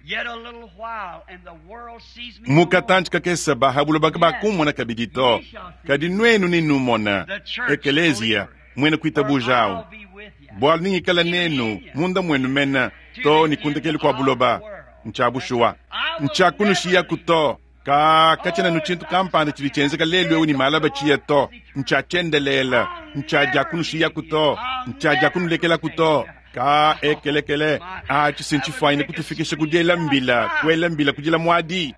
Speaker 1: Mu katantshi kakese ba ha buloba kabakummona kabidi to, kadi nuenu nenumona, Ekeleziya. Muena kuitabuja au, bualu nengikale nenu munda muenu mene too ne ku ndekelu kua buloba. Ntshia bushuwa, ntshiakunushiyaku to. Ka katshiena nu tshintu kampanda tshidi tshienzeka lelu eu ne malaba tshiya to. Ntshia tshiendelele, ntshia diakunushiyaku to, ntshia diakunulekelaku to. Ka ekelekele atshi si ntshifuanyine kutufikisha ku diela mbila, kuela mbila kudila muadi.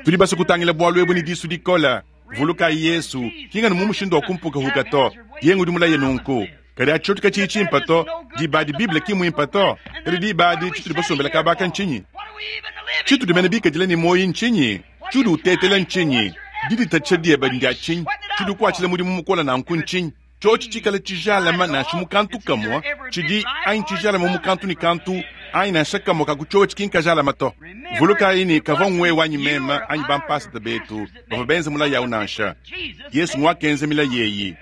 Speaker 1: Tudi basue kutangila bualu ebu ne disu dikole. Vulukayi Yesu, ki nganu mu mushindu wa kumpukahuka to, yeye ngudi mulaye nunku. Kadi atshi tshoto katshiyi tshimpa to, diba adi Bible ki muimpa to. Kadi diba adi tshitudi basombela kaba aka ntshinyi? Tshitudi mene bikadile ne muoyi ntshinyi? Tshiudi utetela ntshinyi? Diditatshisha diebe ndia tshinyi? Tshiudi ukuatshila mudimu mukole nanku ntshinyi? Tshiotshi tshikale tshijalame nansha mu kantu kamue, tshidi anyi tshijalame mu kantu ne kantu, anyi nansha kamue ka ku tshiotshi ki nkajalame to. Vulukayi ne, kavua ngwewe anyi meme anyi bampasata betu bavua benze mulayi au nansha. Yesu nguakenza milayi eyi.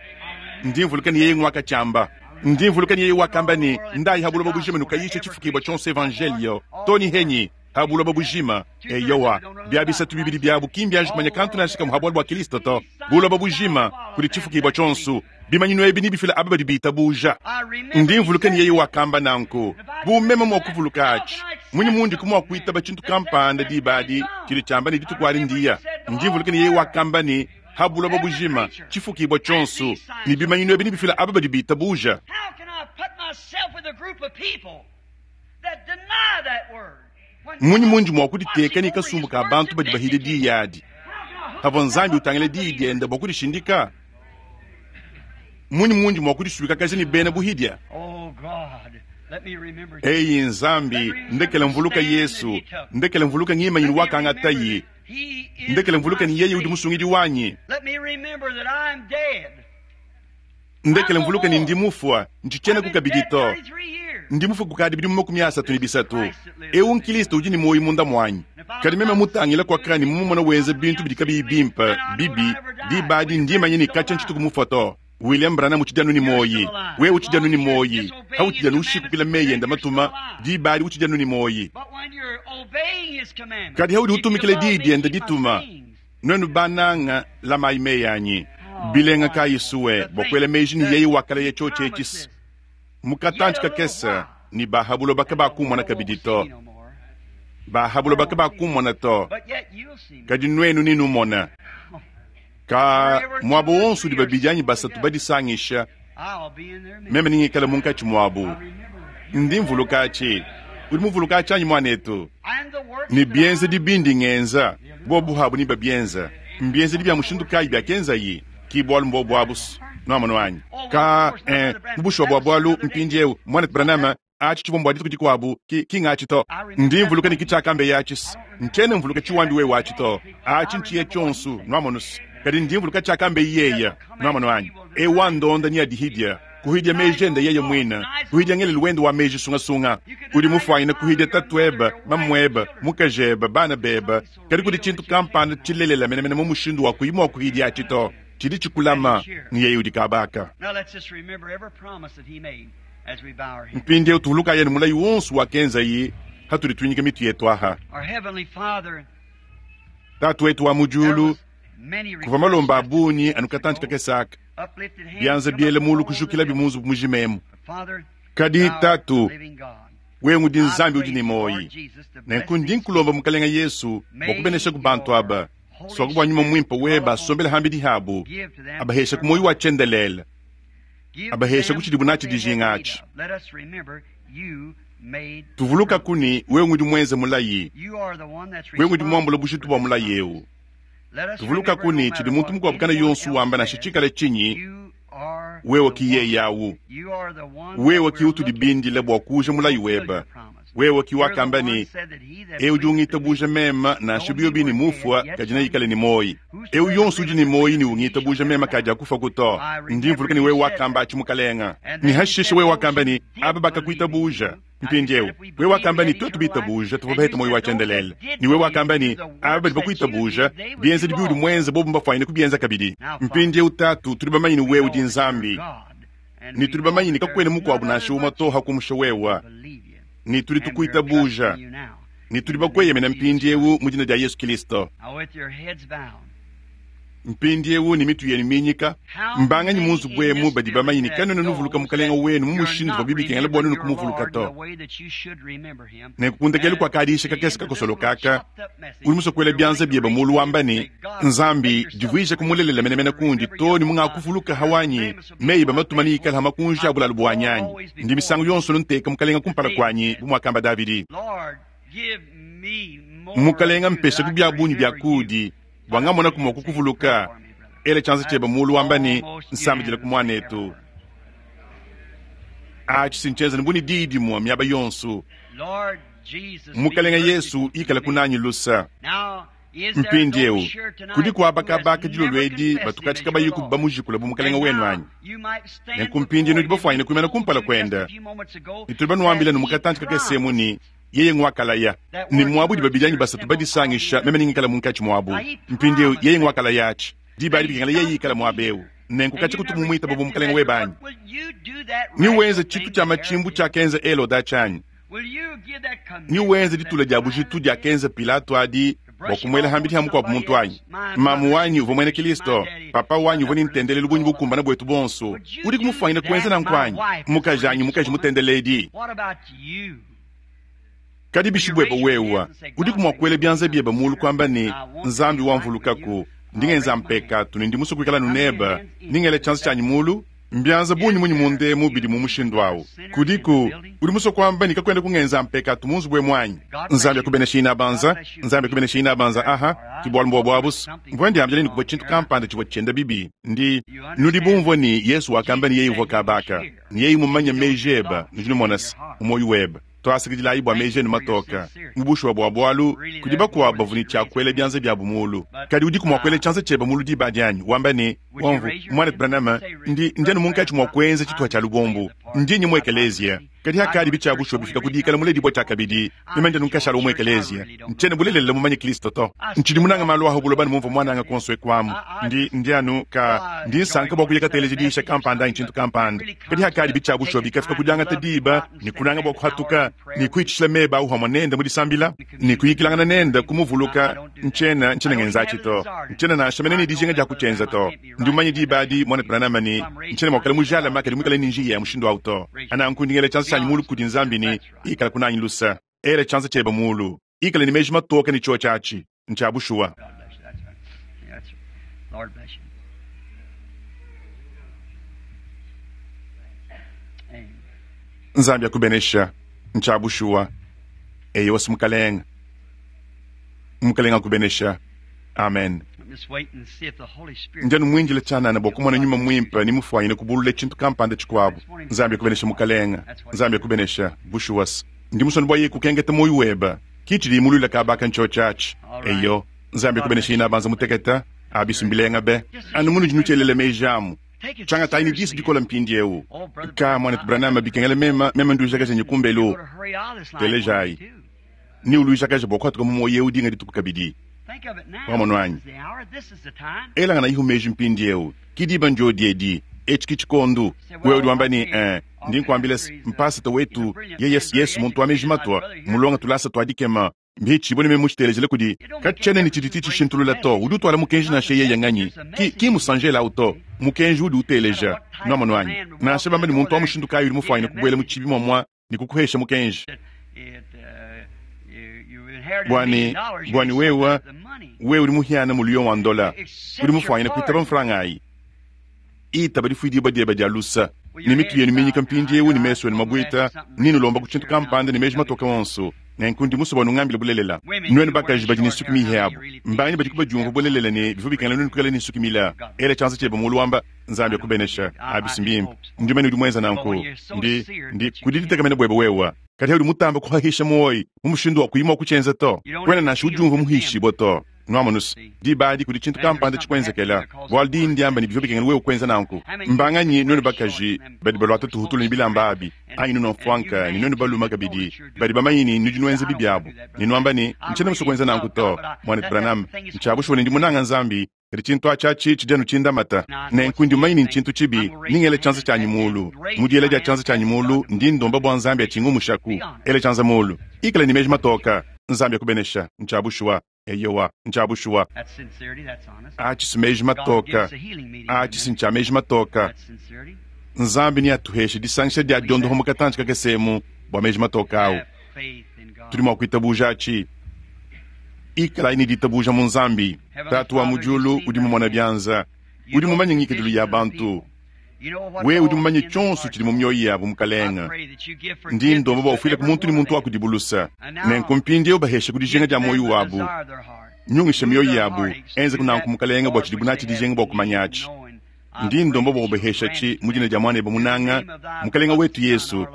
Speaker 1: Ndi mvuluka ne yeye nguakatshiamba. Ndi mvuluka ne yeye wakamba ne, Ndayi ha buloba bujima nukayishe tshifukibua tshionso evanjelio, to ne henyi ha buloba bujima. Eyowa, bia bisatu bibidi biabu ki mbianji kumanya kantu nansha kamue ha bualu bua Kilisto to. Buloba bujima, kudi tshifukibua tshionso, bimanyinu ebi nebifile aba badi bitabuja. Ndi mvuluka ne yeye wakamba nanku. Bu meme mua kuvuluka atshi, munyi mundiku mua kuitaba tshintu kampanda diba adi tshidi tshiamba ne dituku adi ndiya? Ndi mvuluka ne yeye wakamba ne, ha buloba bujima, tshifukibua tshionso, ne bimanyinu ebi nebifile aba badi bitabuja. Mmunyi mundi mua kuditeka ne kasumbu ka bantu badi bahile diyi adi, pavua Nzambi utangila diyi diende bua kudishindika? Mmunyi mundi mua kudisuikakaja ne bena buhidia? Eyi Nzambi, ndekela mvuluka Yesu, ndekela mvuluka ngimanyinu wakangatayi, ndekela mvuluka ne yeye udi musungidi wanyi. Ndekele mvuluke ne ndi mufua, ntshitshienaku kabidi to. Ndi mufue kukadi bidimu 33. Eu n'Kilisto udi ne muoyo munda muanyi. Kadi meme mutangile kuaka ne mumumone wenza bintu bidi kabiyi bimpe, bibi, diba adi ndi manya ne katshia ntshituku mufua to. William Branham utshidi anu ne muoyi. Wewe utshidi anu ne muoyi. Hautshidi anu ushikukila meyi ende matuma, diba adi utshidi anu ne muoyi. Kadi haudi utumikila diyi diende dituma, Nuenu bananga, lamayi meyi anyi. Bilenga kayi sue bua kuela meji ne yeye wakalaya tshiotshi etshi mu katantshi kakese ne ba ha buloba kabakumona kabidi to, ba ha buloba kabakumona to, kadi nuenu nenumona. Ka muaba wonso udi babidi anyi basatu badisangisha, meme nengikale munkatshi muabu. Ndi mvuluka atshi. Udi muvuluka atshi anyi, muanetu? Ne bienzedi bindi ngenza, bobu habu nebabienza. Mbienzedi bia mushindu kayi biakenzayi? Ki bualu mbobu abu. Nwamonu anyi? Kaa, ee, mu bushuwa bwa bwalu, mpindyewu, Mwanetu Branham, aci civwa mbwa dituku dikwabo, ki, ki ng'aci to. Ndi mvuluka ne ki cyakambeyi aci's. Ncyena mvuluka ciwambi wewe aci to. Aci nciye cyonso, nwamonu's. Kadi ndi mvuluka cyakambeyi yeye. Nwamonu anyi? Ewu wandonda neadihidye. Kuhidya meji ende yeye mwine, kuhidya ngelelu wende wa meji sungasunga. Udi mufwanyine kuhidya tatuebe, mamuebe, mukajebe, bana bebe, kadi kudi cintu kampanda cilelela menemene mu mushindu wa kuyi mwa kuhidya aci to, cidi cikulama, ne yeye udi kaaba aka. Mpindyewu tuvulukayi anu mulayi wonso wakenzayi patudi twinyika mitu yetu aha. Tatu wetu wa mu Dyulu, kuvwa malomba a bungi anu katanci kakese aka, byanza byela mulu kujukilabi mu nzubu mujima emu. Kadi, Tatu, Wewe ngudi Nzambi udi ne muoyi. Nenku ndi nkulomba, Mukalenga Yesu, bwa kubeneshaku bantu aba, swaku bwa Nyuma Mwimpe webe asombele hambidi habu, abaheshaku muoyi wa tshiendelele, abaheshaku tshidibu natshi dijinga atshi. Tuvulukaku ne, Wewe ngudi mwenze mulayi. Wewe ngudi mwambule bujitu bwa mulayi ewu. Tuvulukaku ne, tshidi muntu mukuabu kana yonso wamba nansha tshikale tshinyi, wewe ki yeye awu. Wewe ki utudi bindile bua kuuja mulayi webe. Wewe ki wakamba ne, Eu udi ungitabuja meme, nansha biobi ne mufua, kadi neikale ne muoyi. Eu yonso udi ne muoyi ne ungitabuja meme kadiakufaku to. Ndi mvuluka ne wewe wakamba atshi, Mukalenga. Ne hashishe wewe wakamba ne, Aba bakakuitabuja. Mpindieu, wewe wakamba ne, tuetu bitabuja, tuvua bahete muoyo wa tshiendelele. Ne wewe wakamba ne, aba badi bakuitabuja, bienzedi biudi muenze bobu mbafwanyine kubienza kabidi. Mpindieu, Tatu, tudi bamanye ne wewe udi Nzambi, ne tudi bamanye ne kakuena mukuabu nansha umue to hakumusha wewe, ne tudi tukuitabuja, ne tudi bakueyemena mpindieu mu dina dia Yesu Kilisto. Mpindiewu ne mitu yenu minyika, mbanganyi mu nzubu emu badi bamanye ne kanuena nuvuluka Mukalenga wenu mu mushindu uvuabi bikengela bua nuenu kumuvuluka to? Nenku ku ndekelu kua kadiisha kakese kakosoloka aka, udi musue kuela bianza biebe mulu wamba ne, Nzambi, divuijaku mulelela menemene kundi too ne mungakuvuluka hawanyi meyi ebe matuma neikale ha makunji a bulalu buanyi anyi? Ndi misangu yonso nteka Mukalenga kumpala kuanyi, bu muakamba Davidi. Mukalenga, mpeshaku bia bungi bia kuudi. Bua ngamonaku mua kukuvuluka, ela tshianza tshiebe muulu wamba ne, Nsambidilaku muanetu. Atshi si ntshienza ne bu ne diyi dimue miaba yonso. Mukalenga Yesu, ikalaku nanyi lusa. Mpindieu, kudiku aba kabaka dilolo edi batukatshi kabayiku bamujikula bu Mukalenga wenu anyi? Nenku mpindieu nudi bafuanyine kuimana kumpala kuende, ne tudi banuambila ne mu katantshi kakese emu ne, Yeye ngwakalaya ne muabu udi babidi anyi basatu badisangisha, meme nengikale munkatshi muabu. Mpindieu, yeye ngwakalaya atshi. Diba adi bikengela yeye ikale muaba eu. Nenku katshia kutu mumuitaba bu Mukalenge webe anyi? Newenze tshitu tshia matshimbu tshiakenza Heloda atshi anyi? Newenze ditula dia bujitu diakenza Pilato adi bua kumuela hambidi ha mukuabu muntu anyi? Mamu wanyi uvua muena Kristo, papa wanyi uvua ne ntendelelu bungi bukumbane buetu bonso. Udiku mufuanyine kuenza nanku anyi? Mukajanyi mukaji mutendeledi. Kadi bishi buebe wewe? Udiku mua kuela bianza biebe muulu kuamba ne, Nzambi wamvulukaku, ndi ngenza mpekatu ne ndi musue kuikala anu nebe, ndi ngela tshianza tshianyi muulu? Mbianza bungi munyi munda emu bidi mu mushindu au? Kudiku udi musue kuamba ne, kakuena kungenza mpekatu mu nzubu emu anyi? Nzambi akubeneshe inabanza. Nzambi akubeneshe inabanza. Aha, ki bualu mbuobu abu's. Mvua ndiambila ne kuvua tshintu kampanda tshivua tshienda bibi. Ndi. Nudi bumvue ne, Yesu wakamba ne yeye uvua kabaka. Ne yeye mumanye meji ebe, nudi numona se, mu muoyo webe. Tuasakidilayi bua meji enu matoke. Mu bushuwa bua bualu, kudi bakuabu bavua ne tshia kuela bianza biabu muulu. Kadi udiku mua kuela tshianza tshiebe muulu diba adi anyi, wamba ne, Umvu, Muanetu Branham, ndi, ndi anu munkatshi mua kuenza tshituha tshia lubombu. Ndi nye mu ekeleziya. Kadi hakadi bitshia bushuwa bifika ku dikala muledibua tshiakabidi, meme ndi anu nkashala wa mu ekeleziya. Ntshiena bulelela mumanye Kristo to. Ntshidi munange malu a ha buloba ne mumvua muananga kuonso eku amu. Ndi, ndi anu, ka, ndi nsanka bua kuya kateleja diyisha kampanda anyi tshintu kampanda. Kadi hakadi bitshia bushuwa bikafika ku diangata diba ne kunanga bua kuhatuka ne kuhitshishila meba au hamue nende mu disambila ne kuyikilangana nende, kumuvuluka, ntshiena, ntshiena ngenzatshi to. Ntshiena nansha mene ne dijinga dia kutshienza to. Ndi mumanye diba adi, Muanetu Branham, ne ntshiena mua kuikala mujalame kadi muikale ne njiya ya mushindu au to. Nanku ndi ngela tshianza tshianyi mulu kudi Nzambi ne, Ikalaku nanyi lusa. Ela tshianza tshiebe mulu. Ikala ne meji matoke ne tshiotshi atshi ntshia bushuwa. Nzambi akubenesha. Ntshia bushuwa. Eyowa, Mukalenge. Mukalenge akubenesha. Amen. Ndi anu mwindile tshianana bua kumona Nyuma Muimpe ne mufuanyine kubulula tshintu kampanda tshikuabu. Nzambi akubenesha, mukalenga. Nzambi akubenesha. Bushuwa's. Ndi musue bua yeye kukenketa muoyo webe. Ki tshidi imuluila kaba aka ntshiotshi atshi. Eyo. Nzambi akubenesha inabanza mutekete. Abi mbilenga be. Anu munudi nutshielela meji amu. Tshiangatayi ne disu dikole mpindiewu. Ka, Muanetu Branham, bikengela mema, mema nduijakaja nyi kumbelu. Telejayi. Ne uluijakaja bua kuhatuka mu muoyo eu dinga dituku kabidi. Wamonu anyi? Elanganayihu meji mpindiewu. Ki diba ndiodi edi. Etshi ki tshikondu. Wewe udi wamba ne, Eh, ndi nkuambila se, mpasata wetu, yeye Yesu, muntu wa meji matua, mulonga tulasa tua dikema, Mbihitshibue ne meme mutshitelejele kudi katshiena ne tshidi tshitshishintulula to. Udi utuala mukenji nansha yeye nganyi. Ki, ki musanjela au to. Mukenji udi uteleja. Nuamonu anyi? Nansha bamba ne muntu wa mushindu kayi udi mufuanyine kubuela mu tshibi muamua ne kukuhesha mukenji. Bua ne, bua ne wewe, wewe udi muhiana muliyo wa ndola, udi mufuanyine kuitaba mfranga ayi. Itaba difuidibua diebe dia lusa, ne mitu yenu minyika mpindiewu ne mesu enu mabuita, ne nulomba ku tshintu kampanda ne meji matoke onso. Nenku ndi musue bua nungambile bulelela. Nuenu bakaji badi ne nsuki mihi abu, mbanganyi badiku badiumvua bulelela ne bivua bikengela nuenu kuikala ne nsuki mile? Ela tshianza tshiebe mulu wamba, Nzambi akubenesha. Abi si mbimpe. Ndi mumanye udi muenza nanku. Ndi, ndi, kudi ditekemena buebe wewe. Kadi udi mutambe kuhahisha muoyi mu mushindu wa kuyi mua kutshienza to. Kuena nansha udiumvua muhishibue to. Nuamonu's, diba adi kudi tshintu kampanda tshikuenzekela, bualu diyi ndiamba ne bivua bikengela wewe kuenza nanku. Mbanganyi nuenu bakaji badi baluata tuhutulu ne bilamba abi, anyi nuenu mfuanka, ne nuenu balume kabidi, badi bamanye ne nudi nuenza bibi abu, ne nuamba ne, Ntshiena musue kuenza nanku to, Muanetu Branham. Ntshia bushuwa ne ndi munanga Nzambi, kadi tshintu atshi atshi tshidi anu tshindamata. Nenku ndi mumanye ne ntshintu tshibi, ndi ngela tshianza tshianyi muulu. Mu diela dia tshianza tshianyi muulu, ndi ndomba bua Nzambi atshingumushaku. Ela tshianza muulu. Ikala ne meji matoka. Nzambi akubenesha. Ntshia bushuwa. Eyowa, ntshia bushuwa. Atshi si meji matoka. Atshi si ntshia meji matoka. Nzambi neatuheshe disangisha dia diondoha mu katantshi kakese emu bua meji matoka au. Tudi mua kuitabuja atshi. Ikalayi ne ditabuja mu Nzambi. Tatu wa mu diulu udi mumona bianza, udi mumanye ngikadilu ya bantu. Wewe udi mumanye tshionso tshidi mu mioyo yabu, Mukalenge. Ndi ndomba bua ufuileku muntu ne muntu wa kudibu luse. Nenku mpindieu baheshe ku dijinga dia muoyo wabu. Nyungisha mioyo yabu, enzeku nanku, Mukalenge, bua tshidibu natshi dijinga bua kumanyatshi. Ndi ndomba bua ubaheshatshi mu dina dia Muanebe munanga, Mukalenge wetu Yesu.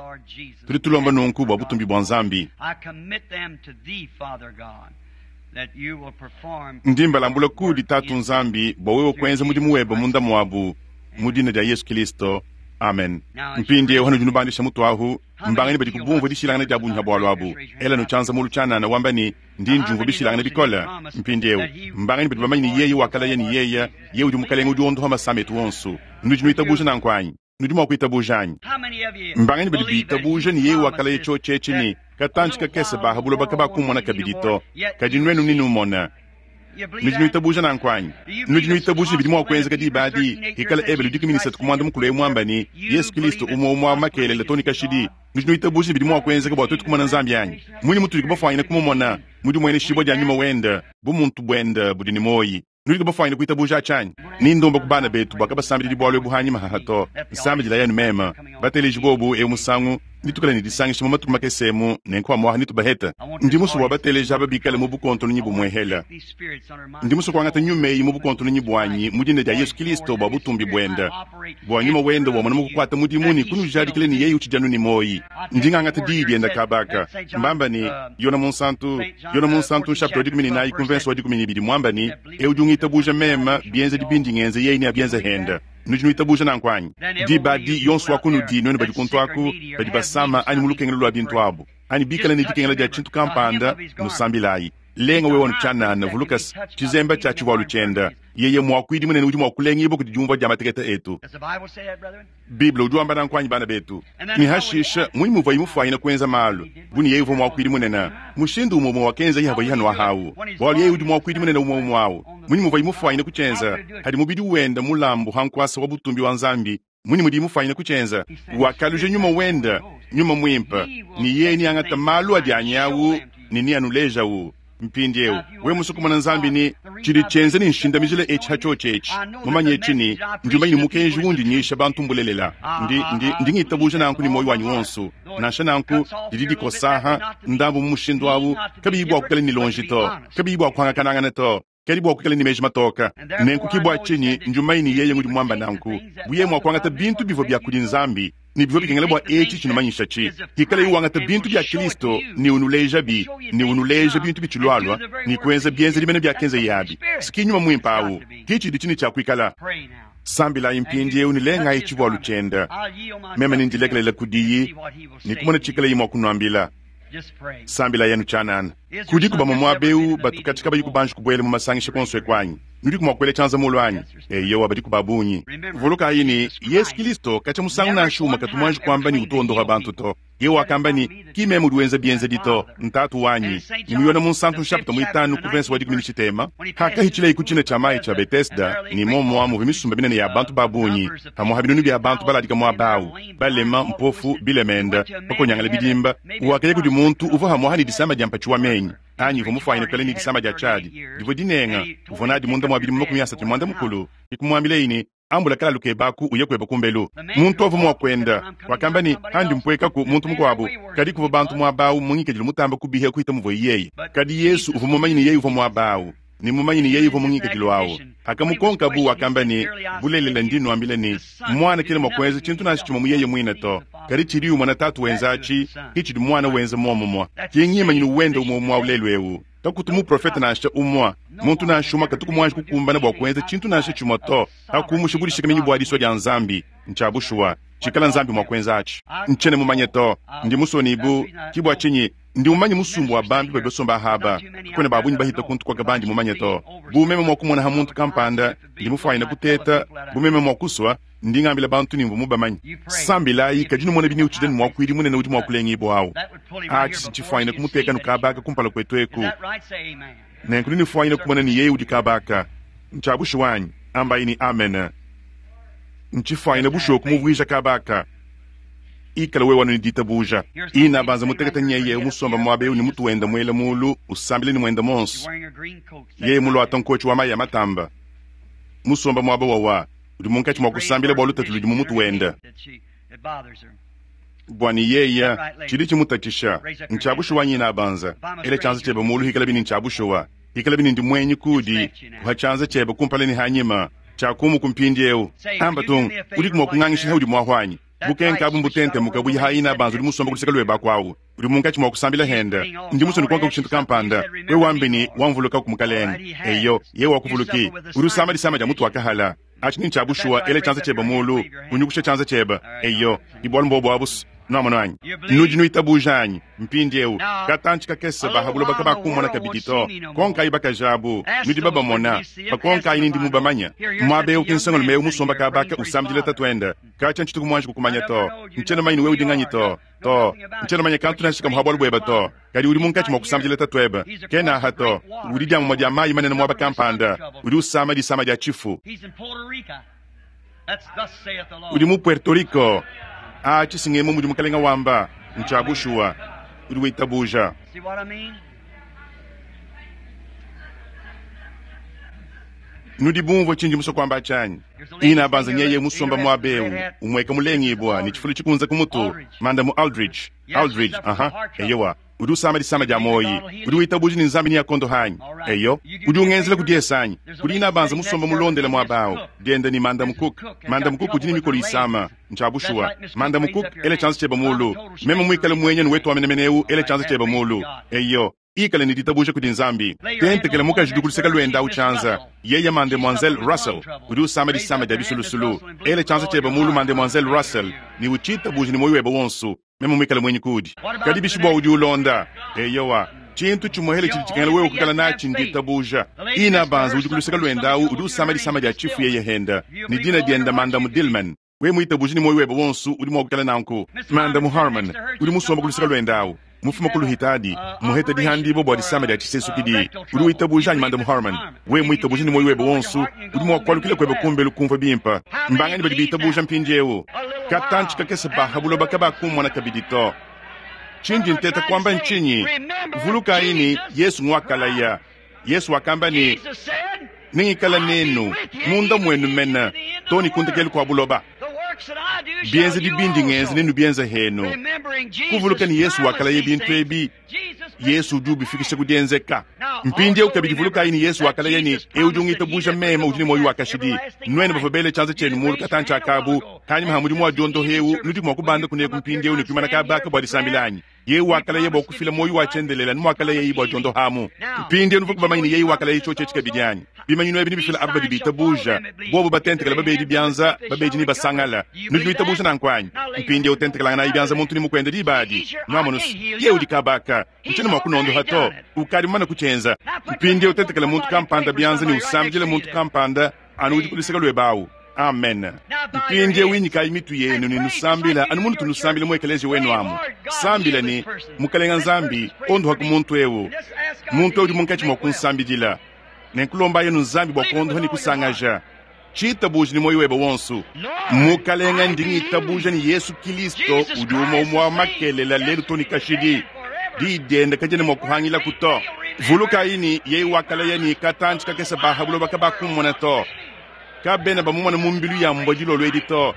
Speaker 1: Tudi tulomba nunku bua butumbi bua Nzambi. Ndi mbalambula kudi Tatu Nzambi bua wewe kuenza mudimu webe munda muabu, mu dina dia Yesu Kilisto. Amen. Mpindieu hanudi nubandisha mutu ahu, mbanganyi badi kubumvua dishilangana dia bungi ha bualu abu? Elanu tshianza mulu tshianana wamba ne, Ndi ndiumvua bishilangane bikole. Mpindieu mbanganyi badi bamanye ne yeye wakalaya ne yeye, yeye udi Mukalenge udi wondoha masama etu onso? Nudi nuitabuja nanku anyi? Nudi mua kuitabuja anyi? Mbanganyi badi bitabuja ne yeye wakalaya tshiotshi etshi ne, Katantshi kakese ba ha buloba kabakumona kabidi to, kadi nuenu nenumone? Nudi nuitabuja nanku anyi? Nudi nuitabuja ne bidi mua kuenzeka diba adi, hikala Ebelu 13 ku muanda mukulu eu muamba ne, Yesu Kilisto umue umue wa makelela to ne kashidi? Nudi nuitabuja ne bidi mua kuenzeka bua tuetu kumona Nzambi anyi? Munyi mutudi bafuanyine kumumona? Mu dimueneshibua dia nyuma wende, bumuntu buende budi ne muoyi. Nudi bafuanyine kuitabuja atshi anyi? Ni ndomba ku bana betu bua kabasambididi bualu ebu hanyima haha to. Nsambidilayi anu meme. Bateleji bobu eu musangu, netuikale ne disangisha mu matuku makese emu, nenku amuaha netubahete. Ndi musue bua bateleji aba bikale mu bukontononyi bumuehela. Ndi musue kuangata nyuma eyi mu bukontononyi buanyi mu dina dia Yesu Kilisto bua butumbi buende, bua nyuma wende wamona mu kukuata mudimu ne kunujadikila ne yeye utshidi anu ne muoyi. Ndi ngangata diyi diende kaba aka. Mbamba ne, Yona Munsantu, Yona Munsantu nshapita wa 14 ku mvense wa 12 muamba ne, Eu udi ungitabuja meme, bienzedi bindi ngenza yeye neabienze hende. Nudi nuitabuja nanku anyi? Diba adi, yonso wa kunudi nuenu badi kuntu aku, badi basama anyi mu lukengelu lua bintu abu, anyi bikale ne dikengela dia tshintu kampanda, nusambilayi. Lenga wewe anu tshianana, vuluka se, tshizemba tshia tshivualu tshiende, yeye muakuidi munene udi mua kulengibua kudi diumvua dia matekete etu. Bible udi wamba nanku anyi, bana betu? Ne hashishe, munyi muvuaye mufuanyine kuenza malu bu ne yeye uvua muakuidi munene? Mushindu umue umue wakenzaye havuaye hanuaha au, bualu yeye udi muakuidi munene umue umue au. Munyi muvuaye mufuanyine kutshienza? Hadi mubidi wende mulambu ha nkuasa wa butumbi wa Nzambi, munyi mudiye mufuanyine kutshienza? Wakaluja nyuma wende, Nyuma Muimpe, ne yeye neangate malu adi anyi au ne neanulejawu. Mpindieu, wewe musue kumona Nzambi ne tshidi tshienza ne nshindamijila etshi ha tshiotshi etshi, mumanye etshi ne, ndi mumanye ne mukenji undi nyisha bantu mbulelela. Ndi, ndi, ndi ngitabuja nanku ne muoyo wanyi wonso. Nansha nanku, didi dikosaha ndambu mu mushindu au, kabiyi bua kuikala ne lonji to, kabiyi bua kuangakanangana to. Kadi bua kuikala ne meji matoka. Nenku ki bua tshinyi ndi mumanye ne yeye ngudi muamba nanku, bu yeye mua kuangata bintu bivua bia kudi Nzambi, ne bivua bikengela bua etshi tshinumanyishatshi, hikalaye wangata bintu bia Kilisto ne unulejabi, ne unuleja bintu bitshilualua, ne kuenza bienzedi mene biakenzeye abi. S'ki Nyuma Muimpe awu. Ki tshidi tshine tshia kuikala. Sambilayi mpindiewu ne lengayi tshivualu tshienda. Meme nendilekelele kudiyi ne kumona tshikalayi mua kunuambila. Sambilayi anu tshianana. Kudiku bamue muaba eu batu katshia kabayi kubanji kubuela mu masangisha kuonso eku anyi? Nudiku mua kuela tshianza mulu anyi? Eyowa, badiku ba bungi. Vulukayi ne, Yezu Kilisto katshia musangu nansha umue katu muanji kuamba ne utu wondopa bantu to. Yeye wakamba ne, Ki meme udi wenza bienzedi to, n'Tatu wanyi. Ne mu Yone Munsantu nshapita muitanu ku verse wa dikumi ne tshitema, hakahitshileyi ku tshina tshia mayi tshia Betesda, ne muomua muvua misumba minene ya bantu ba bungi, pamuapa binunu bia bantu baladika muaba au, balema, mpofu, bilemende, bakonyangale bidimba, wakaya kudi muntu uvua pamuapa ne disama dia mpatshi wa menyi, anyi uvua mufuanyine kuikala ne disama dia tshiadi divua dinenga, uvua nadi munda mua bidimu 31, ke kumuambilaye ne, Ambula kalalu kebe aku, uye kuebe kumbelu. Muntu uvua mua kuenda wakamba ne, Andi mpuekaku muntu mukuabu. Kadi kuvua bantu muaba au mu ngikadilu mutambe kubiha kuhita muvuaye yeye. Kadi Yesu uvua mumanye ne yeye uvua muaba au, ne mumanye ne yeye uvua mu ngikadilu au. Hakamukonkabu, wakamba ne, Bulelela, ndi nuambila ne, Muana kena mua kuenza tshintu nansha tshimue mu yeye muine to, kadi tshidiye umona Tatu wenza atshi, ke tshidi Muana wenza muomumue. Ke ngimanyinu wende umue umue au lelu eu. Kakutu muprofete nansha umue, muntu nansha umue katuku muanji kukumbana bua kuenza tshintu nansha tshimue to, pa kumusha budishikaminyi bua disua dia Nzambi. Ntshia bushuwa, tshikala Nzambi mua kuenza atshi, ntshiena mumanye to. Ndi musue ne bu, ki bua tshinyi ndi mumanye musumbu wa bambi badi basomba aha aba. Kakuena ba bungi bahita kuntu kuaka bandi mumanye to. Bu meme mua kumona ha muntu kampanda, ndi mufuanyine kuteta, bu meme mua kusua, ndi ngambila bantu ne mvua mubamanye. Sambilayi, kadi numone biniutshidi ne muakuidi munene udi mua kulengibua awu. Atshi si tshifuanyine kumuteka nu kaba aka kumpala kuetu eku. Nenku nunifuanyine kumona ne yeye udi kaba aka. Ntshia bushuwa anyi? Ambayi ne, Amene. Ntshifuanyine bushuwa kumuvuija kaba aka. Ikala wewe anu ne ditabuja. Ina banza mutekete nyeye musomba muaba eu ne mutu wenda muela mulu, usambila ne muende muonso. Yeye muluata nkotshi wa mayi a matamba. Musomba muaba wawa, udi munkatshi mua kusambila bua lutatu ludi mu mutu wende. Bua ne yeye, tshidi tshimutatshisha ntshia bushuwa anyi? Inabanza, ela tshianza tshiebe mulu hikalabi ne ntshia bushuwa. Hikalabi ne ndi muenyi kuudi, kuha tshianza tshiebe kumpala ne hanyima, tshiakumuku mpindieu. Amba tung, udiku mua kungangisha haudi muahu anyi? Bukenka abu mbutentemuka buyi ha inabanza udi musomba ku luseke luebe aku au. Udi munkatshi mua kusambila hende. Ndi musue nukonka ku tshintu kampanda. Wewe wambi ne, Wamvulukaku, Mukalenge. Eyo, yeye wakuvuluki. Udi usama disama dia mutu wa kahala. Atshi ni ntshia bushuwa. Ela tshianza tshiebe mulu, unyukushe tshianza tshiebe. Eyo, ni bualu mbobu abu's. Nuamonu anyi? Nudi nuitabuja anyi? Mpindieu, katantshi kakese ba ha buloba kabakummona kabidi to. Konkayi bakaji abu, nudi babamona. Bakonkayi ni ndi mubamanya. Muaba eu ki nsongalume eu musomba kaba aka usambidila tatuende. Katshia ntshituku muanji kukumanya to. Ntshiena mumanye ne wewe udi nganyi to. To, ntshiena mumanye kantu nansha kamue ha bualu buebe to. Kadi udi munkatshi mua kusambidila tatuebe. Kena aha to. Udi dia mumue dia mayi manene muaba kampanda. Udi usama disama dia tshifu. Udi mu Puerto Rico. Atshi si ngemu mudi Mukalenga wamba. Ntshia bushuwa. Udi witabuja. Nudi bumvue tshindi musue kuamba atshi anyi? Inabanza nyeye musomba muaba eu, umueka mulengibua ne tshifulu tshikunze ku mutu, Mandamu Aldridge. Aldridge, aha, eyowa. Udi usama disama dia muoyi. Udi witabuja ne Nzambi neakondoha anyi? Eyo. Udi ungenzela ku diese anyi? Kudi inabanza musomba mulondela muaba au, diende ne Mandamu Cook. Mandamu Cook udi ne mikolo isama. Ntshia bushuwa. Mandamu Cook, ela tshianza tshiebe mulu. Meme muikale muenyi wetu wa menemene eu, ela tshianza tshiebe mulu. Eyo. Ikala ne ditabuja kudi Nzambi. Tentekela mukaji udi ku luseke luende au tshianza. Yeye Mademoiselle Russell udi usama disama dia bisulusulu. Ela tshianza tshiebe mulu, Mademoiselle Russell, ne utshitabuje ne muoyo webe wonso. Meme muikale muenyi kuudi. Kadi bishi bua udi ulonda? Eyowa, tshintu tshimuehele tshidi tshikengela wewe kuikala natshi nditabuja. Ina banza udi ku luseke luende au udi usama disama dia tshifu yeye henda, ne dina diende Mandamu Dillman. Wewe muitabuje ne muoyo webe wonso, udi mua kuikala nanku. Mandamu Harman udi musomba ku luseke luende au, mufuma ku Luhitadi, muheta dihandibua bua disama dia tshisesukidi. Udi witabuja anyi, Mandamu Harman? Wewe muitabuje ne muoyo webe wonso, udi mua kualukila kuebe kumbelu kumvua bimpe. Mbanganyi badi bitabuja mpindieu? Katantshi kakese ba ha buloba kabakummona kabidi to. Tshindi nteta kuamba ntshinyi? Vulukayi ne, Yesu nguakalaya. Yesu wakamba ne, Nengikale nenu munda muenu mene, to ne ku ndekelu kua buloba. Bienzedi bindi ngenza nenubienze henu. Kuvuluka ne Yesu wakalaya bintu ebi, Yesu udi ubifikisha ku dienzeka. Mpindieu kabidi vulukayi ne Yesu wakalaya ne, Eu udi ungitabuja meme udi ne muoyo wa kashidi. Nuenu bavua bele tshianza tshienu muulu katantshi akabu, panyima ha mudimu wa diondoha eu, nudi mua kubanda kuneku mpindieu ne kuimana kaba aka bua disambila anyi? Yeye wakalaya bua kufila muoyo wa tshiendelele anu muakalayaye bua diondohamu. Mpindieu nuvuaku bamanye ne yeye wakalaya tshiotshi etshi kabidi anyi? Bimanyinu ebi nebifile aba badi bitabuja, bobu batentekela babedi bianza, babedi nebasangale. Nudi nuitabuja nanku anyi? Mpindieu tentekelanganayi bianza muntu ne mukuende diba adi. Nuamonu se, yeye udi kaba aka. Ntshiena mua kunondoha to. Ukadi mumane kutshienza. Mpindieu tentekela muntu kampanda bianza ne usambidile muntu kampanda anu udi ku luseke luebe awu. Amen. Mpindieu inyikayi mitu yenu ne nusambila anu munutu nusambila mu ekeleziya wenu amu. Sambila ne, Mukalenga Nzambi, ondohaku muntu eu. Muntu eu udi munkatshi mua kunsambidila. Nenkulombayi anu Nzambi bua kuondoha ne kusangaja. Tshitabuja ne muoyo webe wonso. Mukalenga, ndi ngitabuja ne Yesu Kilisto udi umue umue wa makelela, lelu to ne kashidi. Diyi diende kadiena mua kuhangilaku to. Vulukayi ne, yeye wakalaya ne, Katantshi kakese ba ha buloba kabakummona to. Kabena bamumona mu mbilu ya mbua dilolo edi to.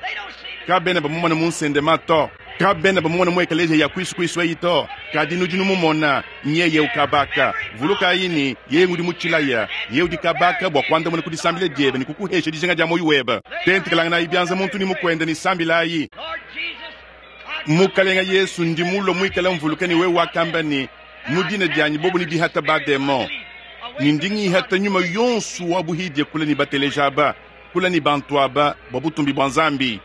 Speaker 1: Kabena bamumona mu nsendema to. Kabena bamumona mu ekeleziya ya kuisu kuisu eyi to. Kadi nudi numumona, nyeye ukabaka. Vulukayi ne, yeye ngudi mutshilaya. Yeye udi kabaka bua kuandamuna ku disambila diebe ne kukuhesha dijinga dia muoyo webe. Tentekelanganayi bianza muntu ne mukuende ne sambilayi. Mukalenga Yesu, ndi mulue muikale mvuluka ne wewe wakamba ne, Mu dina dianyi bobo nebihate bademon, ne ndi ngihata nyuma yonso wa buhidie kule ne bateleja aba, kule ne bantu aba, bua butumbi bua Nzambi.